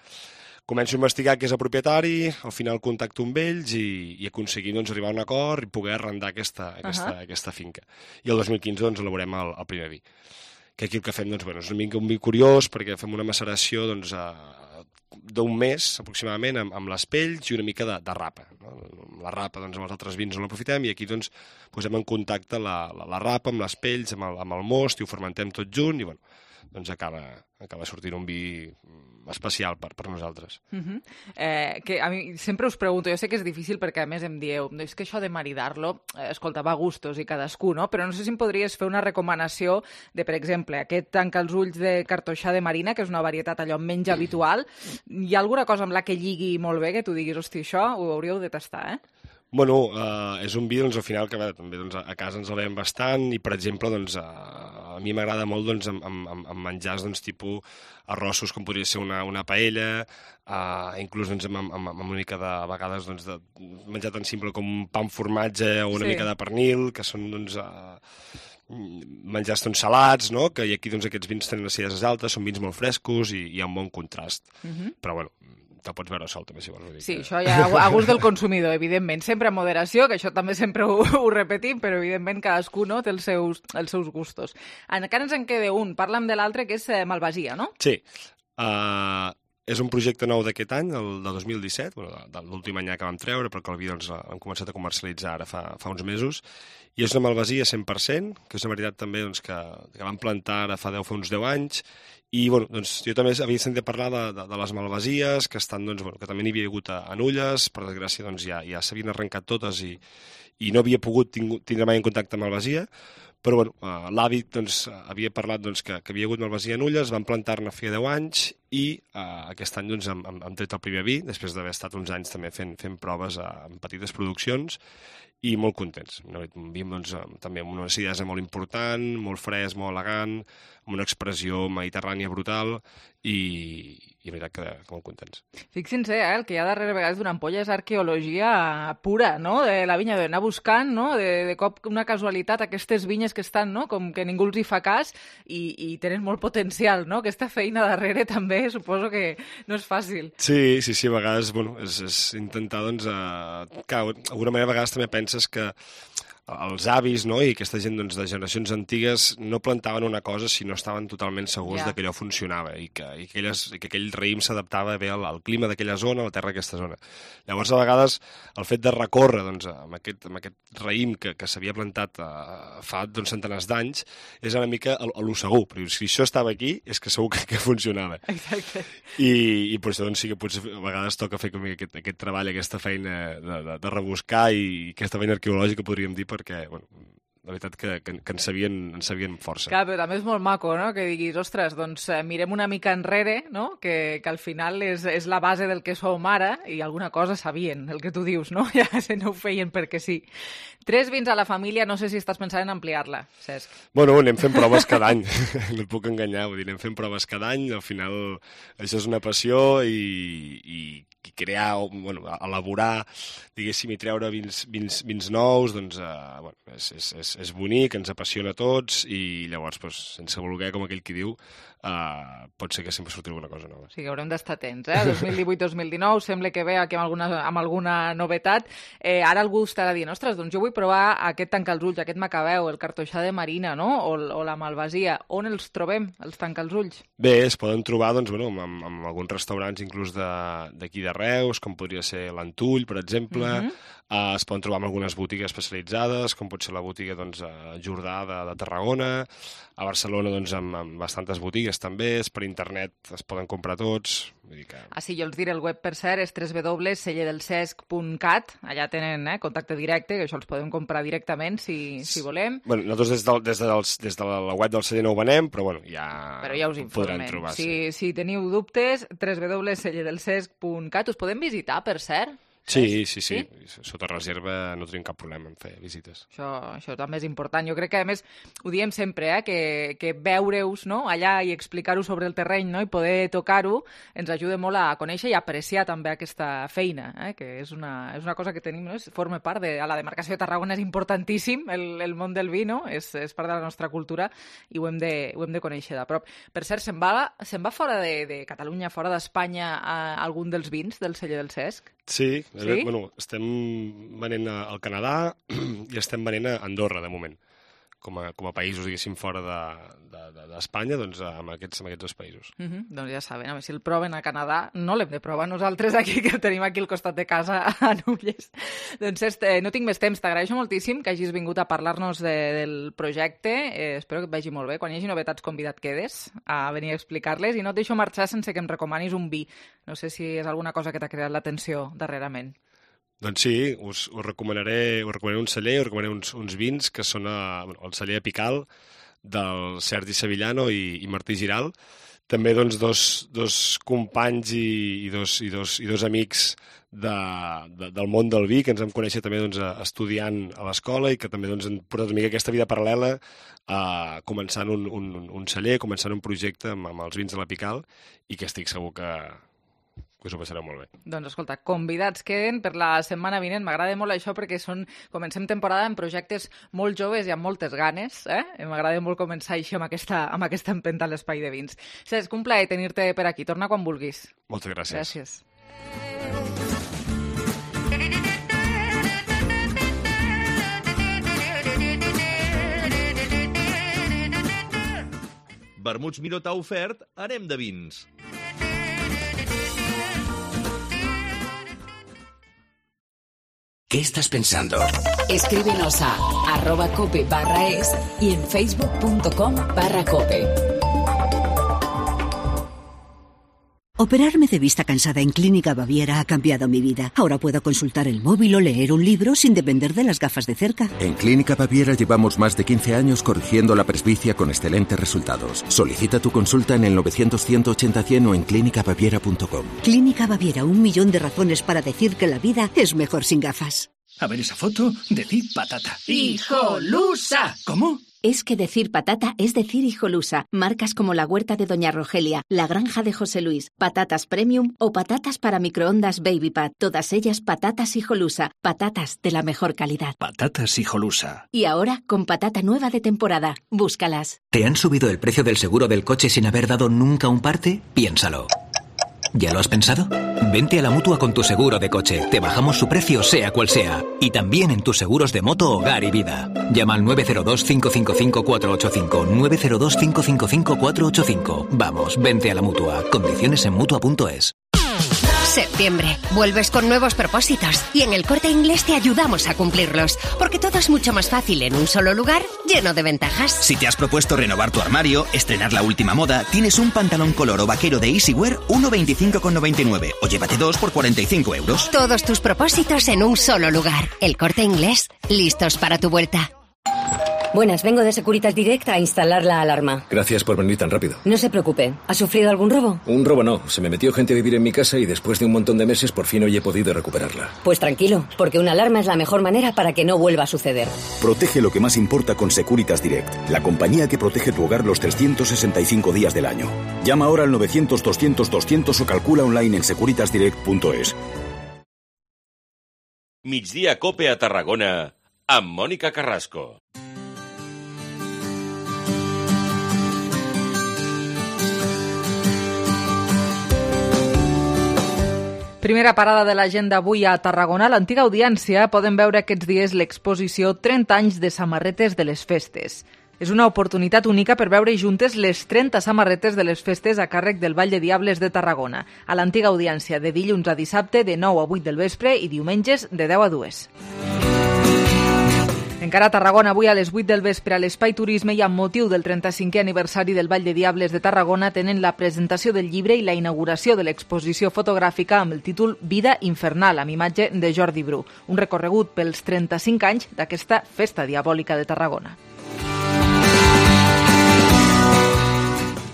Començo a investigar qui és el propietari, al final contacto amb ells i, i aconseguim doncs, arribar a un acord i poder arrendar aquesta, aquesta, uh-huh. aquesta finca. I el dos mil quinze doncs, elaborem el, el primer vi. Que aquí el que fem doncs, bueno, és una mica un vi curiós perquè fem una maceració doncs, a, d'un mes aproximadament amb, amb les pells i una mica de, de rapa. No? La rapa doncs, amb els altres vins no l'aprofitem i aquí doncs, posem en contacte la, la, la rapa amb les pells, amb el, amb el most i ho fermentem tot junt i bueno, doncs acaba, acaba sortint un vi especial per, per nosaltres. Uh-huh. eh, que a mi sempre us pregunto, jo sé que és difícil perquè a més em dieu, és que això de maridar-lo, eh, escolta, va a gustos i cadascú, no? Però no sé si em podries fer una recomanació de, per exemple, aquest Tanca els ulls de cartoixà de marina, que és una varietat allò menys habitual. Hi ha alguna cosa amb la que lligui molt bé, que tu diguis, hosti, això ho hauríeu de tastar, eh? Bueno, uh, és un vi, doncs, al final, que bé, també doncs, a casa ens el veiem bastant i, per exemple, doncs, uh, a mi m'agrada molt doncs, amb, amb, amb menjars doncs, tipus arrossos, com podria ser una, una paella, uh, inclús doncs, amb, amb, amb una mica de, a vegades, doncs, de menjar tan simple com un pa amb formatge o una sí. mica de pernil, que són, doncs, uh, menjars doncs, salats, no? Que aquí doncs, aquests vins tenen acideses altes, són vins molt frescos i hi ha un bon contrast. Uh-huh. Però, bueno, te pots veure sol, també, si vols. Dir sí, que... això ja a gust del consumidor, evidentment. Sempre amb moderació, que això també sempre ho, ho repetim, però evidentment cadascú no, té els seus, els seus gustos. Encara ens en queda un. Parla'm de l'altre, que és eh, Malvasia, no? Sí. Uh, és un projecte nou d'aquest any, el de dos mil disset, bueno, de, de l'últim any que vam treure, però que el vi doncs, hem començat a comercialitzar ara fa, fa uns mesos, i és una Malvasia cent per cent, que és una varietat també doncs, que, que vam plantar ara fa deu, fa uns deu anys, i bueno, doncs, jo també havia sentit parlar de, de, de les Malvasies, que, estan, doncs, bueno, que també n'hi havia hagut a, a Nulles, per desgràcia doncs, ja, ja s'havien arrencat totes i, i no havia pogut tingu, tindre mai en contacte amb Malvasia, però bueno, uh, l'avi doncs, havia parlat doncs, que, que havia hagut Malvasia a Nulles, vam plantar-ne feia deu anys i uh, aquest any doncs, hem, hem tret el primer vi, després d'haver estat uns anys també fent, fent proves a, en petites produccions, i molt contents. Un vi doncs, també amb una acidesa molt important, molt fresc, molt elegant, amb una expressió mediterrània brutal i, i la veritat que, que molt contents. Fixin-se, eh, el que hi ha darrere vegades d'una ampolla és arqueologia pura, no?, de la vinya, d'anar buscant, no?, de, de cop una casualitat, aquestes vinyes que estan, no?, com que ningú els hi fa cas i, i tenen molt potencial, no?, aquesta feina darrere també suposo que no és fàcil. Sí, sí, sí, a vegades, bueno, és, és intentar, doncs, eh, que d'alguna manera a vegades també penses que els avis, no?, i aquesta gent doncs, de generacions antigues no plantaven una cosa si no estaven totalment segurs yeah. de que allò funcionava i que, i que, elles, i que aquell raïm s'adaptava bé al, al clima d'aquella zona, a la terra d'aquesta zona. Llavors, a vegades, el fet de recórrer doncs, amb, aquest, amb aquest raïm que, que s'havia plantat uh, fa doncs, centenars d'anys és una mica a, a lo segur. Però si això estava aquí, és que segur que, que funcionava. Exacte. I, i per això doncs, sí que potser a vegades toca fer com aquest, aquest treball, aquesta feina de, de, de rebuscar i aquesta feina arqueològica, podríem dir, perquè, bueno, la veritat que, que, que en, sabien, en sabien força. Clar, però també és molt maco, no?, que diguis, ostres, doncs eh, mirem una mica enrere, no?, que, que al final és, és la base del que som ara i alguna cosa sabien, el que tu dius, no?, ja se no ho feien perquè sí. Tres vins a la família, no sé si estàs pensant en ampliar-la, Cesc. Bueno, anem fent proves cada any, no et puc enganyar, vull dir, anem fent proves cada any, al final això és una passió i, i, i crear, bueno, elaborar, diguéssim, i treure vins, vins, vins nous, doncs, eh, bueno, és, és, és, és bonic, ens apassiona a tots i llavors, doncs, sense voler, com aquell qui diu, Uh, pot ser que sempre surti alguna cosa nova. Sí, que haurem d'estar atents, eh? dos mil divuit dos mil dinou, sembla que ve aquí amb alguna, amb alguna novetat. Eh, ara algú estarà dient, ostres, doncs jo vull provar aquest tanca els ulls, aquest macabeu, el cartoixà de marina, no?, o, o la malvasia. On els trobem, els tanca els ulls? Bé, es poden trobar, doncs, bueno, amb, amb alguns restaurants inclús d'aquí de, de Reus, com podria ser l'Antull, per exemple. Mm-hmm. uh, es poden trobar amb algunes botigues especialitzades, com pot ser la botiga, doncs, a Jordà de, de Tarragona. A Barcelona, doncs, amb, amb bastantes botigues també, és per internet, es poden comprar tots. Vull dir que... Ah, sí, jo els diré, el web, per cert, és w w w punt celler del cesc punt cat, allà tenen eh, contacte directe, que això els podem comprar directament, si, si volem. Bueno, nosaltres des de, des, de dels, des de la web del celler no ho venem, però bueno, ja, però ja us podran trobar. Si, sí. si teniu dubtes, w w w punt celler del cesc punt cat, us podem visitar, per cert? Sí, sí, sí, sí. Sota reserva no tenim cap problema en fer visites. Això, això també és important. Jo crec que, a més, ho diem sempre, eh, que, que veure-us, no?, allà i explicar-ho sobre el terreny, no?, i poder tocar-ho ens ajuda molt a conèixer i a apreciar també aquesta feina, eh, que és una, és una cosa que tenim, no?, forma part de... A la demarcació de Tarragona és importantíssim el, el món del vi, no?, és, és part de la nostra cultura i ho hem de, ho hem de conèixer de prop. Per cert, se'n va, se'n va fora de, de Catalunya, fora d'Espanya, algun dels vins del celler del Cesc? Sí, sí? Bueno, estem venent al Canadà i estem venent a Andorra, de moment. Com a, com a països, diguéssim, fora d'Espanya, de, de, doncs amb aquests, amb aquests dos països. Uh -huh. Doncs ja saben, a veure si el proven a Canadà, no l'hem de provar nosaltres aquí, que el tenim aquí al costat de casa a Nulles. Doncs este, no tinc més temps, t'agraeixo moltíssim que hagis vingut a parlar-nos de, del projecte, eh, espero que et vagi molt bé. Quan hi hagi novetats, convidat quedes a venir a explicar-les i no et deixo marxar sense que em recomanis un vi. No sé si és alguna cosa que t'ha creat l'atenció darrerament. Doncs sí, us, us, recomanaré, us recomanaré un celler, us recomanaré uns, uns vins que són a, bueno, el celler Apical del Sergi Sevillano i, i Martí Giral. també doncs, dos, dos companys i, i, dos, i, dos, i dos amics de, de, del món del vi, que ens vam conèixer també doncs, estudiant a l'escola i que també doncs, han portat una mica aquesta vida paral·lela a començant un, un, un celler, començant un projecte amb, amb els vins de la Pical i que estic segur que, que us ho passareu molt bé. Doncs escolta, convidats queden per la setmana vinent. M'agrada molt això perquè són, comencem temporada amb projectes molt joves i amb moltes ganes. Eh? M'agrada molt començar així amb aquesta, amb aquesta empenta a l'Espai de Vins. Cesc, un plaer tenir-te per aquí. Torna quan vulguis. Moltes gràcies. Gràcies. Vermuts Miró t'ha ofert Anem de Vins. ¿Qué estás pensando? Escríbenos a arroba cope barra es y en facebook punto com barra cope. Operarme de vista cansada en Clínica Baviera ha cambiado mi vida. Ahora puedo consultar el móvil o leer un libro sin depender de las gafas de cerca. En Clínica Baviera llevamos más de quince años corrigiendo la presbicia con excelentes resultados. Solicita tu consulta en el novecientos, ciento ochenta, cien o en clínica baviera punto com. Clínica Baviera, un millón de razones para decir que la vida es mejor sin gafas. A ver esa foto, decid patata. ¡Hijolusa! ¿Cómo? Es que decir patata es decir hijolusa. Marcas como la huerta de Doña Rogelia, la granja de José Luis, patatas premium o patatas para microondas Baby Pat. Todas ellas patatas hijolusa. Patatas de la mejor calidad. Patatas hijolusa. Y ahora con patata nueva de temporada. Búscalas. ¿Te han subido el precio del seguro del coche sin haber dado nunca un parte? Piénsalo. ¿Ya lo has pensado? Vente a la Mutua con tu seguro de coche. Te bajamos su precio sea cual sea. Y también en tus seguros de moto, hogar y vida. Llama al nueve cero dos, cinco cinco cinco, cuatro ocho cinco. nueve cero dos, cinco cinco cinco, cuatro ocho cinco. Vamos, vente a la Mutua. Condiciones en mutua punto es. Septiembre. Vuelves con nuevos propósitos y en el Corte Inglés te ayudamos a cumplirlos, porque todo es mucho más fácil en un solo lugar, lleno de ventajas. Si te has propuesto renovar tu armario, estrenar la última moda, tienes un pantalón color o vaquero de Easywear uno veinticinco con noventa y nueve o llévate dos por cuarenta y cinco euros. Todos tus propósitos en un solo lugar. El Corte Inglés, listos para tu vuelta. Buenas, vengo de Securitas Direct a instalar la alarma. Gracias por venir tan rápido. No se preocupe. ¿Ha sufrido algún robo? Un robo no. Se me metió gente a vivir en mi casa y después de un montón de meses por fin hoy he podido recuperarla. Pues tranquilo, porque una alarma es la mejor manera para que no vuelva a suceder. Protege lo que más importa con Securitas Direct, la compañía que protege tu hogar los trescientos sesenta y cinco días del año. Llama ahora al novecientos, doscientos, doscientos o calcula online en securitas direct punto es. Migdia Cope a Tarragona amb Mònica Carrasco. Primera parada de l'agenda avui a Tarragona. A l'antiga Audiència poden veure aquests dies l'exposició trenta anys de samarretes de les festes. És una oportunitat única per veure juntes les trenta samarretes de les festes a càrrec del Ball de Diables de Tarragona. A l'antiga Audiència, de dilluns a dissabte, de nou a vuit del vespre i diumenges de deu a dues. Encara a Tarragona, avui a les vuit del vespre a l'Espai Turisme i amb motiu del trenta-cinquè aniversari del Ball de Diables de Tarragona tenen la presentació del llibre i la inauguració de l'exposició fotogràfica amb el títol Vida Infernal, amb imatge de Jordi Bru, un recorregut pels trenta-cinc anys d'aquesta festa diabòlica de Tarragona.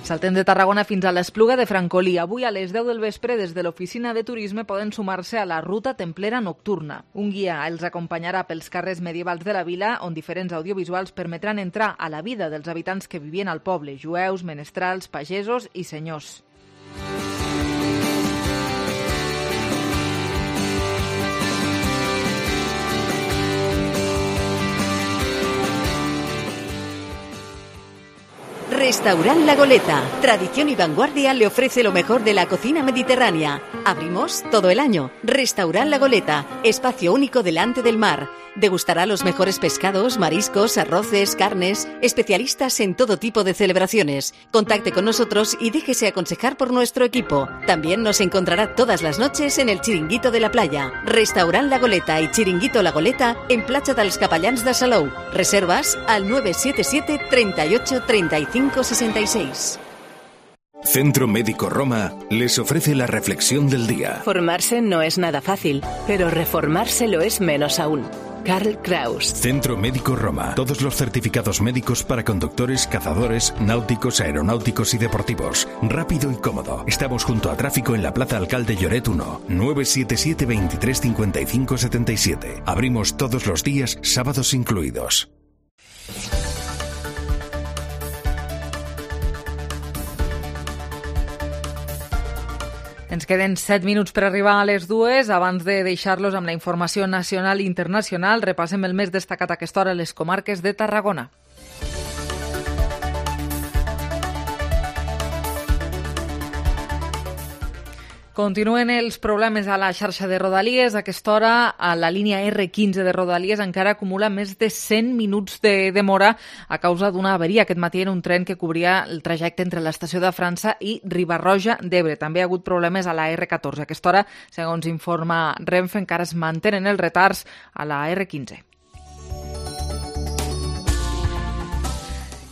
Saltem de Tarragona fins a l'Espluga de Francolí. Avui a les deu del vespre, des de l'oficina de turisme, poden sumar-se a la Ruta Templera Nocturna. Un guia els acompanyarà pels carrers medievals de la vila, on diferents audiovisuals permetran entrar a la vida dels habitants que vivien al poble, jueus, menestrals, pagesos i senyors. Restaurant La Goleta. Tradición y vanguardia le ofrece lo mejor de la cocina mediterránea. Abrimos todo el año. Restaurant La Goleta. Espacio único delante del mar. Degustará los mejores pescados, mariscos, arroces, carnes. Especialistas en todo tipo de celebraciones. Contacte con nosotros y déjese aconsejar por nuestro equipo. También nos encontrará todas las noches en el Chiringuito de la Playa. Restaurant La Goleta y Chiringuito La Goleta en Platja dels Capellans de Salou. Reservas al nueve siete siete, treinta y ocho, treinta y cinco, sesenta y seis. Centro Médico Roma les ofrece la reflexión del día. Formarse no es nada fácil, pero reformarse lo es menos aún. Karl Kraus. Centro Médico Roma. Todos los certificados médicos para conductores, cazadores, náuticos, aeronáuticos y deportivos. Rápido y cómodo. Estamos junto a Tráfico en la Plaza Alcalde Lloret uno. nueve siete siete, veintitrés cincuenta y cinco setenta y siete. Abrimos todos los días, sábados incluidos. Ens queden set minuts per arribar a les dues. Abans de deixar-los amb la informació nacional i internacional, repassem el més destacat a aquesta hora a les comarques de Tarragona. Continuen els problemes a la xarxa de Rodalies. A aquesta hora, a la línia erre quinze de Rodalies encara acumula més de cent minuts de demora a causa d'una avaria aquest matí en un tren que cobria el trajecte entre l'estació de França i Riba-roja d'Ebre. També ha hagut problemes a la erre catorze. A aquesta hora, segons informa Renfe, encara es mantenen els retards a la erre quinze.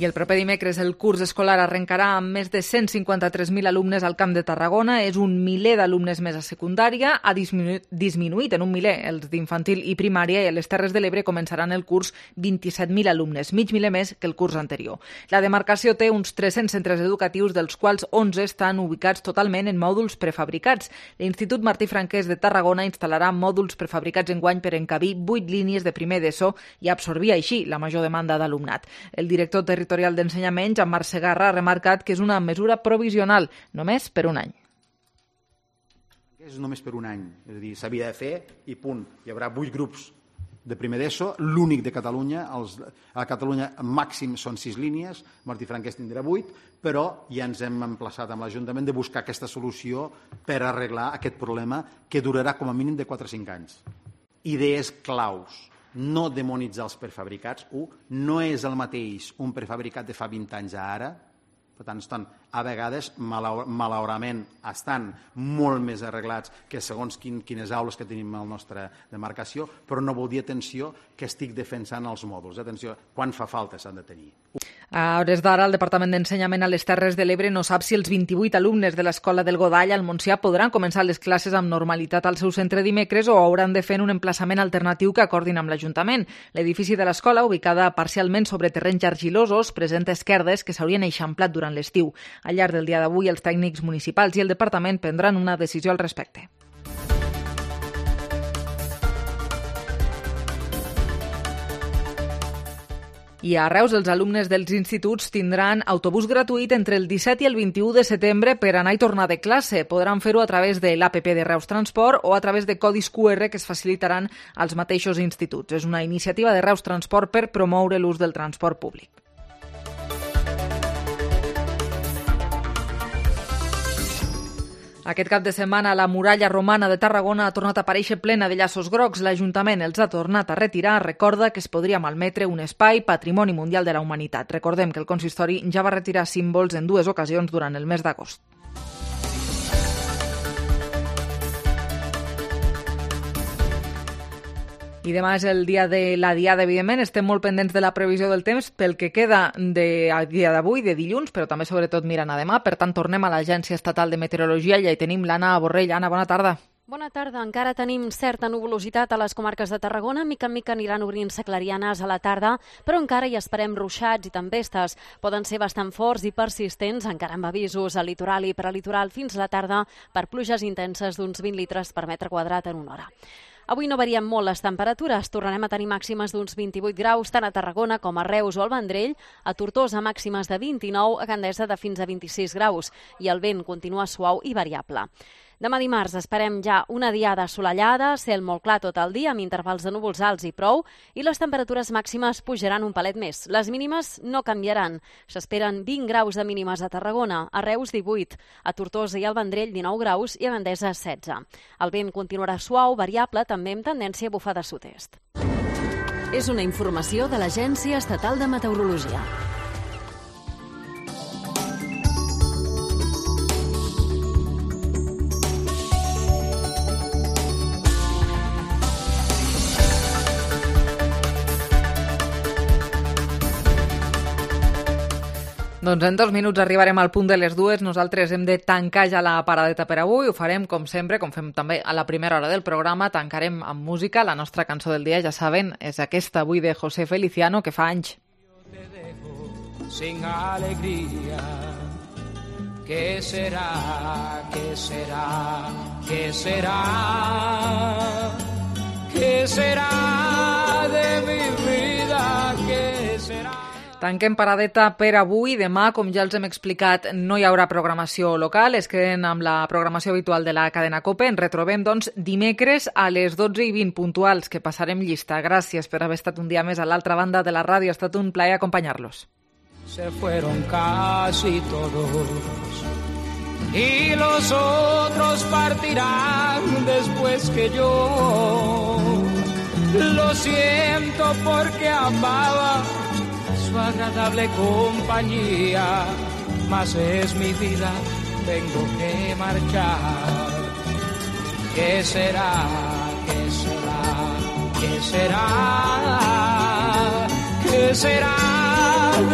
I el proper dimecres el curs escolar arrencarà amb més de cent cinquanta-tres mil alumnes al Camp de Tarragona. És un miler d'alumnes més a secundària. Ha disminuït, disminuït en un miler els d'infantil i primària, i a les Terres de l'Ebre començaran el curs vint-i-set mil alumnes, mig miler més que el curs anterior. La demarcació té uns tres-cents centres educatius, dels quals onze estan ubicats totalment en mòduls prefabricats. L'Institut Martí Franquès de Tarragona instal·larà mòduls prefabricats enguany per encabir vuit línies de primer d'ESO i absorbir així la major demanda d'alumnat. El director territorial d'Ensenyament, Jean-Marc Segarra, ha remarcat que és una mesura provisional, només per un any. És només per un any, és a dir, s'havia de fer i punt. Hi haurà vuit grups de primer d'ESO, l'únic de Catalunya. Els, a Catalunya màxim són sis línies, Martí Franquès tindrà vuit, però ja ens hem emplaçat amb l'Ajuntament de buscar aquesta solució per arreglar aquest problema que durarà com a mínim de quatre a cinc anys. Idees claus. No demonitzar els prefabricats. Un, no és el mateix un prefabricat de fa vint anys a ara. Per tant, estan, a vegades, malauradament, estan molt més arreglats que segons quin, quines aules que tenim a la nostra demarcació, però no vol dir, atenció, que estic defensant els mòduls. Atenció, quan fa falta s'han de tenir. A hores d'ara, el Departament d'Ensenyament a les Terres de l'Ebre no sap si els vint-i-vuit alumnes de l'Escola del Godall al Montsià podran començar les classes amb normalitat al seu centre dimecres o hauran de fer un emplaçament alternatiu que acordin amb l'Ajuntament. L'edifici de l'escola, ubicada parcialment sobre terrenys argilosos, presenta esquerdes que s'haurien eixamplat durant l'estiu. Al llarg del dia d'avui, els tècnics municipals i el departament prendran una decisió al respecte. I a Reus, els alumnes dels instituts tindran autobús gratuït entre el disset i el vint-i-u de setembre per anar i tornar de classe. Podran fer-ho a través de l'A P P de Reus Transport o a través de codis Q R que es facilitaran als mateixos instituts. És una iniciativa de Reus Transport per promoure l'ús del transport públic. Aquest cap de setmana la muralla romana de Tarragona ha tornat a aparèixer plena de llaços grocs. L'Ajuntament els ha tornat a retirar. Recorda que es podria malmetre un espai Patrimoni Mundial de la Humanitat. Recordem que el consistori ja va retirar símbols en dues ocasions durant el mes d'agost. I demà és el dia de la Diada, evidentment. Estem molt pendents de la previsió del temps pel que queda de a dia d'avui, de dilluns, però també sobretot mirant a demà. Per tant, tornem a l'Agència Estatal de Meteorologia i ja hi tenim l'Anna Borrell. Anna, bona tarda. Bona tarda. Encara tenim certa nuvolositat a les comarques de Tarragona. Mica en mica aniran obrint-se clarianes a la tarda, però encara hi esperem ruixats i tempestes. Poden ser bastant forts i persistents, encara amb avisos al litoral i prelitoral fins a la tarda per pluges intenses d'uns vint litres per metre quadrat en una hora. Avui no varien molt les temperatures. Tornarem a tenir màximes d'uns vint-i-vuit graus, tant a Tarragona com a Reus o al Vendrell, a Tortosa màximes de vint-i-nou, a Gandesa de fins a vint-i-sis graus, i el vent continua suau i variable. Demà dimarts esperem ja una diada assolellada, cel molt clar tot el dia amb intervals de núvols alts i prou, i les temperatures màximes pujaran un palet més. Les mínimes no canviaran. S'esperen vint graus de mínimes a Tarragona, a Reus divuit, a Tortosa i al Vendrell dinou graus i a Gandesa setze. El vent continuarà suau, variable, també amb tendència a bufar de sud-est. És una informació de l'Agència Estatal de Meteorologia. Doncs en dos minuts arribarem al punt de les dues. Nosaltres hem de tancar ja la paradeta per avui. Ho farem, com sempre, com fem també a la primera hora del programa. Tancarem amb música. La nostra cançó del dia, ja saben, és aquesta avui de José Feliciano, que fa anys. Te dejo sin alegría. ¿Qué será? ¿Qué será? ¿Qué será? ¿Qué será de mi vida? ¿Qué será? Tanquem paradeta per avui. Demà, com ja els hem explicat, no hi haurà programació local. Es queden amb la programació habitual de la cadena COPE. Ens retrobem, doncs, dimecres a les dotze i vint puntuals, que passarem llista. Gràcies per haver estat un dia més a l'altra banda de la ràdio. Ha estat un plaer acompanyar-los. Se fueron casi todos y los otros partirán después que yo. Lo siento porque amaba su agradable compañía, mas es mi vida, tengo que marchar. ¿Qué será? ¿Qué será? ¿Qué será? ¿Qué será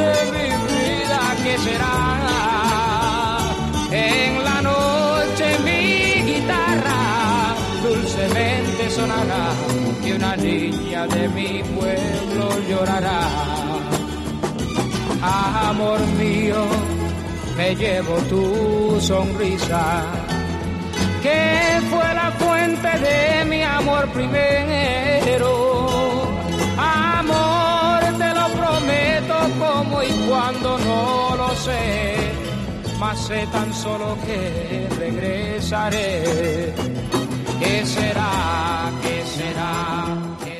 de mi vida? ¿Qué será? En la noche mi guitarra dulcemente sonará y una niña de mi pueblo llorará. Amor mío, me llevo tu sonrisa, que fue la fuente de mi amor primero. Amor, te lo prometo, como y cuando no lo sé, mas sé tan solo que regresaré. ¿Qué será? ¿Qué será? ¿Qué